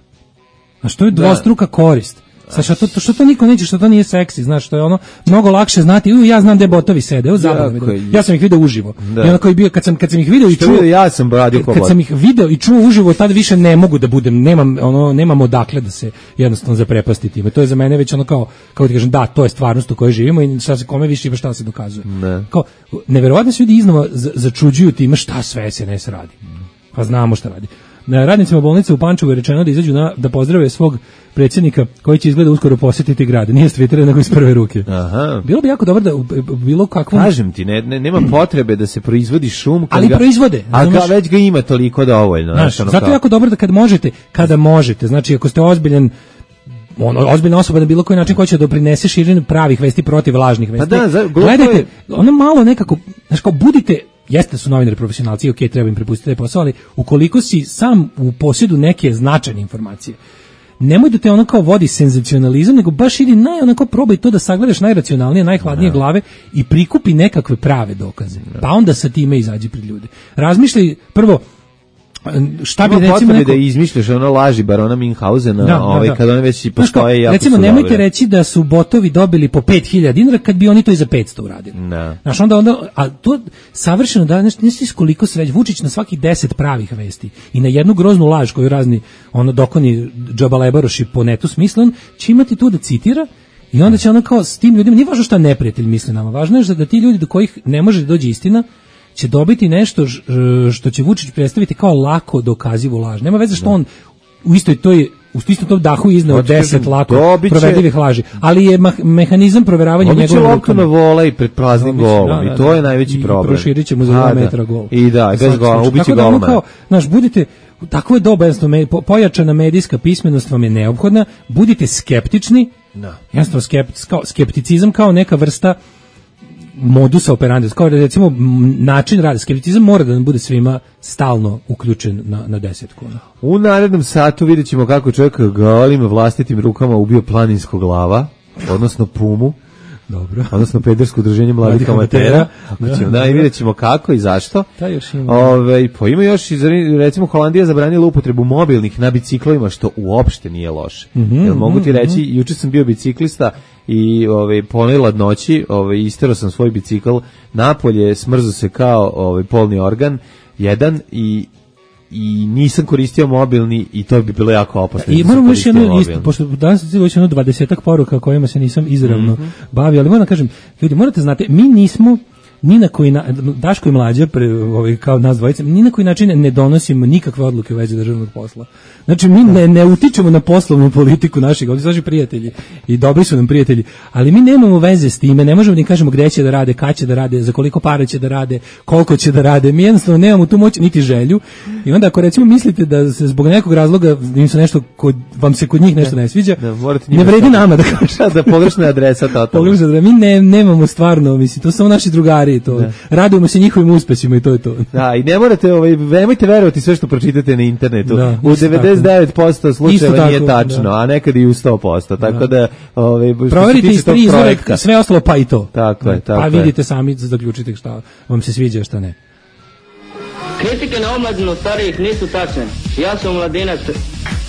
A što je dvostruka korist? Što to niko neće, što to nije seksi, znaš, što je ono mnogo lakše znati. Ja znam gde botovi sede, ja sam ih video uživo. Da. I ono koji bio kad sam ih video i čuo, ja sam radio kad sam ih video i čuo uživo, tad više ne mogu da budem, nemam odakle da se jednostavno zaprepasti time. To je za mene već ono kao ti kažem, da, to je stvarnost u kojoj živimo i šta se kome više ima šta se dokazuje. Ne. Kao neverovatno se ljudi iznova začuđuju time šta sve SNS radi. Pa znamo šta radi. Na radnicima bolnice u Pančevu je rečeno da izađu da pozdrave svog predsjednika koji će izgleda uskoro posjetiti grad. Nije s Twittera, nego iz prve ruke. Aha. Bilo bi jako dobro da bilo kakvom... Kažem ti, nema potrebe da se proizvodi šum. Ali proizvode. A već ga ima toliko dovoljno. Zato je jako dobro da kada možete, znači ako ste ozbiljna osoba na bilo koji način koja će doprinese širenju pravih vesti protiv lažnih vesti. Pa da, gledajte, ono malo nekako, znači kao budite, jeste su novinari profesionalci, ok, treba im prepustiti taj posao, ali ukoliko si sam u posjedu neke značajne informacije, nemoj da te ono kao vodi senzacionalizam, nego baš idi onako probaj to da sagledaš najracionalnije, najhladnije glave i prikupi nekakve prave dokaze. Pa onda sa time izađi pred ljude. Razmišljaj prvo šta bi recimo da izmišljaš ono laži barona Minhausena, kad one već i postoje jako recimo nemojte reći da su botovi dobili po 5.000 dinara kad bi oni to i za 500 uradili. Znaš, onda a to savršeno da nisi koliko sreće Vučić na svakih 10 pravih vesti i na jednu groznu laž koju razni dokoni džabalebaroši po netu smisle, on će imati tu da citira. I onda će ono kao s tim ljudima, nije važno šta neprijatelj misli nama, važno je da ti ljudi do kojih ne može da dođe istina će dobiti nešto što će Vučić predstaviti kao lako dokazivu laž. Nema veze što on u istom tom dahu izneo 10 lako provedivih laži, ali je mehanizam proveravanja njegove rukama. Obično loptu na vola i pred praznim golom i to je najveći problem. I proširit ćemo za 2 metra gol. I da, bez gola, ubići golma. Znaš, budite, tako je doba, pojačana medijska pismenost vam je neophodna, budite skeptični, jednostavno skepticizam kao neka vrsta modusa operandi, kao recimo način rada, skepticizam mora da nam bude svima stalno uključen na 10 kuna. U narednom satu vidjet ćemo kako čovjek golim vlastitim rukama ubio planinskog lava, odnosno pumu. Dobro. Odnosno pedersko udruženje mladih amatera. I vidjet ćemo kako i zašto. Pa ima još, recimo Holandija zabranila upotrebu mobilnih na biciklovima, što uopšte nije loše. Mogu ti reći, juče sam bio biciklista i ponoj ladnoći, isterao sam svoj bicikl napolje, smrzo se kao polni organ, jedan i nisam koristio mobilni i to bi bilo jako opasno. I moram još jedno isto, pošto danas je već 20-ak poruka kojima se nisam izravno bavio, ali moram da kažem, ljudi, morate znate, mi nismo ni na koji Daško i Mlađa kao nas dvojica, ni na koji način ne donosimo nikakve odluke u vezi državnog posla. Znači mi ne utičemo na poslovnu politiku naših, ovdje su naši prijatelji i dobri su nam prijatelji, ali mi nemamo veze s time, ne možemo ni kažemo gde će da rade, kad će da rade, za koliko para će da rade, koliko će da rade, mi jednostavno nemamo tu moć niti želju. I onda ako recimo mislite da se zbog nekog razloga im se nešto vam se kod njih nešto ne sviđa, ne vredi nama da kažem da pogrešna adresa totalno. Mi nemamo stvarno, mislim, to su samo naši drugari. Radujemo se njihovim uspesima i to je to. Da, i ne morate, nemojte verovati sve što pročitate na internetu. U 99% slučajeva nije tačno, a nekad i u 100%. Tako da, proverite iz 3 izvora, sve ostalo pa i to. Tako je, tako je. Pa vidite sami, zaključite šta vam se sviđa, šta ne. Kritike na omladinu starijih nisu tačne. Ja sam mladinac,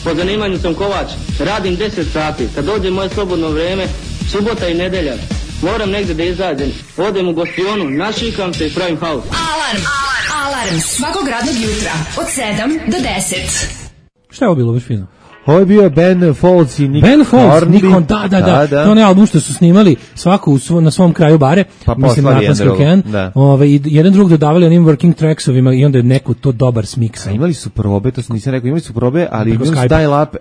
po zanimanju sam kovač, radim 10 sati. Kad dođe moje slobodno vrijeme, subota i nedelja, moram negdje da izađem, odem u gostionu, našikam se i pravim haos. Alarm svakog radnog jutra od 7 do 10. Šta je ovo bilo baš fino? Ovo je bio Ben Folds i Nick Hornby. Da. To je onaj album što su snimali svako na svom kraju bare. Pa mislim na Atlantic Ocean. Jedan drug dodavali onim working tracksovima i onda je neko to dobar smiksa. Imali su probe, to sam nisam rekao, imali su probe, ali imali su dial up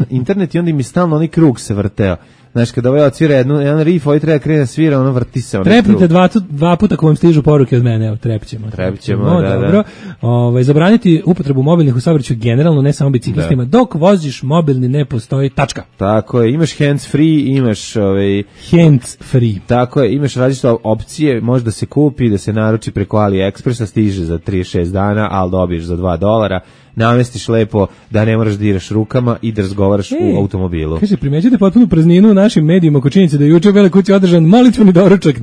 internet i onda im je stalno onaj krug se vrteo. Znaš, kada ovaj odsvira jedan riff, ovaj treba krene svira, ono vrti se. Trepnite dva puta ako vam stižu poruke od mene, evo, trepćemo, da. Dobro. Zabraniti upotrebu mobilnih u saobraćaju generalno, ne samo biciklistima. Dok voziš mobilni ne postoji tačka. Tako je, imaš hands free, imaš hands free. Tako je, imaš različite opcije, može da se kupi, da se naruči preko AliExpressa, stiže za 36 dana, ali dobiješ za $2. Namestiš lepo da ne moraš da diraš rukama i da razgovaraš u automobilu. Kaže, primećujete potpunu prazninu našim medijima oko činjenice da je juče u Beloj kući održan molitveni doručak.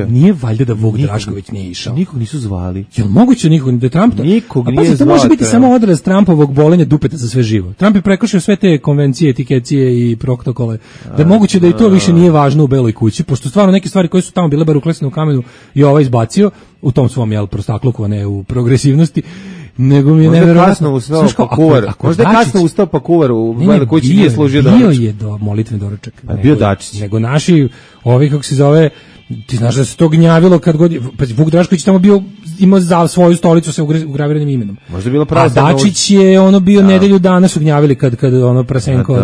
Nije valjda da Vuk Drašković nije išao. Nikog nisu zvali. Jel moguće nikog da Trump nikog nije zvao? To može biti samo odraz Trumpovog bolenja dupeta za sve živo. Trump je prekršio sve te konvencije, etikecije i protokole. Da je moguće da i to više nije važno u Beloj kući, pošto stvarno neke stvari koje su tamo bile bar uklesane u kamenu i ovaj izbacio u tom svom prostakluku, a ne u progresivnosti. Nego mi je neverovatno. Možda je kasno ustao pa kuvar u Beloj kući nije služio doručak. Bio je molitveni doručak. Bio Dačić. Nego naši, ovi kako se zove, ti znaš da se to gnjavilo kad god, pa Vuk Drašković tamo bio, imao za svoju stolicu sa ugraviranim imenom. Možda je bilo a Dačić je ono bio nedelju dana su gnjavili kad ono Prasenko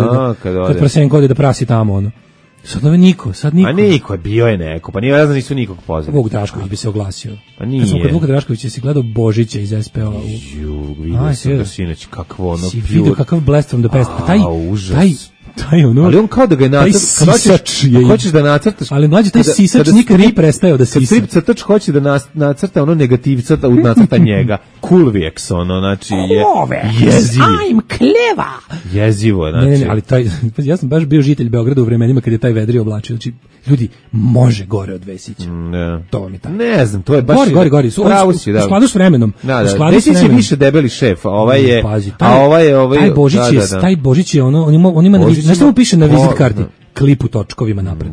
kad Prasenko ode da prasi tamo ono. Sad niko. A niko je, bio je neko, pa nije, nisu nikog pozvali. Vuk Drašković bi se oglasio. Pa nije. Kad Vuk Drašković si gledao Božića iz SPO. Vidio sam ga sinoć, kakvo ono pjur. Si vidio kakav blast from the past. Taj ono, ali on kao da ga je hoćeš da nacrtaš, ali mlađi taj sisač nikad nije prestao da sisa. Kad strip crtač hoće da nacrta ono negativca, da nacrta njega. Kulvijeks ono, znači je jezivo. I'm clever. Jezivo, znači. Ne, ali ja sam baš bio žitelj Beograda u vremenima kad je taj vedri oblačio, znači ljudi, može gore od Vesića. To vam je tako. Ne znam, to je baš gori. U skladu s vremenom. Vesić je više debeli šef, a ovaj je taj Božić je ono, on ima nešto mu piše na vizit karti, klip u točkovima napred.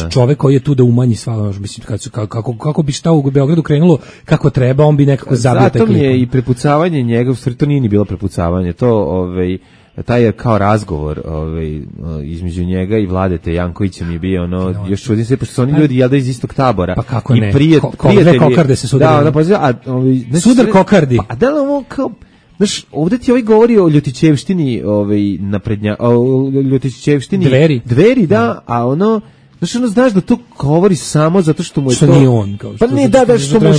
Čovek koji je tu da umanji sva, mislim, kako bi šta u Beogradu krenulo kako treba, on bi nekako zabio taj klip. Zato mi je i prepucavanje njega, u stvari to nije ni bilo prepucavanje, to taj je kao razgovor između njega i Vladete Jankovića mi je bio ono, još čudim se, pošto su oni ljudi jel da iz istog tabora. Pa kako ne, prijatelji, kokarde se sudarili. Sudar kokardi. A da li ovo kao, znaš, ovdje ti govori o Ljotićevštini, Ljotićevštini Dveri, da, a ono, znaš da to govori samo zato što mu je što to... Što nije on. Pa ne,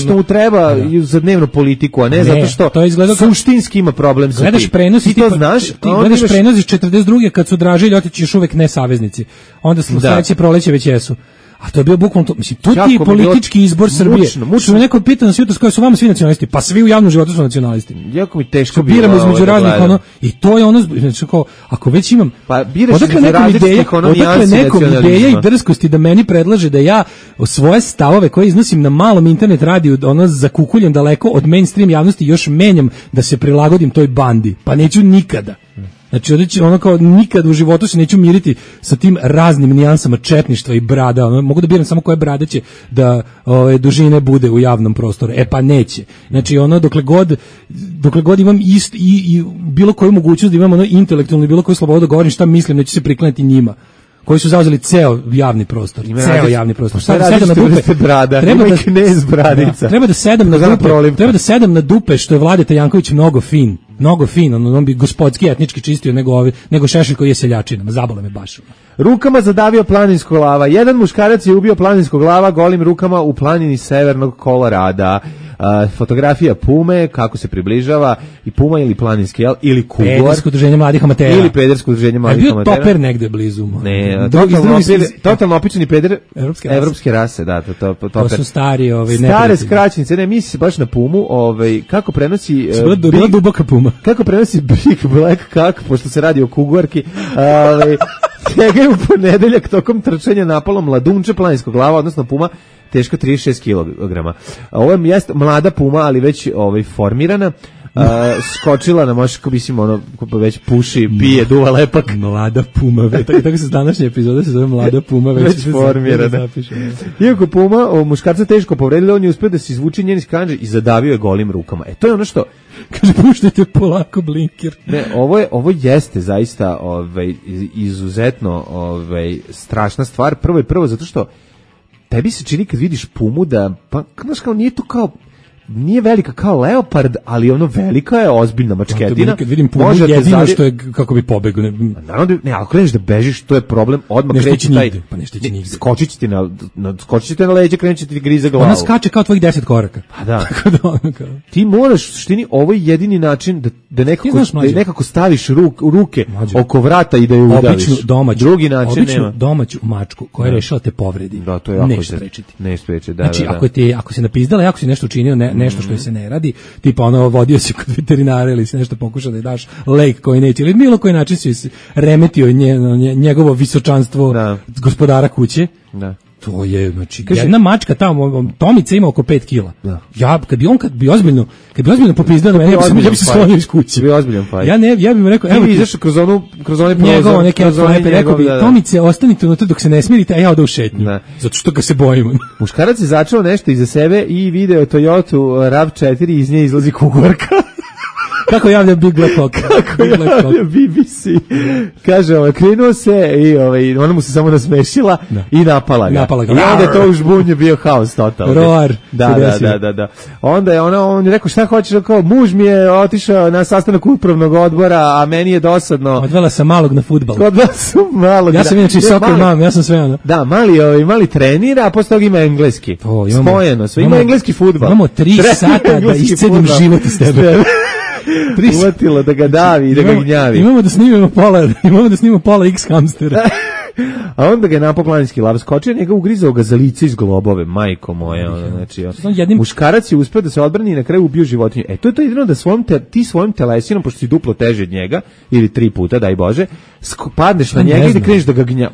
što mu treba za dnevnu politiku, a ne zato što suštinski ima problem sa tim. Gledaš prenos ti to znaš. Ti gledaš prenos iz 42. kad su Draže i Ljotić još uvek ne saveznici. Onda sledeće proleće već jesu. A to je bio bukvalno to, mislim, tu ti je politički izbor Srbije. Što me neko pita na svijetu s kojoj su vama svi nacionalisti, pa svi u javnom životu su nacionalisti. Jako mi teško bilo. Biramo između raznih ono, i to je ono, znači ako već imam, pa biraš između različitih ono nijansi ideja i drskosti da meni predlaže da ja svoje stavove koje iznosim na malom internet radiju, ono zakukuljem daleko od mainstream javnosti, još menjam da se prilagodim toj bandi. Pa neću nikada. Znači, ono kao nikad u životu se neću miriti sa tim raznim nijansama četništva i brada. Ono, mogu da biram samo koje brade će da dužine bude u javnom prostoru. Pa neće. Znači, ono, dokle god imam i bilo koju mogućnost da imam ono intelektualno i bilo koju slobodu da govorim šta mislim, neću se priklanjati njima. Koji su zauzeli ceo javni prostor. Javni prostor. Sedam na dupe. Treba da sedam na dupe, što je Vladeta Janković mnogo fin, on bi gospodski etnički čistio nego Šešelj koji je seljačina, zabole me baš. Rukama zadavio planinskog lava. Jedan muškarac je ubio planinskog lava golim rukama u planini severnog Kolorada. Fotografija pume, kako se približava, i puma ili planinski, ili kugor. Pedersko udruženje mladih amatera. Ili pedersko udruženje mladih amatera. Bio toper negde blizu. Ne, totalno opičeni peder evropske rase, da, toper. To su stari, stare skraćenice, ne, misli se baš na pumu, kako prenosi... Bila duboka puma. Kako prenosi Big Black Kak, pošto se radi o kugorki, njega je u ponedeljak tokom trčanja napalo mladunče planinskog glava, odnosno puma, teško 36 kg. Ovo je mlada puma, ali već formirana. Skočila na moško, mislim, već puši, pije, duva lepak. Mlada puma, tako se današnja epizoda se zove Mlada puma, već formirana. Iako puma muškarca teško povredila, on je uspio da se izvuči njen iz kandže i zadavio je golim rukama. To je ono što... Kaže, puštajte polako blinker. Ne, ovo jeste zaista izuzetno strašna stvar. Prvo zato što tebi se čini kad vidiš pumu da, pa, znaš, kao nije to kao, nije velika kao leopard, ali ono velika je ozbiljna mačketina. Kad vidim pumu, jedino što je kako bi pobegao. Naravno, ne, ako kreneš da bežiš, to je problem, odmah kreći taj... Pa nešto će nigde. Skočit ti na leđa, krenuće ti grize glavu. Ona skače kao tvojih 10 koraka. Pa da. Ti moraš, u suštini, ovo je jedini način da nekako staviš ruke oko vrata i da je udaviš. Drugi način nema. Običnu domaću mačku koja je rešila te povredi. Da, to je jako nešto sprečiti. Ne sprečiti, da. Znači, ako si napizdala, ako si nešto učinio nešto što se ne radi, tipa ono vodio si kod veterinara ili si nešto pokušao da je daš lek koji neće, ili bilo koji način si remetio njegovo visočanstvo gospodara kuće. Da. To je, znači, jedna mačka tamo, Tomica ima oko 5 kila. Da. Ja, kad bi ozbiljno popizdao na mene, ja bi se slonio iz kuće. Bi ozbiljan fajt. Ja bih mu rekao, evo ti izašao kroz one prozor, neke lepe, rekao bi, Tomice, ostanite unutra dok se ne smirite, a ja odem u šetnju. Zato što ga se bojim. Muškarac je začeo nešto iza sebe i video Toyota RAV4 i iz nje izlazi kugorka. Kako javlja Big Black Hawk? Kako javlja BBC? Kaže, krenuo se i ona mu se samo nasmešila i napala ga. I onda je to u žbunju bio haos totalno. Roar. Da. Onda je on je rekao, šta hoćeš? Kao, muž mi je otišao na sastanak upravnog odbora, a meni je dosadno. Odvela sam malog na fudbal. Ja sam inače soccer mom, ja sam sve ono. Da, mali trenira, a posle toga ima engleski. Spojeno sve. Ima engleski fudbal. Imamo 3 sata da iscedim život iz tebe. Uvatilo da ga davi i da ga gnjavi. Imamo da snimamo pola X hamstera. A onda ga je napao planinski lav skočio, njega ugrizao ga za lice iz globove, majko moja. Znači, muškarac je uspeo da se odbrani i na kraju ubio životinju. To je to jedino da ti svojim telesinom, pošto si duplo teži od njega, ili 3 puta, daj Bože, padneš na njega i da kreneš da ga gnjavi.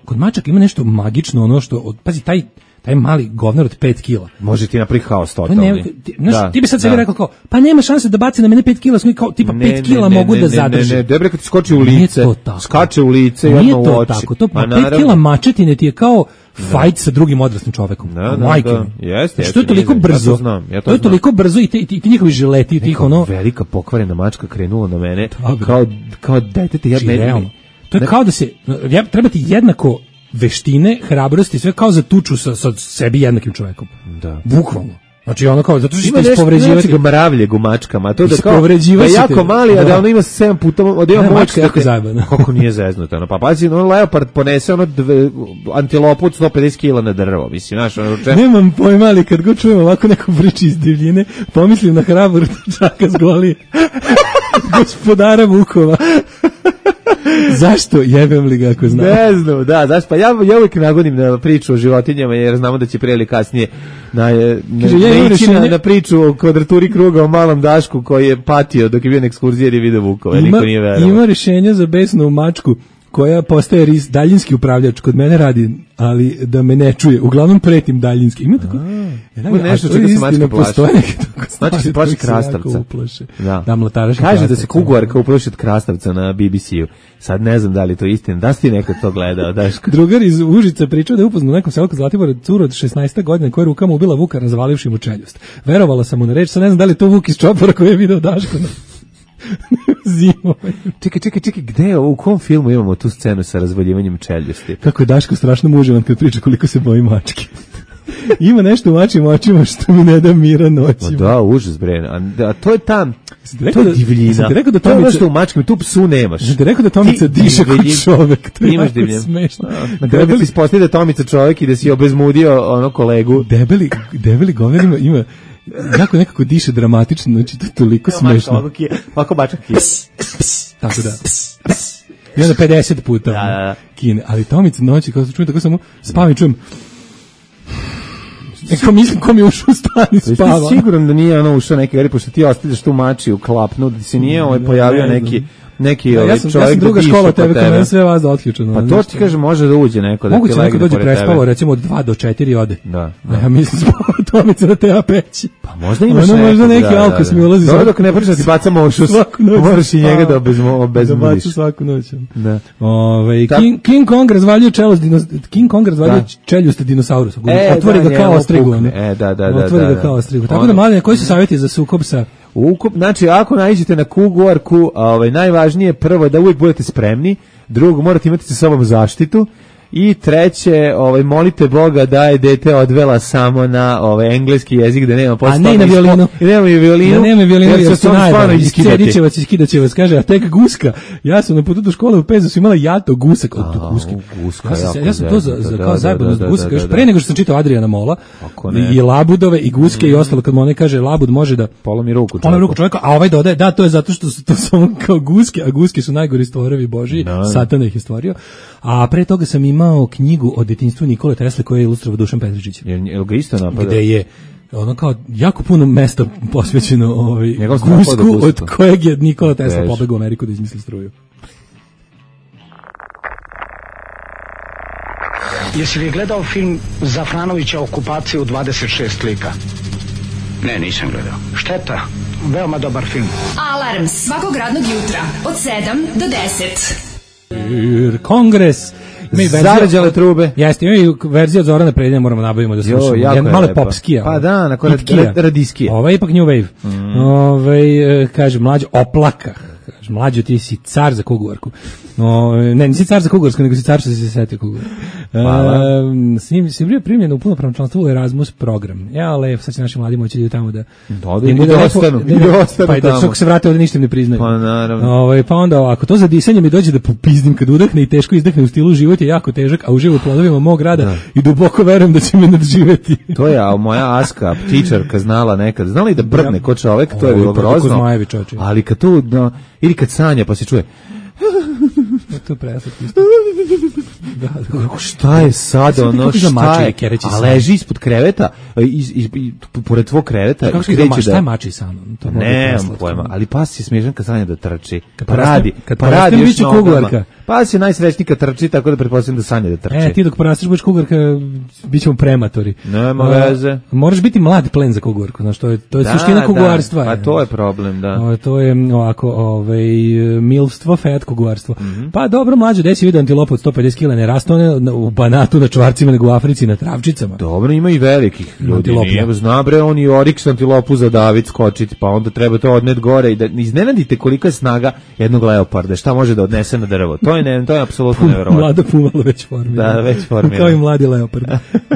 Kod mačaka ima nešto magično, ono što, pazi, taj mali govnar od 5 kila. Može ti napraviti haos totalni. Ti bi sad sebi rekao kao, pa nema šanse da baci na mene 5 kila, kao tipa 5 kila mogu da zadrži. Ne, dobro kad ti skoči u lice, skače u lice i odmah u oči. Nije to tako, to 5 kila mačetine ti je kao fight sa drugim odraslim čovekom. Jeste. Što je toliko brzo. To je toliko brzo i ti njihovi žileti, tih ono. Velika pokvarena mačka krenula na mene kao detete. To je kao da se, treba ti jednako veštine, hrabrosti, sve kao za tuču sa sebi jednakim čovekom. Da. Bukvalno. Znači ono kao, zato što ćete ispovređivati. Ima nešto mravlje gumačkama, to da kao, da je jako mali, a da ono ima 7 puta, da ima moć. Kako nije zeznuto, pa pazi, leopard ponese antilopu od 150 kila na drvo, mislim, znaš, Nemam pojma, ali kad god čujem ovako neku priču iz divljine, pomislim na hrabor čaka s Golije. Gospodara Vukova. Zašto jebem li ga ako znam? Ne znam, zašto? Pa ja uvijek nagodim na priču o životinjama jer znamo da će prije ili kasnije na priču o kvadraturi kruga o malom Dašku koji je patio dok je bio na ekskurziji jer je video Vukova. Niko nije verovao. Ima rješenja za besnu mačku koja postaje daljinski upravljač, kod mene radi, ali da me ne čuje. Uglavnom pretim daljinski. Ima tako nešto čega se mačka plaši. Mačka se plaši krastavca. Kaže da se kuguarka uplaši od krastavca na BBC-u. Sad ne znam da li to istina. Da si ti nekad to gledao, Daško? Drugar iz Užica pričao da je upoznao u nekom selu kod Zlatibora curu od 16 godina koja je rukama ubila vuka razvalivši mu čeljust. Verovala sam mu na reč, sad ne znam da li to Vuk iz Čopora koji je video Daško na zimove. Čekaj, gde je ovo, u kom filmu imamo tu scenu sa razvaljivanjem čeljusti? Kako je Daško strašno muževan kad priča koliko se boji mačke. Ima nešto u mačim očima što mi ne da mira noćima. Da, užas bre. A to je tam, to je divljina. To je ono što u mačkama, tu psu nemaš. Ti rekao da Tomica diše kod čovek. To je jako smešno. Na kraju bi se ispostavio da Tomica čovek i da si obezmudio ono kolegu. Debeli govor ima jako nekako diše dramatično, znači to je toliko smešno. Ovako mačak. Tako da. I onda 50 puta kine. Ali Tomica noći, kao se čujem, tako samo spavam i čujem. Neko mislim ko mi je ušao u stan i spava. Jesi siguran da nije ono ušao neki, pošto ti ostavljaš tu mači u klapnu, da se nije pojavio neki ja sam druga škola tebe, kad meni sve vas da otključeno. Pa to ti kaže može da uđe neko da ti legne pored tebe. Moguće neko dođe prespavo, recimo od 2 do 4 ode. Da. Ja mislim spava Tomica da te peći. Pa možda imaš možda neki alkos mi ulazi. Dobro, dok ne pričaš ti bacamo ušus, moraš i njega da obezmudiš. Da bacu svaku noć. King Kong razvaljuje čeljust dinosaurusa. Otvori ga kao ostrigu. Otvori ga kao ostrigu. Tako da, mladine, koji su savjeti za sukob sa... Znači, ako naiđete na kuguarku, najvažnije prvo da uvijek budete spremni, drugo, morate imati sa sobom zaštitu, i treće, molite Boga da je dete odvela samo na engleski jezik, da nema posle. A ne na violinu. Nema i violinu. Nema violinu, jer su najbolji. Iscedićevac i skidaćevac, kaže, a tek guska. Ja sam na putu do škole u Pezu imala jato gusak. Ja sam to kao zajebano guska, još pre nego što sam čitao Adriana Mola, i labudove, i guske, i ostalo, kad mu one kaže, labud može da polomi ruku čovjeka, a ovaj dodaje, da, to je zato što su to samo kao guske, a guske su najgori stvorovi Božji, Satan ih je stvorio. A pre toga sam imao knjigu o detinjstvu Nikole Tesle koju je ilustrovao Dušan Petričić. Jel ga isto napada? Gde je ono kao jako puno mesta posvećeno Gusku, od kojeg je Nikola Tesla pobegao u Ameriku da izmisli struju. Jesi li gledao film Zafranovića Okupacija u 26 lika? Ne, nisam gledao. Šteta, veoma dobar film. Alarm svakog radnog jutra od 7 do 10. Kongres. Zarađale trube. Jeste, imaju verziju od Zorana Prednje, moramo nabavimo da slušamo. Malo popskija. Pa da, na radiskija. Ovo je ipak New Wave. Kaže, mlađo, oplaka. Kaže, mlađo, ti si car za kuguvarku. Ne, nisi car za kuguvarsku, nego si car što si se setio kuguvar. Si bio primljen u punopravno članstvo u Erasmus program. Ja, ali sad će naši mladi moći da idu tamo da ostanu pa i da što se vrate ovde ništa im ne priznaju. Pa naravno. Pa onda, ako to za disanje mi dođe da popizdim kad udahne i teško izdahne u stilu život je jako težak, a uživo u plodovima mog rada i duboko verujem da će me nadživeti. To je moja Aska, ptičarka, znala nekad. Znala i da brdne ko čovek, to je bilo grozno. Ali kad tu, ili kad sanja pa se čuje to je preslatko. Šta je sad ono, šta je? A leži ispod kreveta, pored tvog kreveta. Šta je mači san? Nemam pojma, ali pas je smiješan kad sanja da trči. Kad radi još nogama. Pas je najsrećniji kad trči, tako da pretpostavljam da sanja da trči. Ti dok porasteš budeš kugarka, bit ćemo prematori. Nema veze. Moraš biti mlad plen za kugarku, znaš, to je suština kugarstva. Pa to je problem, da. To je ovako, milstvo, fet kugarstvo. Pa dobro, mlađe, gde si vidio antilopu od 150 kg, ne raste one u Banatu na čvarcima, nego u Africi na travčicama. Dobro, ima i velikih ljudi. Nije, zna bre, on i Oryx antilopu za David skočiti, pa onda treba to odnet gore i da iznenadite kolika je snaga jednog leoparda, šta može da odnese na drvo. To je apsolutno neverovatno. Mlada pumalo već formirano. Da, već formirano. Kao i mladi leopard.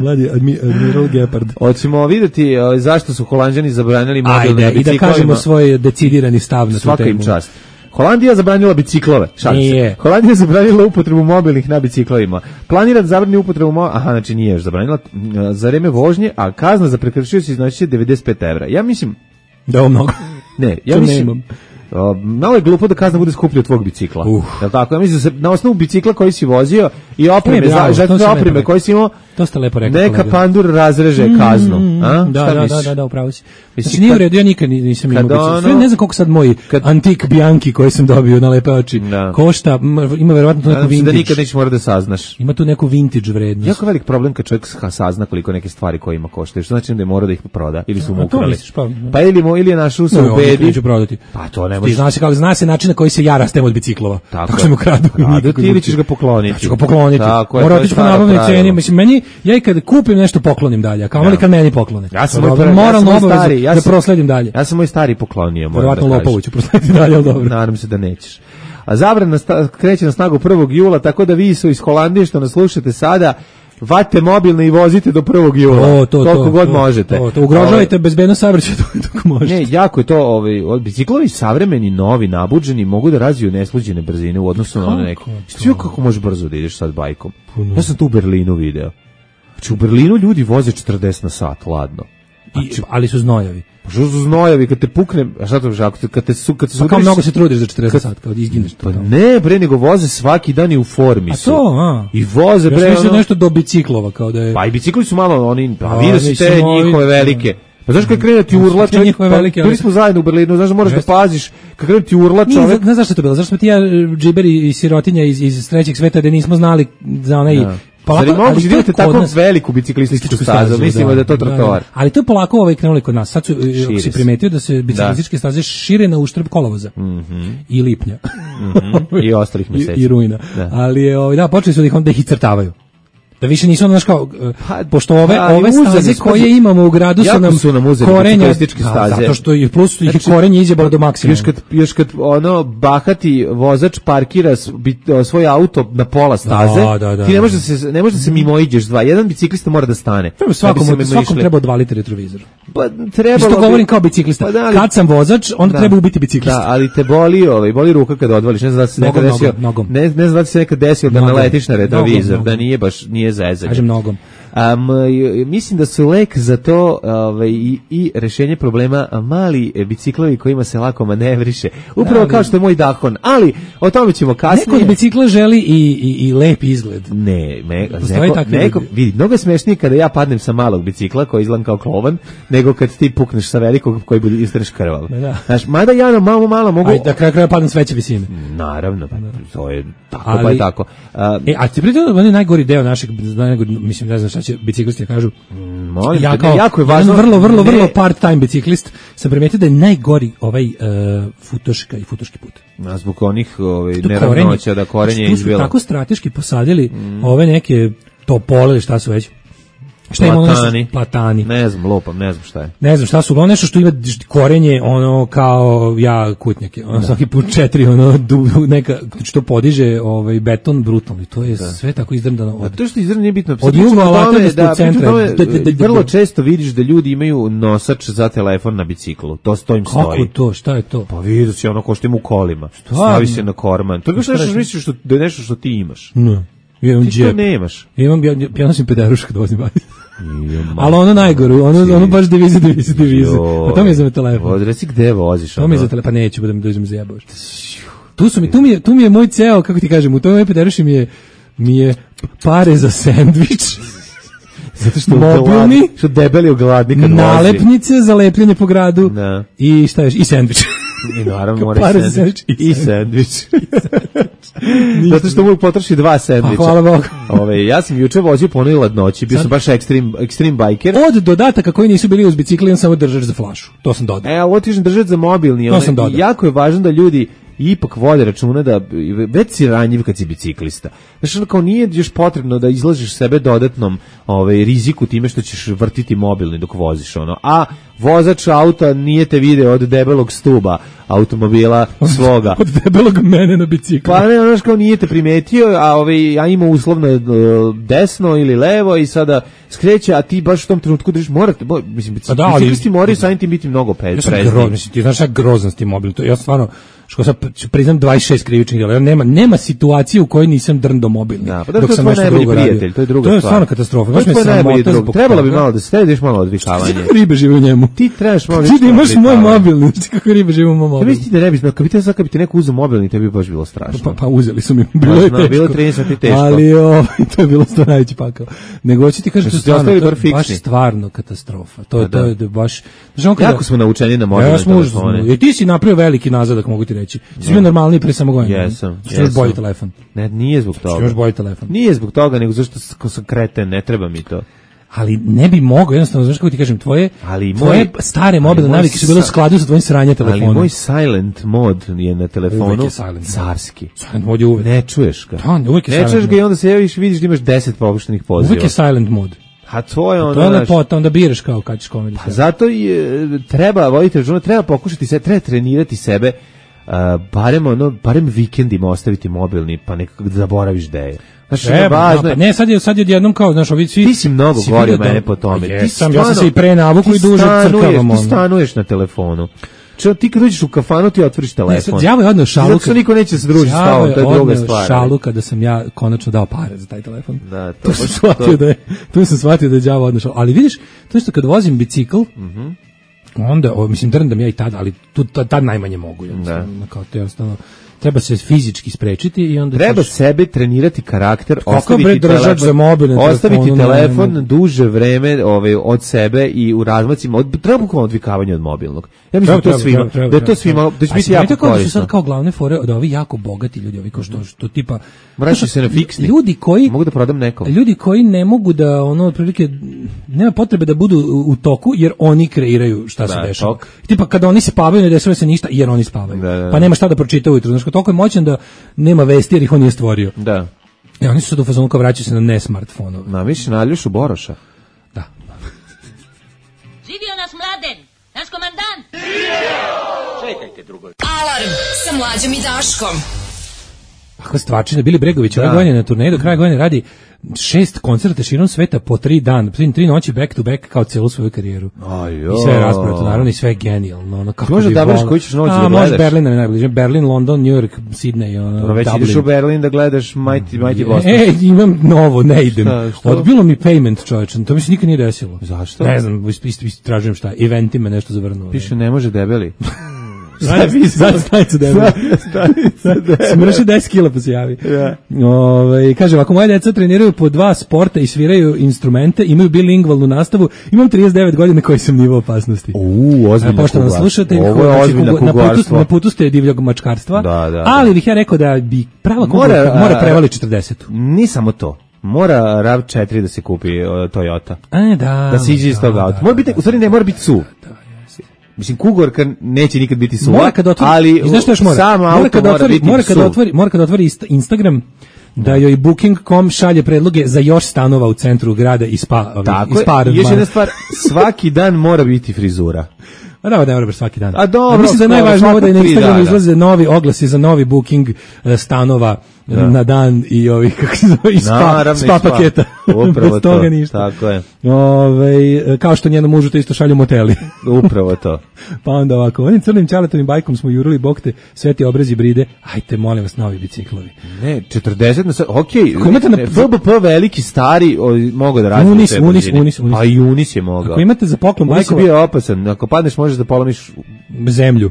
Mladi admiral Gepard. Hoćemo vidjeti zašto su Holanđani zabranili mobilne biciklovima. I da kažemo svoj decidirani stav na tu temu. Svaka im čast. Holandija zabranila biciklove. Nije. Holandija zabranila upotrebu mobilnih na biciklovima. Planira da zabrani upotrebu znači nije još zabranila za vreme vožnje, a kazna za prekršioce iznosi 95 evra. Ja mislim da je mnogo. Ne, ja mislim malo je glupo da kazna bude skuplja od tvog bicikla. Jel tako? Ja mislim da se na osnovu bicikla koji si vozio i opreme, za opreme koji si imao, to ste lepo rekli. Neka pandur razreže kaznu. Da, upravo si. Znači nije u redu, ja nikad nisam imao bicikla. Ne znam koliko sad moj antik Bianchi koji sam dobio na lepe oči košta, ima verovatno tu neku vintage. Da nikad nećeš morati da saznaš. Ima tu neku vintage vrednost. Jako velik problem kad čovjek sazna koliko neke stvari koje ima koštaju. Što znači da je mora da ih proda ili su mu ukrali. Pa ili je našao se u bedi. Pa to ne ti znaš kako zna se način na koji se ja rastem od biciklova. Tako se mu kradu. Ti ili ćeš ga pokloniti. Ja ću ga pokloniti. Mora otići po nabavnoj ceni. Mislim, meni, ja i kad kupim nešto poklonim dalje, a kamoli kad meni poklone. Ja sam moralno obavezu da prosledim dalje. Ja sam moj stari poklonio. Verovatno Lopovu ću proslediti dalje, ali dobro. Nadam se da nećeš. A zabrana kreće na snagu 1. jula, tako da vi su iz Holandije što nas slušate sada, vate mobilne i vozite do 1. jula. Toliko god možete. To ugrožavajte bezbednost saobraćaja dok možete. Ne, jako je to, biciklovi savremeni, novi, nabuđeni, mogu da razviju nesluđene brzine u odnosu na one neke. Sve kako možeš brzo da ideš sad bajkom. Ja sam tu u Berlinu video. Znači u Berlinu ljudi voze 40 na sat, ladno. Ali su znojavi. Pa što su znojavi, kad te pukne, a šta to žako, kad te su pa kao mnogo se trudiš za 40 sat, kao da izgineš. Pa ne, bre, nego voze svaki dan i u formi su. A to, I voze, bre, još nešto do biciklova, kao da je. Pa i bicikli su malo, oni, pa vidio si te njihove velike. Pa znaš kad krene ti urla čovjek, bili smo zajedno u Berlinu, znaš da moraš da paziš, kad krene ti urla čovjek. Ne znaš što je to bilo, zašto smo ti ja džiberi i sirotinja iz trećeg sveta da nismo znali za onaj Zar je moguće da imate tako veliku biciklističku stazu? Mislimo da je to trotoar. Ali to je polako krenuli kod nas. Sad si primetio da se biciklističke staze šire na uštrb kolovoza. I lipnja. I ostalih mjeseci. I rujna. Ali počeli su da ih crtavaju. Da više nisu ono, kao, pošto ove staze koje imamo u gradu su nam korenja, zato što i plus ih korenje izjebalo do maksimuma. Još kad bahati vozač parkira svoj auto na pola staze, ti ne možeš da se mimoiđeš dva. Jedan biciklista mora da stane. Svakom treba odvaliti retrovizor. Pa trebalo što govorim kao biciklista. Kad sam vozač, onda treba ubiti biciklista. Da, ali te boli ruka kada odvališ. Ne znam da se nekad desio. Ne znam da se nekad desio da naletiš na retrovizor, da nije zezanje. Kažem nogom. Mislim da su lek za to i rešenje problema mali biciklovi kojima se lako manevriše. Upravo kao što je moj Dahon, ali o tome ćemo kasnije. Neko od bicikla želi i lep izgled. Neko vidi, mnogo je smešnije kada ja padnem sa malog bicikla koji izgledam kao klovan, nego kad ti pukneš sa velikog koji bude istaneš krval. Znaš, mada ja na malo mogu... Ajde, da kraj padnem s veće visine. Naravno, to je tako, pa je tako. A ti pritom on je najgori deo našeg, mislim, ne znam šta će biciklisti kažu. Jako je važno. Vrlo part-time biciklist sam primetio da je najgori ovaj futoška i futoški put. Zbog onih neravnoća da korenje izbilo. Tu su tako strateški posadili ove neke topole, šta su već. Šta ima platani. Ne znam, lopam, ne znam šta je. Ne znam šta su, ono nešto što ima korenje, ono kao kutnjak, ono svaki put 4, ono neka što podiže beton brutalno i to je sve tako izdrndano. A to što izdrndano nije bitno. Od juga Latvijskog centra. Vrlo često vidiš da ljudi imaju nosač za telefon na biciklu. To im stoji. Kako to? Šta je to? Pa vidi se ono ko što ima u kolima. Stavi se na korman. To je baš nešto što misliš da je nešto što ti imaš. Ne. Ti to nemaš. Ja nosim pederušku kad vozim bajs. Ali ono najgoru, ono baš divize. A to mi je za telefon. Reci gde voziš? To mi je za telefon, pa neću, budem da uzmem zajebavaš. Tu mi je moj ceo, kako ti kažem, u tome pederuši mi je pare za sendvič. Zato što mobilni, što debeli u gladni kad vozi. Nalepnice za lepljenje po gradu i šta još, i sendvič. I naravno mora i sendvič. Zato što mogu potroši 2 sendviča. Hvala Bogu. Ja sam juče vozio po onoj ladnoći, bio sam baš extreme biker. Od dodataka koji nisu bili uz bicikli, on samo držač za flašu. To sam dodao. Ovo ti držač za mobilni. To sam dodao. Jako je važno da ljudi ipak vode računa da već si ranjiv kad si biciklista. Znači, kao nije još potrebno da izlažiš sebe dodatnom riziku time što ćeš vrtiti mobilni dok voziš a vozač auta nije te video od debelog stuba automobila svoga. Od debelog mene na biciklu. Pa ne, znaš, kao nije te primetio, a ima uslovno desno ili levo i sada skreće, a ti baš u tom trenutku držiš, biciklisti moraju samim tim biti mnogo prezni. Ti znaš šta grozan s tim mobilom. Ja stvarno, što sad priznam 26 krivičnih djela, nema situacije u kojoj nisam drndo mobilni. Da, pa dok sam nešto drugo radio. To je druga stvar. To je stvarno katastrofa. To je najbolji drug. Trebalo bi malo da sediš malo odvikavanje. Ribe žive u njemu. Ti trebaš malo nešto. Ti imaš moj mobilni, znači kako ribe žive u mom mobilni. Ti ne bi znao, kad bi ti neko uzeo mobilni, tebi bi baš bilo strašno. Pa uzeli su mi, bilo je teško. Bilo 30 teško. Ali to je bilo stvarno najveći pakao. Nego hoću ti kažem, to je baš stvarno katastrofa. To je baš... Jako smo naučeni na mobilne telefone. I ti si napravio veliki nazadak, mogu ti reći. Ti si bio normalniji pre samo godina. Jesam. Ti imaš bolji telefon. Ne, nije zbog toga. Ti imaš bolji telefon. Nije zbog toga, nego zašto sam kreten, ne treba mi to. Ali ne bi mogao, jednostavno, znaš kako ti kažem, tvoje stare mobilne navike su bile u skladu sa tvojim sranje telefonom. Ali moj silent mod je na telefonu carski. Silent mod je uvek. Ne čuješ ga. Uvek je silent mod. Ne čuješ ga i onda se javiš, vidiš da imaš 10 popuštenih poziva. Uvek je silent mod. A to je ono... To je lepota, onda biraš kao kad ćeš komedi. Pa zato treba voditi računa, treba pokušati se, treba trenirati sebe, barem vikendima ostaviti mobilni, pa nekako da zaboraviš da je. Znači, ne, sad je odjednom kao, znaš, ovi svi... Ti si mnogo govorio mene po tome. Ja sam se i pre navuku i duže crkavam. Ti stanuješ na telefonu. Ti kad uđeš u kafanu ti otvoriš telefon. Đavo je odneo šalu. Zato što niko neće se družiti s tobom, to je druga stvar. Šalu kada sam ja konačno dao pare za taj telefon. Da, tu sam shvatio da je đavo odneo šalu. Ali vidiš, to što kad vozim bicikl, onda, mislim, drndam ja i tada, ali tad najmanje mogu. Kao to jednostavno... Treba se fizički sprečiti i onda treba sebe trenirati karakter, ostaviti telefon duže vreme od sebe i u razmacima treba bukvalno odvikavanje od mobilnog. Ja mislim da je to svima da će biti jako korisno. Sad kao glavne fore da ovi jako bogati ljudi, ovi što tipa vraćaju se na fiksni. Ljudi koji mogu da prodam nekom. Ljudi koji ne mogu da otprilike nema potrebe da budu u toku jer oni kreiraju šta se dešava. Tipa kada oni spavaju ne dešava se ništa jer oni spavaju. Pa nema šta da pročita ujutro. Znači toliko je moćan da nema vesti jer ih on nije stvorio. Da. I oni su sad u fazonu kao vraćaju se na ne smartfonove. Namiš na Aljošu Boroša. Da. Živio nas Mladen, naš komandant. Čekajte drugo. Alarm sa Mlađom i Daškom. kakva stvarčina. Bili Bregović ove godine na turneji, do kraja godine radi 6 koncerta širom sveta po 3 dana, 3 noći back to back kao celu svoju karijeru. I sve je rasprato, naravno, i sve je genijalno. Ono, kako možda da biraš koji ćeš noć da gledaš? Može Berlin je najbliže. Berlin, London, New York, Sydney, Dobro, već ideš u Berlin da gledaš Mighty Boston. Imam novo, ne idem. Odbilo mi payment, čovječe, to mi se nikad nije desilo. Zašto? Ne znam, tražujem šta, eventi me nešto zavrnuo. Piše ne može debeli. Stanica debeli. Smrši 10 kila pa se javi. Kaže, ako moje deca treniraju po 2 sporta i sviraju instrumente, imaju bilingvalnu nastavu, imam 39 godina koji sam nivo opasnosti. Ozbiljno poštovani slušatelj, na putu ste divljog mačkarstva, ali bih ja rekao da bi prava kugarka mora prevali 40. Ni samo to. Mora RAV4 da se kupi Toyota. Da se iđe iz tog auta. Mora biti, u stvari ne mora biti SUV. Mislim, Kugorka neće nikad biti suva, ali sam auto mora biti SUV. Mora kad otvori Instagram, da joj Booking.com šalje predloge za još stanova u centru grada i spa. Tako je, još jedna stvar, svaki dan mora biti frizura. Da, ne mora baš svaki dan. A dobro, mislim da je najvažnije da na Instagramu izlaze novi oglasi za novi booking stanova na dan i ovih, kako se zove, spa paketa. Upravo to. Toga ništa. Tako je. Kao što njenom mužu to isto šalju moteli. Upravo to. Pa onda ovako, onim crnim čaletovim bajkom smo jurili bokte, sveti obrazi bride, ajte, molim vas, novi biciklovi. Ne, 40 na sad, okej, FBP veliki, stari, mogu da radi. Unis. A i Unis je mogao. Ako imate za poklon bajkova... Unis je bio opasan, ako padneš možeš da polomiš... zemlju.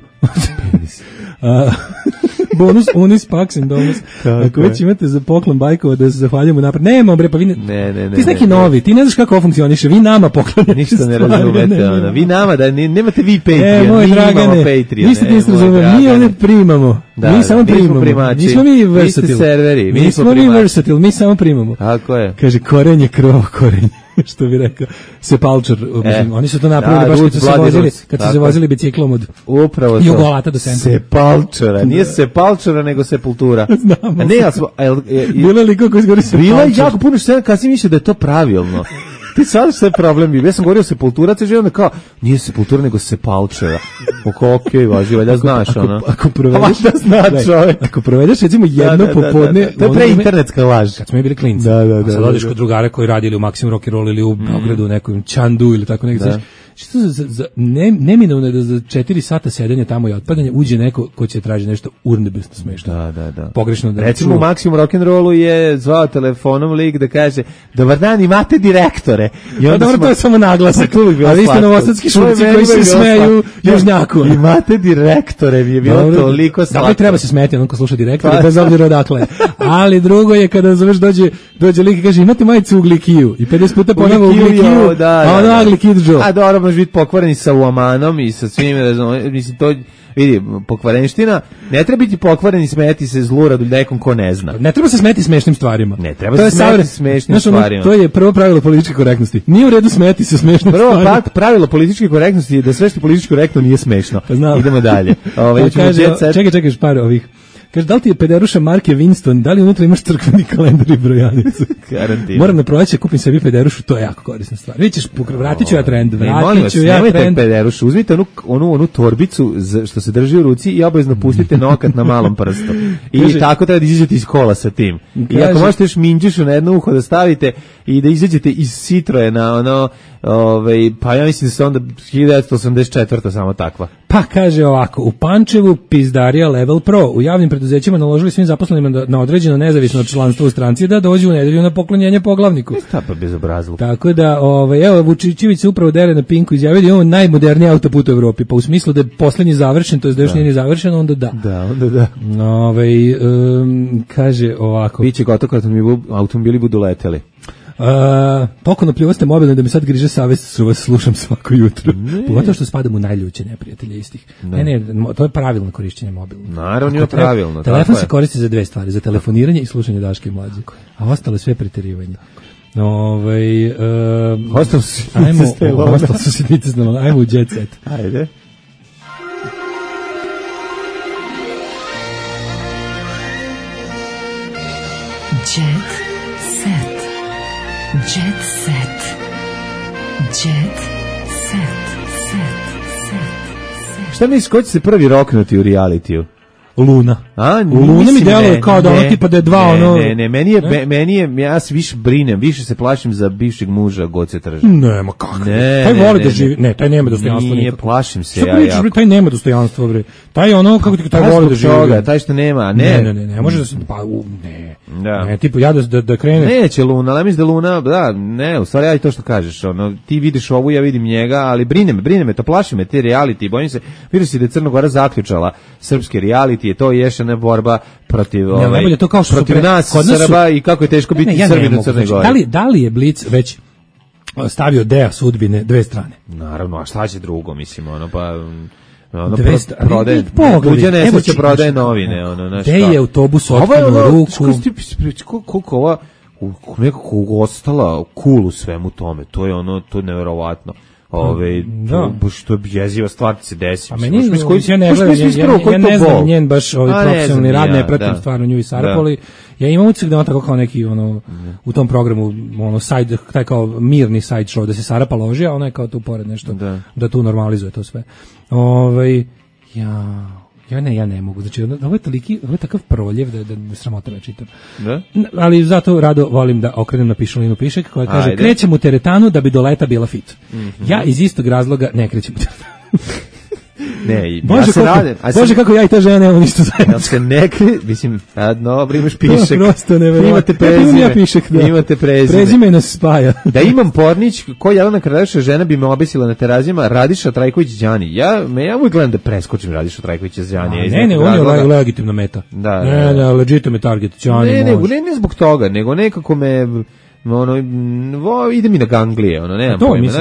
Bonus Unis Pax and Domus. Ako već imate za poklon bajkova da se zahvaljujemo napred. Nema bre, pa vi ti si neki novi, ti ne znaš kako ovo funkcioniše, vi nama poklanjate. Ništa ne razumete, ona. Vi nama, da nemate vi Patreon, mi imamo Patreon. Ništa niste razumeli, mi ovdje primamo. Mi samo primamo. Nismo mi versatile. Nismo mi versatile, mi samo primamo. Tako je. Kaže, korenje, krov, korenje. Što bi rekao Sepulcher, oni su to napravili baš kad su se vozili biciklom od Jugolata do centra. Sepulchera, nije Sepulchera nego Sepultura. Znamo. Bilo je liko koji izgori Sepulcher. Bilo je jako puno što kasnije mislio da je to pravilno. Ti sad što je problem bio? Ja sam govorio Sepultura, te želim da kao, nije Sepultura nego Sepulchera. Okej, važi, valjda znaš, ono. Ako provedeš recimo jedno popodne... To je preinternetska laž. Kad smo mi bili klinci. Sad odeš kod drugara koji radili u Maximum Rock and Roll ili u Beogradu, u nekom Čandu ili tako nekako. Što neminovno je da za 4 sata sedenja tamo i otpadanja uđe neko ko će traži nešto urnebesno smešno. Da. Pogrešno da. Recimo u Maximum Rock and Rollu je zvao telefonom lik da kaže: "Dobar dan, imate direktore." I onda dobro, to je samo naglasak. A vi ste novosadski šurci koji se smeju južnjaku. Imate direktore, mi je bilo toliko slatko. Dakle, treba se smeti onko sluša direktore, bez obzira odakle. Ali drugo je kada zoveš dođe lik i kaže: "Imate majicu Uglikiju." I 50 puta ponovo Uglikiju. A ono Uglikidžo. A dobro, može biti pokvareni sa uamanom i sa svim, mislim, to vidi, pokvarenština, ne treba biti pokvareni, smeti se zluradu nekom ko ne zna. Ne treba se smeti smešnim stvarima. Ne treba se smeti smešnim stvarima. To je prvo pravilo političke korektnosti. Nije u redu smeti se smešnim stvarima. Prvo pravilo političke korektnosti je da sve što politički korektno nije smešno. Idemo dalje. Čekaj, par ovih. Kaže, da li ti je pederuša marke Winston, da li unutra imaš crkveni kalendar i brojanicu? Garantivno. Moram na proleće kupim sebi pederušu, to je jako korisna stvar. Vidjet ćeš, vratit ću ja trend. Nemojte pederušu, uzmite onu torbicu što se drži u ruci i obavezno pustite nokat na malom prstu. I tako treba da izađete iz kola sa tim. I ako možete još minđušu na jedno uho da stavite i da izađete iz Citroe na ono, pa ja mislim da se onda 1984. samo takva. Pa kaže ovako, u Pančevu pizdarija Level Pro, u javnim preduzećima naložili svim zaposlenima na određeno nezavisno članstvo u stranci da dođu u nedelju na poklonjenje poglavniku. Šta pa bezobrazluk. Tako da, evo, Vučićević se upravo dere na Pinku, izjavio da imamo najmoderniji autoput u Evropi, pa u smislu da je poslednji završen, to je da još nije završen, onda da. Onda da. Kaže ovako. Biće gotovo kad automobili budu leteli. Toliko napljivaste mobilno da mi sad griže savest što vas slušam svako jutro. Pogotovo što spadam u najljuće neprijatelje istih. Ne, to je pravilno korišćenje mobilno. Naravno je pravilno. Telefon se koristi za dve stvari, za telefoniranje i slušanje Daške i Mlađe. A ostalo sve preterivanje. Ostalo su sitnice s nama. Ajmo u Jet Set. Ajde. Jet Set. Jet Set. Jet Set. Šta misliš, ko će se prvi roknuti u realitiju? Luna. Luna mi deluje kao da ono tipa da je dva ono... Ne, meni je, ja se više brinem, više se plašim za bivšeg muža Goce Trža. Ne, ma kako? Taj voli da živi, ne, taj nema dostojanstva. Nije, plašim se ja jako. Taj nema dostojanstva, bre. Taj ono, kako ti, taj voli da živi. Taj što nema, ne može da se, pa, ne. Ne, tipu, ja da krene... Neće Luna, ali mislim da Luna, u stvari ja i to što kažeš, ono, ti vidiš ovu, ja vidim njega, ali brine me, to plaši me, te reality, bojim se, vidio si da je Crna Gora zaključala srpske reality, je to još jedna borba protiv protiv nas Srba i kako je teško biti Srbin u Crnoj Gori. Da li je Blic već stavio dea sudbine dve strane? Naravno, a šta će drugo, mislim, ono, pa... prodaje prodaje novine, ono, znaš. Gde je autobus otkinuo ruku? Koliko ova nekako ostala cool u svemu tome, to je ono, to je neverovatno. Što je jeziva stvar se desi. A meni, ja ne znam njen baš profesionalni rad, ne pratim stvarno nju i Sarapoli. Ja imam utisak da on tako kao neki, u tom programu, side, taj kao mirni side show, da se Sarapa loži, a ona je kao tu pored nešto, da tu normalizuje to sve. Ja ne mogu, znači ovo je takav proljev da sramota me čitam. Ali zato rado volim da okrenem na Pišulinu Pišek koja kaže krećem u teretanu da bi do leta bila fit. Ja iz istog razloga ne krećem u teretanu. Ne, Bože, kako ja i ta žena nemamo ništa zajedno. Ja se mislim, dobro, imaš Pišek. Prosto neverovatno. Imate prezime. Prezime nas spaja. Da imam pornić, ko Jelena Kralješa žena bi me obesila na terazijama, Radiša Trajković Đani. Ja uvijek gledam da preskočim Radiša Trajkovića Đani. Ne, on je legitimna meta. Ne, legitimno target. Ne zbog toga, nego nekako me... ide mi na ganglije, nema to, pojma.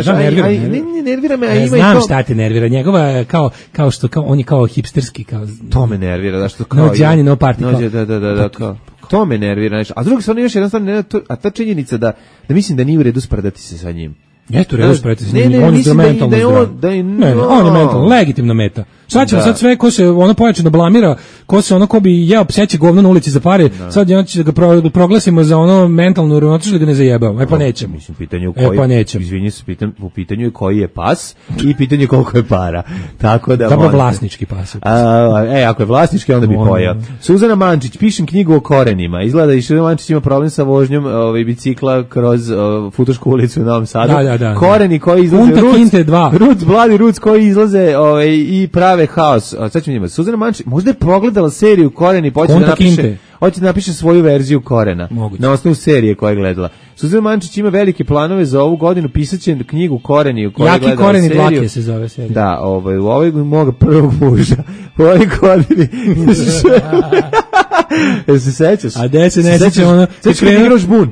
Nervira me, a ima i to. Znam šta te nervira, njegova je kao što, on je kao hipsterski. To me nervira, da što kao... No Đani, no party. Da, kao... To me nervira, a s druge strane još jednostavno, a ta činjenica da mislim da nije u redu sprdati se sa njim. Eto, redu sprediti se njim, on je mentalno zdrav. On je mentalno, legitimna meta. Sad ćemo sad sve, ko se pojačano blamira, ko bi jeo pseće govno na ulici za pare, sad će da ga proglasimo za mentalno uravnotežen, da ga ne zajebamo. Pa nećemo. Mislim, izvinite se, u pitanju je koji je pas i pitanje koliko je para. Tako da... Dobro, vlasnički pas. Ako je vlasnički, onda bi pojao. Suzana Mančić, pišem knjigu o korenima. Izgleda da i Suzana Mančić ima problem sa vožnjom bicikla kroz Futošku ulicu u Novom Sadu. Da. Koreni koji izlaze, Ruc koji izlaze i prave haos. Sad ćemo njima. Suzana Mančić, možda je progledala seriju Koreni, hoće da napiše svoju verziju Korena. Moguće. Na osnovu serije koju je gledala. Suzana Mančić ima velike planove za ovu godinu, pisaće knjigu Koreni u kojoj je gledala Koreni seriju. Dlake se zove serija. Da, u ovoj moga prvog muža. U ovoj godini. Se sećaš? A gde se ne sećam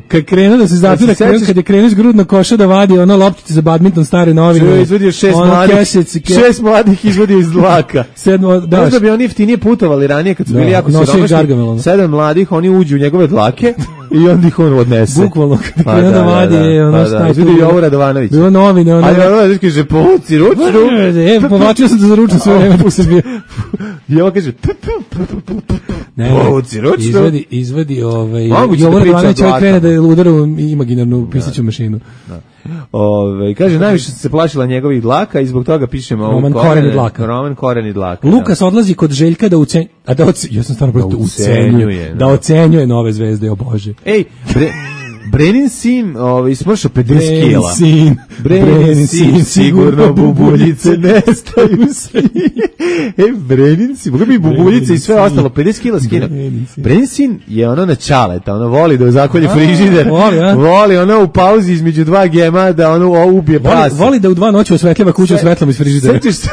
kad krenuo da se zatvira, kad je krenuo iz grudnog koša da vadi loptice za badminton stare novine. Izvodio 6 mladih izvodio iz dlaka. Možda bi oni jeftinije putovali ranije kad su bili jako siromašni. 7 mladih, oni uđu u njegove dlake i onda ih on odnese. Bukvalno, kad krenuo da vadi izvodio Jovo Radovanović. Bilo novine. Radovanović kaže, povuci ručnu. Povlačio sam za ručnu sve vreme dok sam bio. I ovo kaže, povuci ručnu. Izvadi Jovo Radovanović krene da je udara u imaginarnu pisaću mašinu. Kaže, najviše se plašila njegovih dlaka i zbog toga pišemo Roman Koreni dlaka. Lukas odlazi kod Željka da ja sam stvarno da ocenjuje nove zvezde, o Bože. Ej, Brenin sin smršao 50 kila. Brenin sin, sigurno bubuljice nestaju se. Brenin sin, mogu bi bubuljice i sve ostalo, 50 kila skino. Brenin sin je na čaleta, voli da zakolje frižider, voli u pauzi između dva gema da ubije pas. Voli da u 2 noći osvetljava kuću svetlom iz frižidera. Sećaš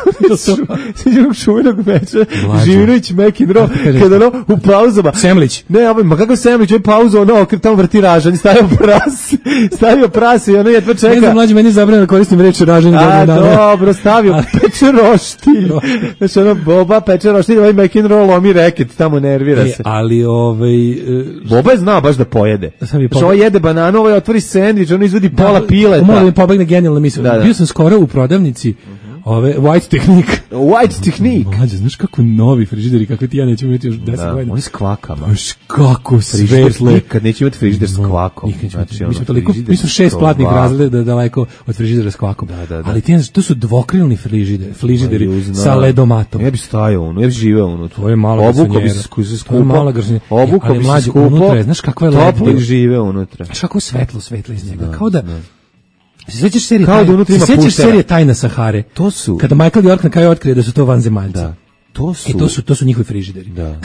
onog čuvenog meča, Živinović McEnroe, kada u pauzama. Semlić. Ne, ma kako Semlić, je pauzu, tamo vrti ražanj, stavio prase i jedva čeka. Ne znam, mlađi, meni je zabranjeno da koristim reč raženje. Dobro, stavio peče roštilj. Znači, Boba peče roštilj, McEnroe lomi reket, tamo nervira se. Ali, Boba je znao baš da pojede. Znači, ovo jede bananu, otvori sendvič, izvodi pola pileta. Moram da mi pobegne genijalna misla. Bio sam skoro u prodavnici White Technique. White Technique. Mlađe, znaš kako novi frižideri, kakve ti ja nećemo imati još 10 godina. Oni s kvakama. Baš kako svetle. Nikad neće imati frižider s kvakom. Znači, mi smo 6 platnih razreda daleko od frižidera s kvakom. Da. Ali to su dvokrilni frižideri sa ledomatom. Ja bi stajao unutra, ja bi živeo unutra. To je malo garsonjera. Obuka bi se skupo. Znaš kakva je toplo i žive unutra. Znaš kako svetlo iz njega. Kao da... Se sećaš serije Tajna Sahare? To su... Kada Michael York na kraju otkrije da su to vanzemaljci. Da. To su njihovi frižideri. Da.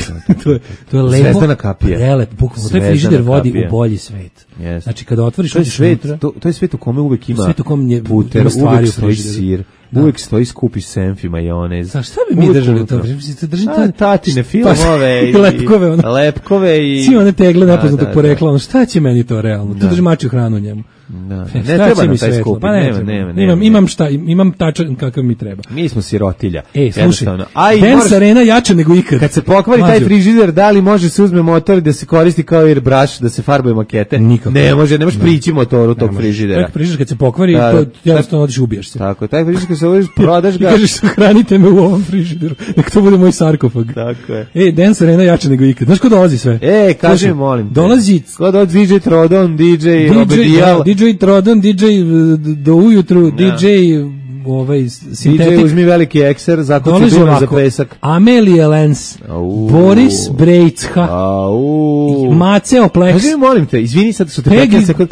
to je lepo. Zvezdana kapija. Prelep, bukvalno. Taj frižider vodi u bolji svet. Yes. Znači kada otvoriš to je svet u kome uvek ima svet u kome puter, uvek stoji sir. Uvek stoji skupi senf i majonez. Šta bi mi držali to? Tatine filmove i lepkove i... Svi one tegle nepoznatog porekla. Šta će meni to realno? Tu drži mačju hranu njemu. Ne treba nam taj skupi. Imam tačan kakav mi treba. Mi smo sirotilja. Slušaj, Dance Arena jača nego ikad. Kad se pokvari taj frižider, da li može se uzme motor da se koristi kao airbrush, da se farbaju makete? Nikako. Ne može prići motoru tog frižidera. Taj frižider kad se pokvari, jednostavno odiš ubijaš se. Tako, taj frižider se uvijek prodaš ga. I kažeš, hranite me u ovom frižideru. Nek to bude moj sarkofag. Tako je. Dance Arena jača nego ikad. Znaš ko dolazi sve? Kaži, molim te. Dolazi... Ko dolazi DJ Trodon, DJ Obedijal. DJ Trodon, DJ do ujutru, DJ... DJ uzmi veliki ekser, zakuci dunar za pesak. Amelie Lenz, Boris Brejcha, Maceo Plex. Kaži mi, molim te, izvini sad što te 15 sekund.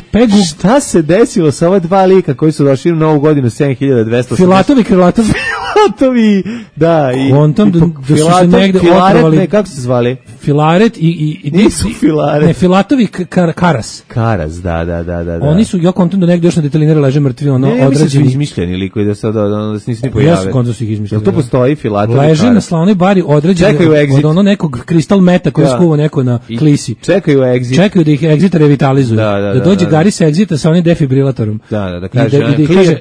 Šta se desilo sa ova dva lika koji su došli u novu godinu 7200? Filatovi, Krylatovi. Filatovi, da. Kontom, da su se negde otrovali. Kako se zvali? Filaret i nisu Filaret. Ne, Filatovi Karas. Karas, da. Oni su, ja kontom do negde još na detalinere leže mrtvi, odrađeni. Ne, mislim su izmišljeni likovi da se nisi ni pojavili. Jesu kontom su ih izmišljeni. Jel to postoji Filatovi Karas? Leže na slavnoj bari odrađeni od ono nekog kristal meta koji skuva neko na klisi. Čekaju exit. Čekaju da ih exit revitalizuju. Da dođe Gari sa exita sa onim defibrilatorom. Da, kaže,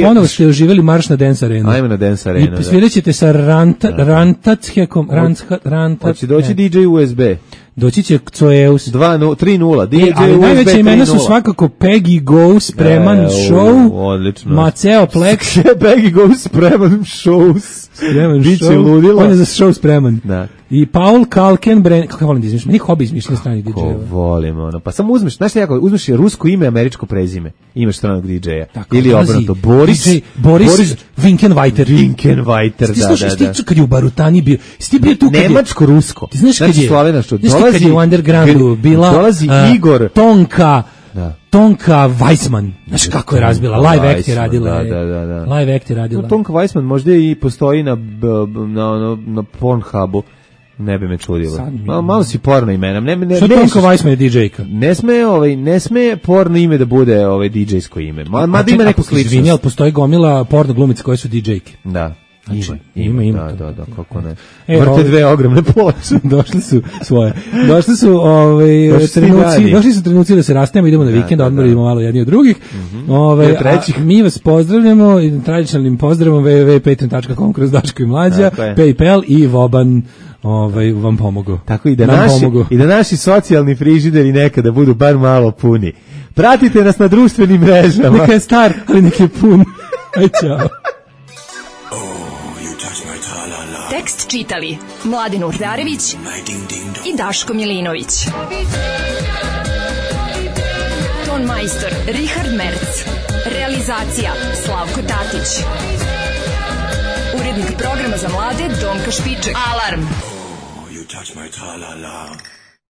ponovo ste oživjeli marš na Dance Arenu. Ajme na Dance Arenu. I svirat ćete sa Rantatshekom. Hoće doći DJ USB. Doći će Coeus 3.0 DJ ali najveće imena su svakako Peggy Go Spreman Show, odlično. Maceo Plex. Peggy Go Spreman Shows. Biće ludilo. On je za show spreman. Da. I Paul Kalkenbrenner, kako volim da izmišljam, nije hobi izmišljanje stranih DJ-eva. Kako volim, pa samo uzmeš, znaš li uzmeš rusko ime, američko prezime, imaš stranog DJ-a. Ili obrnuto, Boris Winkenweiter, da. Ti kad je u Barutani bio, ti bio tu kad je... Nemačko-rusko. Ti znaš kad je u undergroundu bila Igor Tonka Weissman. Znaš kako je razbila, Live Act je radila. Live Act je radila. Tonka Weissman možda i postoji na Pornhubu. Ne bi me čudilo. Malo si porno imena. Što Tonka Weissman je DJ-ka? Ne sme porno ime da bude DJ-sko ime. Mada ima neku sličnost. Izvini, ali postoji gomila porno glumice koje su DJ-ke. Da. Ima. Da, kako ne. Vrte dve ogromne ploče. Došli su trenuci da se rastanemo, idemo na vikend, odmorimo malo jedni od drugih. Mi vas pozdravljamo tradicionalnim pozdravom www.patreon.com kroz Daško i Mlađa, PayPal i Voban vam pomogu. Tako i da naši socijalni frižideri nekada budu bar malo puni. Pratite nas na društvenim mrežama. Neka je star, ali neka je pun. Aj, čao. Tekst čitali Mladin Urdarević i Daško Milinović. Ton majstor Richard Merc. Realizacija Slavko Tatić. Urednik programa za mlade Donka Špiček. Alarm! Oh, you touch my tra-la-la.